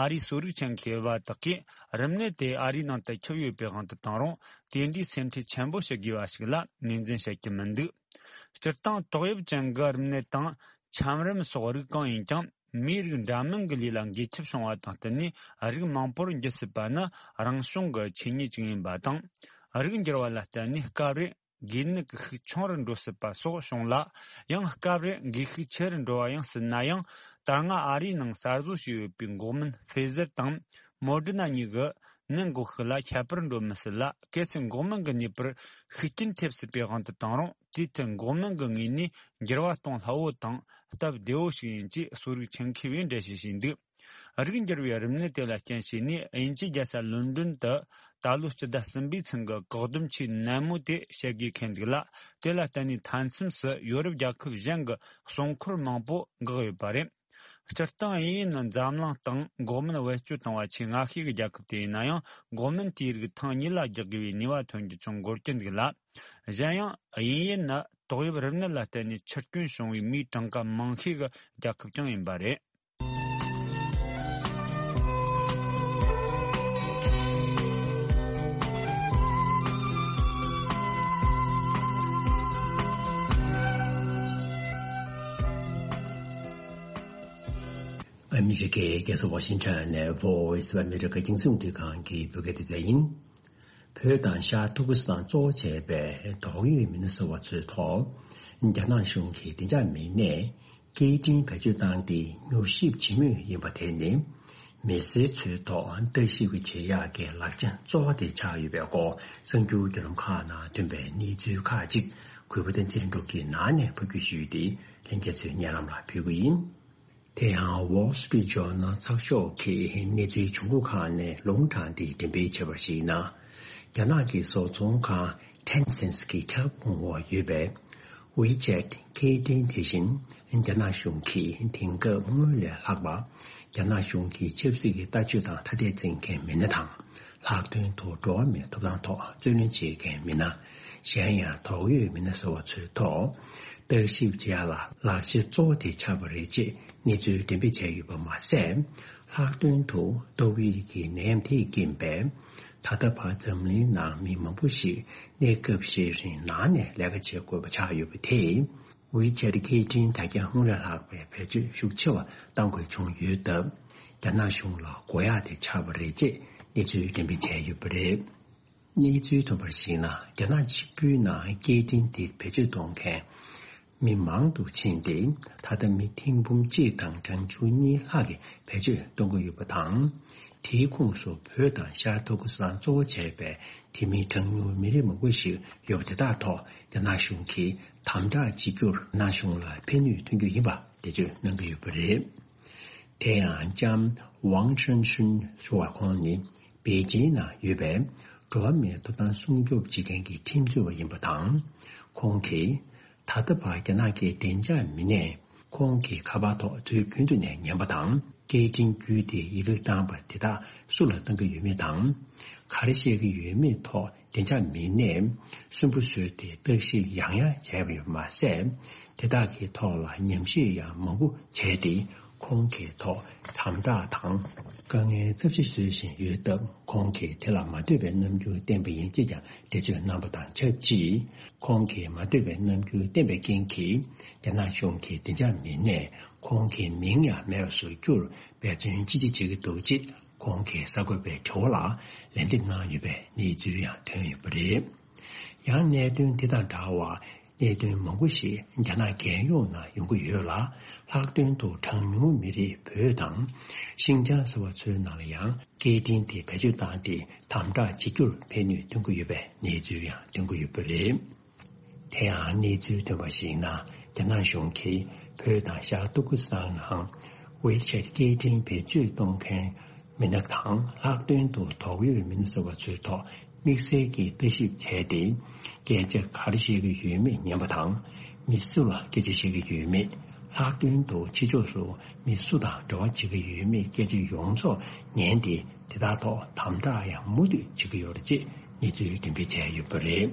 ཨ་རིའི་གསོ་རིག་ཆེད་མཁས་པ་དག་གིས་རིམས་ནད་དེ་ཨ་རིའི་ནང་དུ་ཁྱབ་ཡོད་པའི་དབང་དུ་བཏང་རུང་། དེ་འདྲའི་སེམས་ཁྲལ་ཆེན་པོ་བྱེད་དགོས་པ་ཞིག་ལ་ངོས་འཛིན་བྱེད་ཀྱི་མི་འདུག་སྤྱིར་བཏང་ཏོག་དབྱིབས་ཅན་གྱི་རིམས་ནད་དང་ཆམ་རིམས་སོགས་རིགས་གང་ཡིན་ཀྱང་། མིའི་རིགས་འདྲ་མིན་གྱི་ལུས་ལ་འགོས་ཁྱབ་བྱུང་བ་དང་བསྟུན་ནས་རིགས་མང་པོར་འགྱུར་སྲིད་པ་ནི་རང་བྱུང་གི་ཆོས་ཉིད་ཅིག་ཡིན་པ་དང་། རིགས་འགྱུར་བ་ལ་བརྟེན་ནས་སྐབས་རེ་འགོས་ནད་ཀྱི་ཤུགས་ཆུང་རུ་འགྲོ་སྲིད་པ་སོགས་བྱུང་ལ། ཡང་སྐབས་རེ་འགོས་ཤུགས་ཆེ་རུ་འགྲོ་བ་ཡང་སྲིད་ན་ཡང་། ད་སྔ་ཨ་རིའི་ནང་གསར་བཟོ་བྱས་ཡོད་པའི་འགོག་སྨན་ཕེ་ཟར་དང་མོ་ཌི་ན་གཉིས་ཀྱིས་ནད་འགོག་ཤུགས་ལ་ཁྱད་པར་འགྲོ་མི་སྲིད་ལ། གལ་སྲིད་འགོག་སྨན་གྱི་ནུས་པར་ཤུགས་རྐྱེན་ཐེབས་སྲིད་པའི་དབང་དུ་བཏང་རུང་། དེའི་ཐད་འགོག་སྨན་གྱི་ངོས་ནས་འགྱུར་བ་གཏོང་སླ་བོ་དང་སྟབས་བདེ་བོ་ཞིག་ཡིན་ཅེས་གསོ་རིག་ཆེད་མཁས་པས་འགྲེལ་བཤད་བྱས་འདུག་རིགས་འགྱུར་བའི་རིམས་ནད་དེ་ལ་རྐྱེན་བྱས་ནས་དབྱིན་ཇིའི་རྒྱལ་ས་ལོན་ཌོན་དུ་ད་ལོའི་སྤྱི་ཟླ་གསུམ་པའི་ཚུན་གྱི་བཀག་སྡོམ་ཆེས་ནན་མོ་དེ་བྱེད་དགོས་ཁེལ་འདུག་ལ། དེ་ལ་བརྟེན་ནས་མཐའ་མཚམས་སུ་ཡོ་རོབ་རྒྱལ་ཁབ་གཞན་གྱི་སྲུང་འཁོར་མང་པོ་འགག་ཡོད་པ་རེད། སྤྱིར་བཏང་དབྱིན་ཡུལ་ནི་འཛམ་གླིང་སྟེང་འགོག་སྨན་བེད་སྤྱོད་བཏང་བ་ཆེས་སྔ་ཤོས་ཀྱི་རྒྱལ་ཁབ་དེ་ཡིན་ན་ཡང་། འགོག་སྨན་དེའི་རིགས་ཐེངས་གཉིས་ལ་རྒྱག་དགོས་པའི་ནུས་པ་ཐོན་རྒྱུ་ཅུང་འགོར་གྱི་འདུག་ལ། གཞན་ཡང་དབྱིན་ཡུལ་ནི་ཏོག་དབྱིབས་རིམས་ནད་ལ་བརྟེན་ནས་འཆི་སྐྱོན་བྱུང་བའི་མིའི་གྲངས་ཀ་མང་ཤོས་ཀྱི་རྒྱལ་ཁབ་ཀྱང་ཡིན་པ་རེད། ཨ་མི་རི་ཀའི་རྒྱལ་ས་ཝ་ཤིང་ཊོན་ནས་Voice of America་རྒྱང་སྲིང་རླུང་འཕྲིན་ཁང་གི་བོད་སྐད་སྡེ་ཚན་ཡིན། བོད་དང་ཤར་ཏུར་ཀི་སི་ཐན་གཙོ་བྱས་པའི་དོགས་ཡོད་མི་སྣ་ཟེར་བ་ཚོའི་ཐོག་རྒྱ་ནག་གཞུང་གིས་བདེ་འཇགས་མི་སྣས་སྐད་འཕྲིན་བེད་སྤྱོད་བཏང་སྟེ་མྱུལ་ཞིབ་བྱེད་མུས་ཡིན་པ་དེ་ནི། མི་སེར་ཚོའི་ཐོག་ལྟ་ཞིབ་བྱེད་ཡག་གི་ལག་ཆ་གཙོ་བོ་དེ་ཆགས་ཡོད་པའི་སྐོར་གསར་འགྱུར་བརྒྱུད་ལམ་ཁག་ནང་ཐོན་པའི་གནས་ཚུལ་ཁག་ཅིག་གུས་པ་བསྟན་འཛིན་གྲུབ་ཀྱིས་ནང་ནས་ཕབ་སྒྱུར་ཞུས་ཏེ་ལྷན་རྒྱས་ཚོའི་སྙན་ལམ་ལ་ཕུལ་གྱི་ཡིན། དེ་ཡང་Wall Street Journal་ཚགས་ཤོག་གིས་གནས་ཚུལ་བྱུང་ཁུངས་ཁག་ནས་ལུང་དྲངས་ཏེ་འགྲེམས་སྤེལ་བྱས་པར་གཞིགས་ན། རྒྱ་ནག་གི་བཟོ་ཚོང་ཁང་Tencent་གི་ཁྱབ་ཁོངས་འོག་ཡོད་པའི་WeChat་སྐད་འཕྲིན་དེ་བཞིན་རྒྱ་ནག་གཞུང་གིས་དེང་སྐབས་སྔོན་ལས་ལྷག་པ་རྒྱ་ནག་གཞུང་གི་ཆབ་སྲིད་ཀྱི་ལྟ་སྤྱོད་དང་ཐ་དད་འཛིན་མཁན་མི་སྣ་དང་ལྷག་དོན་དུ་འགྲོ་བ་མིའི་ཐོབ་ཐང་ཐོག་རྩོད་ལེན་བྱེད་མཁན་མི་སྣ། གཞན་ཡང་དོགས་ཡོད་མི་སྣ་ཟེར་བ་ཚོའི་ཐོག་བརྟག་ཞིབ་བྱེད་ཡག་ལ་ལག་ཆ་གཙོ་བོ་དེ་ཆགས་པ་རེད་ཅེས་གནས་ཚུལ་འགྲེམས་སྤེལ་བྱས་ཡོད་པ་མ་ཟད། ལྷག་དོན་དུ་ཏོག་དབྱིབས་ཀྱི་ནད་ཡམས་དེས་རྐྱེན་པས་ད་ལྟ་བར་འཛམ་གླིང་ནང་མི་མང་པོ་ཞིག་གནས་སྐབས་ཤིག་རིང་ནང་ནས་ལས་ཀ་བྱེད་དགོས་པ་ཆགས་ཡོད་པ་དེས། WeChat་སྐད་འཕྲིན་དྲ་རྒྱ་སྔོན་ལས་ལྷག་པའི་བེད་སྤྱོད་ཤུགས་ཆེ་བ་གཏང་དགོས་བྱུང་ཡོད་སྟབས། རྒྱ་ནག་གཞུང་ལ་དགོས་ཡག་དེ་ཆགས་པ་རེད་ཅེས་ གནས་ཚུལ་འགྲེམས་སྤེལ་བྱས་ཡོད་པ་རེད། གནས་ཚུལ་ཐོན་པར་གཞིགས་ན། རྒྱ་ནག་ཆིབས་བསྒྱུར་ནང་སྐད་འཕྲིན་དེ་བེད་སྤྱོད་གཏོང་མཁན་མི་མང་དུ་ཕྱིན་ཏེ། ད་ལྟ་མི་ཐེར་འབུམ་གཅིག་དང་གྲངས་ཆུང་གཉིས་ལྷག་གིས་བེད་སྤྱོད་གཏོང་གི་ཡོད་པ་དང་། དེའི་ཁོངས་སུ་བོད་དང་ཤར་ཏུར་ཀི་སི་ཐན་གཙོ་བོ་བྱས་པའི་དེ་མིན་གྲངས་ཉུང་མི་རིགས་མང་པོ་ཞིག་ཡོད་པ་དེ་དག་ཐོག་རྒྱ་ནག་གཞུང་གིས་དམ་དྲག་བྱེད་རྒྱུར་རྒྱ་ནག་གཞུང་ལ་ཕན་ནུས་ཐོན་རྒྱུ་ཡིན་པ་འགྲེལ་བརྗོད་གནང་གི་ཡོད་པ་རེད། དེ་ཡང་ལྕམ་ཝང་ཁྲེན་ཧྲུན་ཞུ་བ་ཁོང་ནི་པེ་ཅིན་ནང་ཡོད་པའི་འགྲོ་བ་མིའི་ཐོབ་ཐང་སྲུང་སྐྱོབ་བྱེད་མཁན་གྱི་ཁྲིམས་རྩོད་པ་ཡིན་པ་དང་། ཁོང་གིས་ད་ལྟ་བར་རྒྱ་ནག་གི་བདེ་འཇགས་མི་སྣས་ཁོང་གི་ཁ་པར་ཐོག་དུས་རྒྱུན་དུ་ནས་ཉན་པ་དང་། སྐད་འཕྲིན་བརྒྱུད་དེ་ཡི་གེ་བཏང་པ་དེ་དག་སུ་ལ་བཏང་གི་ཡོད་མེད་དང་། ག་རེ་བཤད་ཀྱི་ཡོད་མེད་ཐོག་བདེ་འཇགས་མི་སྣས་སུན་པོ་བཟོས་ཏེ་བརྟག་ཞིབ་ཡང་ཡང་བྱས་པ་ཡོད་མ་ཟད། དེ་དག་གི་ཐོག་ལ་ཉམས་ཞིབ་ཡང་མང་པོ་བྱས་ཏེ། ཁོང་གི་ཐོག་དམ་དྲག་དང་དཀའ་ངལ་ཚབས་ཆེ་བཟོ་བཞིན་ཡོད་སྟབས། ཁོང་གིས་དེ་ལ་མ་འདོད་པའི་རྣམ་འགྱུར་བསྟན་པ་ཡིན་ཅེས་ཀྱང་འགྲེལ་བརྗོད་གནང་པ་དང་ཆབས་ཅིག་ཁོང་གིས་མ་འདོད་པའི་རྣམ་འགྱུར་བསྟན་པའི་རྐྱེན་གྱིས། རྒྱ་ནག་གཞུང་གི་བདེ་འཇགས་མི་སྣས་ཁོང་གི་མིང་ཡང་མེད་པར་བཟོ་རྒྱུར་འབད་བརྩོན་ཅི་ཆེ་བྱེད་ཀྱི་འདུག་ཅེས། ཁོང་གིས་གསར་འགོད་པའི་དྲི་བ་ལ་ལན་འདེབས་གནང་ཡོད་པའི་གནས་ཚུལ་ཡང་ཐོན་ཡོད་པ་རེད། ཡང་གནད་དོན་འདི་དང་འདྲ་བར་གནད་དོན་མང་པོ་ཞིག་རྒྱ་ནག་རྒྱལ་ཡོངས་ནང་ཡོང་གི་ཡོད་ལ། ལྷག་དོན་དུ་གྲངས་ཉུང་མི་རིགས་བོད་དང་ཤིན་ཅང་ཟེར་བ་ཚོའི་ནང་ལ་ཡང་སྐད་འཕྲིན་དེ་བེད་སྤྱོད་བཏང་སྟེ་དམ་དྲག་བྱེད་རྒྱུར་ཕན་ནུས་ཐོན་གྱི་ཡོད་པའི་གནས་ཚུལ་ཡང་ཐོན་གྱི་ཡོད་པ་རེད། དེ་ཡང་གནས་ཚུལ་ཐོན་པར་གཞིགས་ན། རྒྱ་ནག་གཞུང་གིས་བོད་དང་ཤར་ཏུར་ཀི་སི་ཐན་ནང་ཝེ་ཆེད་སྐད་འཕྲིན་བེད་སྤྱོད་གཏོང་མཁན་མི་སྣ་དང་། ལྷག་དོན་དུ་དོགས་ཡོད་མི་སྣ་ཟེར་བ་ཚོའི་ཐོག་དམིགས་བསལ་གྱིས་ལྟ་ཞིབ་བྱས་ཏེ། སྐད་ཆ་ག་རེ་བཤད་ཀྱི་ཡོད་མེད་ཉན་པ་དང་། མི་སུ་ལ་སྐད་ཆ་བཤད་ཀྱི་ཡོད་མེད། ལྷག་དོན་དུ་ཕྱི་ཕྱོགས་སུ་མི་སུ་དང་འབྲེལ་བ་བྱེད་ཀྱི་ཡོད་མེད་སྐད་ཆ་ཡོངས་རྫོགས་ཉན་ཏེ། དེ་དག་ཐོག་དམ་དྲག་ཡང་མུ་མཐུད་བྱེད་ཀྱི་ཡོད་རེད་ཅེས་གནས་ཚུལ་འགྲེམས་སྤེལ་བྱས་ཡོད་པ་རེད།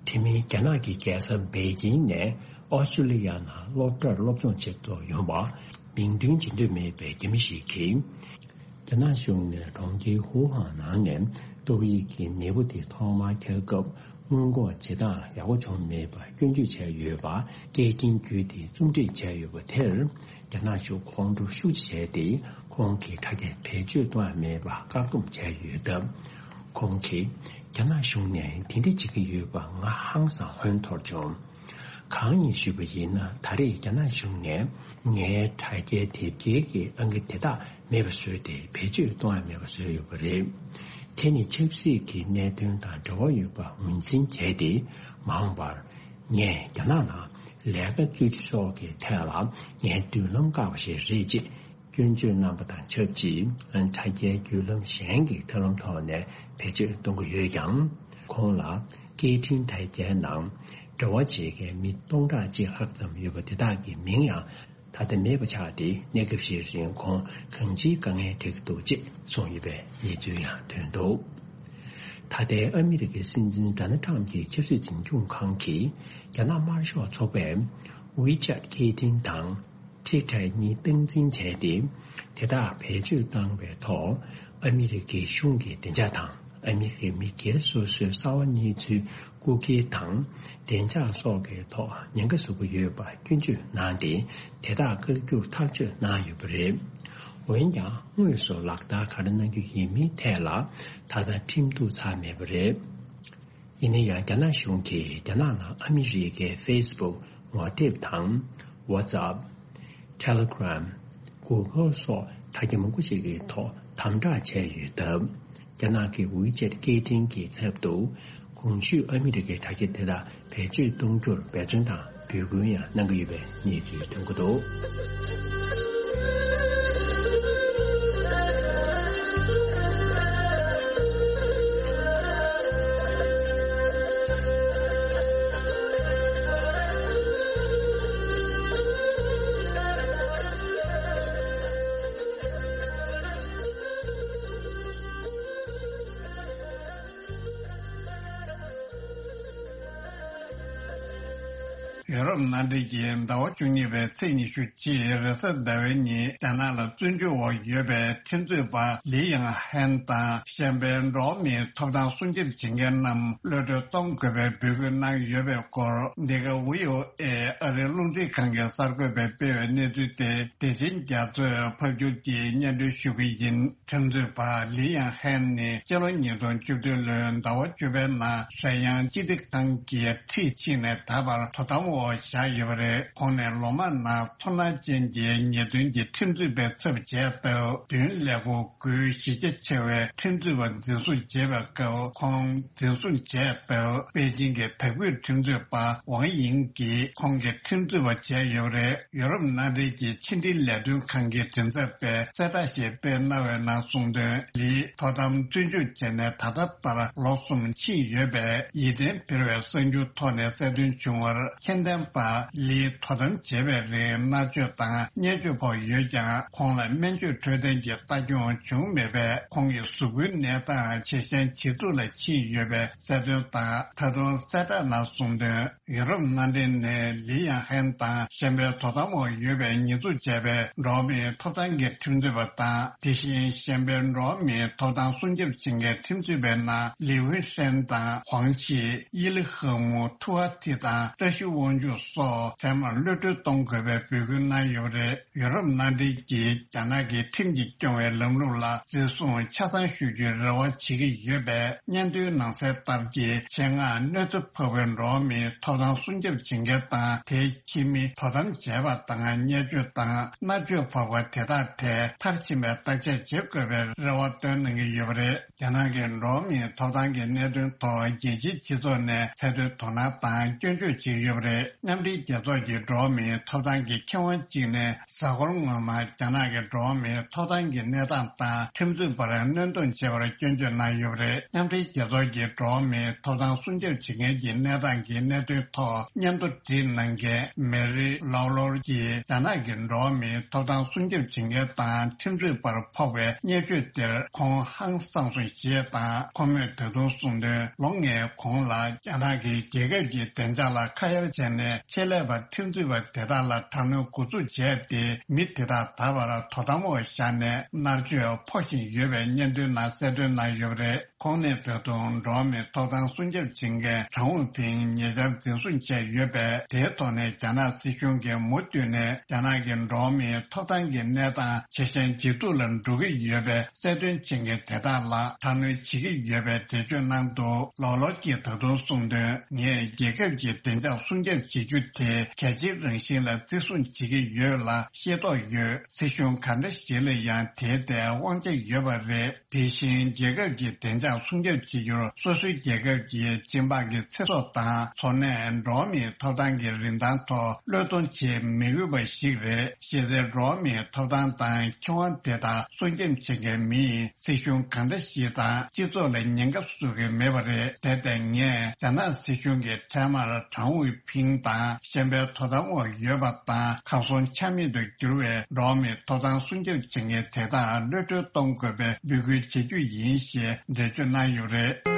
དེ་མིན་རྒྱ་ནག་གི་རྒྱལ་ས་པེ་ཅིན་ནས་ཨོ་སི་ཀྲོ་ལི་ཡ་ནང་སློབ་གྲྭར་སློབ་སྦྱོང་བྱེད་དུ་ཡོང་བ། མིང་འདོན་བྱེད་འདོད་མེད་པའི་རྒྱ་མི་ཞིག་གིས། རྒྱ་ནག་གཞུང་ནས་གྲོང་ཁྱེར་ཧུའུ་ཧན་ནང་ནས་ཏོག་དབྱིབས་ཀྱི་ནད་འབུ་དེ་ཐོག་མར་ཁྱབ་སྐབས། སྔོན་འགོག་བྱེད་སྟངས་ཡག་པོ་བྱུང་མེད་པར་སྐྱོན་བརྗོད་བྱས་ཡོད་པ། སྐད་འཕྲིན་བརྒྱུད་དེ་རྩོམ་སྒྲིག་བྱས་ཡོད་པ་དེར། རྒྱ་ནག་གཞུང་ཁོང་ཁྲོ་ཤུགས་ཆེ་བྱས་ཏེ། ཁོང་གི་དྲ་རྒྱ་བེད་སྤྱོད་གཏོང་ཡ་མེད་པར་བཀག་སྡོམ་བྱས་ཡོད་སྟབས། ཁོང་གིས། རྒྱ་ནག་གཞུང་ནས་དེ་འདྲ་བྱེད་ཀྱི་ཡོད་པ་ང་ཧང་སང་ཧོན་འཐོར་བྱུང་། གང་ཡིན་ཞུས་པ་ཡིན་ན། ད་རེས་རྒྱ་ནག་གཞུང་ནས་ངའི་དྲ་རྒྱའི་དེབ་སྐྱེལ་གྱི་ཨང་ཀི་དེ་དག་མེད་པ་བཟོས་ཏེ། བེད་སྤྱོད་གཏོང་ཡ་མེད་པ་བཟོས་ཡོད་པ་རེད། དེ་ནི་ཆབ་སྲིད་ཀྱི་གནད་དོན་དང་འབྲེལ་བ་ཡོད་པ་ངོས་འཛིན་བྱས་ཏེ། མ་འོངས་པར་ངས་རྒྱ་ནག་ནང་ལས་ཀ་རྩོད་རྒྱུ་སོགས་ཀྱི་ཐད་ལ་ངའི་མདུན་ལམ་བཀག་པ་ཞིག་རེད་ཅེས་སྐྱོན་བརྗོད་གནང་པ་དང་ཆབས་ཅིག་དྲ་རྒྱའི་བརྒྱུད་ལམ་གཞན་གྱི་ཐབས་ལམ་ཐོག་ནས་བེད་སྤྱོད་གཏོང་གི་ཡོད་ཀྱང་། ཁོང་ལ་སྐད་འཕྲིན་དྲ་རྒྱའི་ནང་འབྲེལ་བ་བྱེད་མཁན་མི་སྟོང་ཕྲག་གཅིག་ལྷག་ཙམ་ཡོད་པ་དེ་དག་གི་མིང་ཡང་ད་ལྟ་མེད་པ་ཆགས་ཏེ། གནས་སྐབས་ཤིག་རིང་ཁོང་གང་ཅིའི་དཀའ་ངལ་འཕྲད་ཀྱི་འདུག་ཅེས་གསུངས་ཡོད་པའི་གནས་ཚུལ་ཡང་ཐོན་འདུག་ད་ལྟའི་ཨ་མི་རི་ཀའི་སྲིད་འཛིན་ཌོ་ནལ་ཊམ་གྱི་ཆབ་སྲིད་འཛིན་སྐྱོང་ཁང་གིས་རྒྱ་ནག་དམར་ཤོག་ཚོགས་པས་ཝི་ཅེད་སྐད་འཕྲིན་དང་ཊི་ཊར་གཉིས་སྟངས་འཛིན་བྱས་ཏེ། དེ་དག་བེད་སྤྱོད་བཏང་བའི་ཐོག་ཨ་མི་རི་ཀའི་གཞུང་གི་བདེ་འཇགས་དང་། ཨ་མི་རི་ཀའི་མི་སྒེར་སོ་སོའི་གསར་བ་གནས་ཚུལ་རྐུ་འཁྱེར་དང་བདེ་འཇགས་སོགས་ཀྱི་ཐོག་ཉེན་ཁ་བཟོ་གི་ཡོད་པ་སྐྱོན་བརྗོད་གནང་སྟེ། དེ་དག་བཀག་རྒྱུར་ཐག་གཅོད་གནང་ཡོད་པ་རེད། འོན་ཀྱང་། དངོས་སུ་ལག་བསྟར་ག་རེ་གནང་རྒྱུ་ཡིན་མིན་ཐད་ལ་ད་ལྟ་ཁྲིམས་གཏུག་ཚར་མེད་པ་རེད། ཡིན་ན་ཡང་། རྒྱ་ནག་གཞུང་གིས་རྒྱ་ནག་ནང་ཨ་མི་རི་ཀའི་ཕེ་སི་བུག་ངོ་དེབ་དང་། ཝ་ཙབ། ཊེ་ལེ་གྷི་རམ། གུ་གལ་སོགས་དྲ་རྒྱ་མང་པོ་ཞིག་གི་ཐོག་དམ་དྲག་བྱས་ཡོད་སྟབས། རྒྱ་ནག་གི་ཝི་ཅེད་སྐད་འཕྲིན་གྱི་ཚབ་ཏུ། གོང་ཞུས་ཨ་མི་རི་ཀའི་དྲ་རྒྱ་དེ་དག་བེད་སྤྱོད་གཏོང་རྒྱུར་འབད་བརྩོན་དང་འབོད་སྐུལ་ཡང་གནང་གི་ཡོད་པའི་གནས་ཚུལ་ཐོན་གྱི་འདུག་ཡུ་རོབ་མནའ་འབྲེལ་གྱིས་ཟླ་བ་བཅུ་གཉིས་པའི་ཚེས་ཉི་ཤུ་གཅིག་རེས་གཟའ་ཟླ་བའི་ཉིན་རྒྱ་ནག་ལ་བཙོན་འཇུག་འོག་ཡོད་པའི་ཁྲིམས་རྩོད་པ་ལི་ཡང་ཧན་དང་གཞན་པའི་འགྲོ་བ་མིའི་ཐོབ་ཐང་སྲུང་སྐྱོབ་བྱེད་མཁན་རྣམས་གློད་གྲོལ་གཏོང་དགོས་པའི་འབོད་སྐུལ་གནང་ཡོད་པའི་སྐོར། འདི་ག་ཝི་ཨོ་ཨེ་ཨ་རིའི་རླུང་འཕྲིན་ཁང་གི་གསར་འགོད་པས་སྤེལ་བའི་གནས་ཚུལ་དེ། བདེ་ཆེན་རྒྱ་མཚོས་ཕབ་སྒྱུར་གྱིས་སྙན་སྒྲོན་ཞུ་གི་ཡིན། ཁྲིམས་རྩོད་པ་ལི་ཡང་ཧན་ནི་སྤྱི་ལོ་ཉིས་སྟོང་བཅུ་བདུན་ལོའི་ཟླ་བ་བཅུ་པའི་ནང་ཧྲེན་དབྱང་སྤྱི་བདེ་ཁང་གིས་ཁྲིད་ཕྱིན་ནས་ད་བར་དོ་དམ་འོག་བཞག་ཡོད་པ་རེད། ཁོང་ནས་ལོ་མང་ནང་ཚོར་སྣང་ཅན་གྱི་ཉེས་དོན་གྱི་ཁྲིམས་རྩོད་པའི་ཚབ་བྱས་སྟབས། མདུན་ལས་ཁུངས་སྒོས་གཞི་རྒྱ་ཆེ་བའི་ཁྲིམས་རྩོད་པ་འཛིན་བཟུང་བྱས་པའི་སྐབས། ཁོང་འཛིན་བཟུང་བྱས་སྟབས། པེ་ཅིང་གི་དྭགས་པོའི་ཁྲིམས་རྩོད་པ་ཝང་ཡིང་གིས་ཁོང་གི་ཁྲིམས་རྩོད་པ་བྱས་ཡོད་པ་རེད། ཡོ་རོབ་མནའ་འབྲེལ་གྱི་ཕྱི་འབྲེལ་ལས་དོན་ཁང་གི་མགྲིན་ཚབ་པས་གསལ་བསྒྲགས་ཤིག་སྤེལ་གནང་བའི་ནང་གསུངས་དོན། ལིས་དོ་དམ་བཙོན་འཇུག་བྱས་ནས་ད་ལྟ་ལྟར་ལོ་གསུམ་ཕྱིན་ཡོད་པས། ཡིད་བརྟན་འཕེར་བའི་གསར་འགྱུར་ཐོག་ནས་གསལ་སྟོན་བྱུང་བར། ཁྱད་ལྡན་པ། ལིས་དོ་དམ་བྱས་པའི་རིང་མནར་གཅོད་དང་བརྙས་བཅོས་ཕོག་ཡོད་ཀྱང་། ཁོང་ལ་སྨན་བཅོས་འཕྲོད་བསྟེན་གྱི་ལྟ་སྐྱོང་བྱུང་མེད་པས། ཁོང་གི་གཟུགས་པོའི་གནས་སྟངས་ཇེ་ཞན་ཇེ་སྡུག་ལ་ཕྱིན་ཡོད་པའི་གསལ་སྟོན་དང་། ད་དུང་གསལ་བསྒྲགས་ནང་གསུངས་དོན། ཡུ་རོབ་མནའ་འབྲེལ་ནས་ལི་ཡང་ཧན་དང་གཞན་པའི་དོ་དམ་འོག་ཡོད་པའི་ཉེས་འཛུགས་བྱས་པའི་འགྲོ་བ་མིའི་ཐོབ་ཐང་གི་ཁྲིམས་རྩོད་པ་དང་། དེ་བཞིན་གཞན་པའི་འགྲོ་བ་མིའི་ཐོབ་ཐང་སྲུང་སྐྱོབ་བྱེད་མཁན་ཁྲིམས་རྩོད་པའི་ནང་ལི་ཝུན་ཧྲན་དང་ཧུའང་ཆི། ཡི་ལི་ཧེ་མུ། ཐུ་ཧ་ཐི་དང་བཀྲ་ཤིས་དབང་ཕྱུག་སོགས་ཚང་མར་གློད་གྲོལ་གཏོང་དགོས་པའི་འབོད་སྐུལ་གནང་ཡོད་པ་རེད། ཡུ་རོབ་མནའ་འབྲེལ་གྱིས་རྒྱ་ནག་གི་ཁྲིམས་ཀྱིས་སྐྱོང་བའི་ལམ་ལུགས་ལ་བརྩི་སྲུང་ཆ་ཚང་ཞུ་རྒྱུའི་རེ་བ་བྱེད་ཀྱི་ཡོད་པས། སྙན་ཐོའི་ནང་གསལ་ལྟར་གྱི་ཆེད་མངགས་གནོད་འཚེ་ཕོག་པའི་འགྲོ་བ་མིའི་ཐོབ་ཐང་སྲུང་སྐྱོབ་བྱེད་མཁན་དང་། དེའི་ཁྱིམ་མི་དོ་དམ་བྱས་པ་དང་བརྙས་བཅོས་དང་མནར་གཅོད་ཕོག་པ་དེ་དག་ཐད་མཐར་ཕྱིན་པའི་བརྟག་དཔྱད་བྱེད་དགོས་པའི་རེ་བ་བཏོན་གནང་གི་ཡོད་པ་རེད། རྒྱ་ནག་གི་འགྲོ་བ་མིའི་ཐོབ་ཐང་གི་གནད་དོན་ཐོག་རྒྱལ་སྤྱིའི་སྤྱི་ཚོགས་ནས་ཚད་མཐོའི་དོ་སྣང་དང་སྐྱོན་བརྗོད་བྱེད་ཀྱི་ཡོད་པ་རེད། མཉམ་འབྲེལ་རྒྱལ་ཚོགས་ཀྱི་འགྲོ་བ་མིའི་ཐོབ་ཐང་གི་མཁས་དབང་གཅིག་ནས། གཟའ་འཁོར་སྔོན་མ་རྒྱ་ནག་གི་འགྲོ་བ་མིའི་ཐོབ་ཐང་གི་གནས་སྟངས་དང་ཁྲིམས་རྩོད་པར་གནོན་སྡོམ་བྱས་པར་སྐྱོན་བརྗོད་གནང་ཡོད་པ་རེད། མཉམ་འབྲེལ་རྒྱལ་ཚོགས་ཀྱི་འགྲོ་བ་མིའི་ཐོབ་ཐང་སྲུང་སྐྱོབ་བྱེད་མཁན་གྱི་གནས་སྟངས་ཀྱི་གནད་དོན་ཐོག་སྙན་ཐོ་བྲིས་གནང་མཁན་མེ་རི་ལའོ་ལོར་གྱིས། རྒྱ་ནག་གི་འགྲོ་བ་མིའི་ཐོབ་ཐང་སྲུང་སྐྱོབ་བྱེད་མཁན་དང་ཁྲིམས་རྩོད་པར་ཕོག་པའི་བརྙས་བཅོས་དེར་ཁོང་ཧང་སངས་སོང་ཞེས་དང་། ཁོ་མོས་ད་དུང་གསུངས་དོན། ལོ་ལྔའི་གོང་ལ་རྒྱ་ནག་གིས་རྒྱལ་ཁབ་ཀྱི་བདེ་འཇགས་ལ་ཁ་གཡར་བྱས་ནས། ཆེད་ལས་པ་ཁྲིམས་རྩོད་པ་དེ་དག་ལ་དྲག་གནོན་འགོ་འཛུགས་བྱས་ཏེ། མི་དེ་དག་ད་བར་དོ་དམ་འོག་བཞག་ནས་མནར་གཅོད་ཕོག་བཞིན་ཡོད་པའི་སྙན་ཐོའི་ནང་གསལ་སྟོན་གནང་ཡོད་པ་རེད། ཁོང་ནས་ད་དུང་འགྲོ་བ་མིའི་ཐོབ་ཐང་སྲུང་སྐྱོབ་བྱེད་མཁན་ཁྲང་ཝུའུ་ཕིང་ཉེ་ཆར་འཛིན་བཟུང་བྱས་ཡོད་པས། དེའི་ཐོག་ནས་རྒྱ་ནག་སྲིད་གཞུང་གིས་མུ་མཐུད་ནས་རྒྱ་ནག་གི་འགྲོ་བ་མིའི་ཐོབ་ཐང་གི་གནས་སྟངས་ཇེ་ཞན་ཇེ་སྡུག་ལ་འགྲོ་གི་ཡོད་པའི་གསལ་སྟོན་བྱེད་མཁན་དེ་དག་ལ་དྲག་གནོན་བྱེད་ཀྱི་ཡོད་པའི་འགྲེལ་བརྗོད་གནང་འདུག་ལའོ་ལོར་གྱིས་ད་དུང་གསུངས་དོན། ངས་རྒྱལ་ཁབ་ཀྱི་བདེ་འཇགས་སྲུང་སྐྱོབ་བྱེད་རྒྱུ་དེ་གལ་ཆེའི་རང་བཞིན་ལ་བརྩི་སྲུང་བྱེད་ཀྱི་ཡོད་ལ་ཤེས་རྟོགས་ཡོད། སྲིད་གཞུང་གང་འདྲ་ཞིག་ལ་ཡང་དེའི་ཐད་དབང་ཆ་ཡོད་པ་རེད། དེ་བཞིན་རྒྱལ་ཁབ་ཀྱི་བདེ་འཇགས་སྲུང་སྐྱོབ་བྱེད་རྒྱུར་སོ་སོའི་རྒྱལ་ཁབ་ཀྱི་སྤྱི་འབངས་ཀྱི་ཚེ་སྲོག་དང་འཚོ་གནས། འགྲོ་བ་མིའི་ཐོབ་ཐང་གི་རིན་ཐང་ཐོག་བློས་གཏོང་བྱེད་མི་འོས་པ་ཞིག་རེད། གཞི་རྩའི་འགྲོ་བ་མིའི་ཐོབ་ཐང་དང་ཁེ་དབང་དེ་དག་སྲུང་སྐྱོབ་བྱེད་མཁན་མིས་སྲིད་གཞུང་གང་འདྲ་ཞིག་དང་སྤྱི་ཚོགས་ལ་ཉེན་ཁ་བཟོ་གི་མེད་པ་རེད། དེ་ལྟར་ངས་རྒྱ་ནག་སྲིད་གཞུང་གི་འཕྲལ་མར་ཁྲང་ཝུའུ་ཕིང་དང་གཞན་པའི་དོ་དམ་འོག་ཡོད་པ་དང་གར་སོང་ཆ་མེད་དུ་གྱུར་བའི་འགྲོ་བ་མིའི་ཐོབ་ཐང་སྲུང་སྐྱོབ་བྱེད་མཁན་དེ་དག་གློད་གྲོལ་གཏོང་དགོས་པའི་འབོད་སྐུལ་བྱེད་རྒྱུ་ཡིན་ཞེས་འགྲེལ་བརྗོད་གནང་ཡོད་རེད།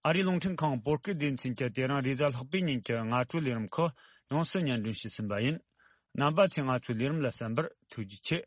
ཨ་རིའི་རླུང་འཕྲིན་ཁང་བོད་སྐད་སྡེ་ཚན་གྱིས་དེ་རིང་རེས་གཟའ་ལྷག་པའི་ཉིན་གྱི་སྔ་དྲོའི་ལས་རིམ་ཁག་ཡོངས་སུ་སྙན་སྒྲོན་ཞུས་ཟིན་པ་ཡིན། རྣམ་པ་ཚོས་ང་ཚོའི་ལས་རིམ་ལ་གསན་པར་ཐུགས་རྗེ་ཆེ།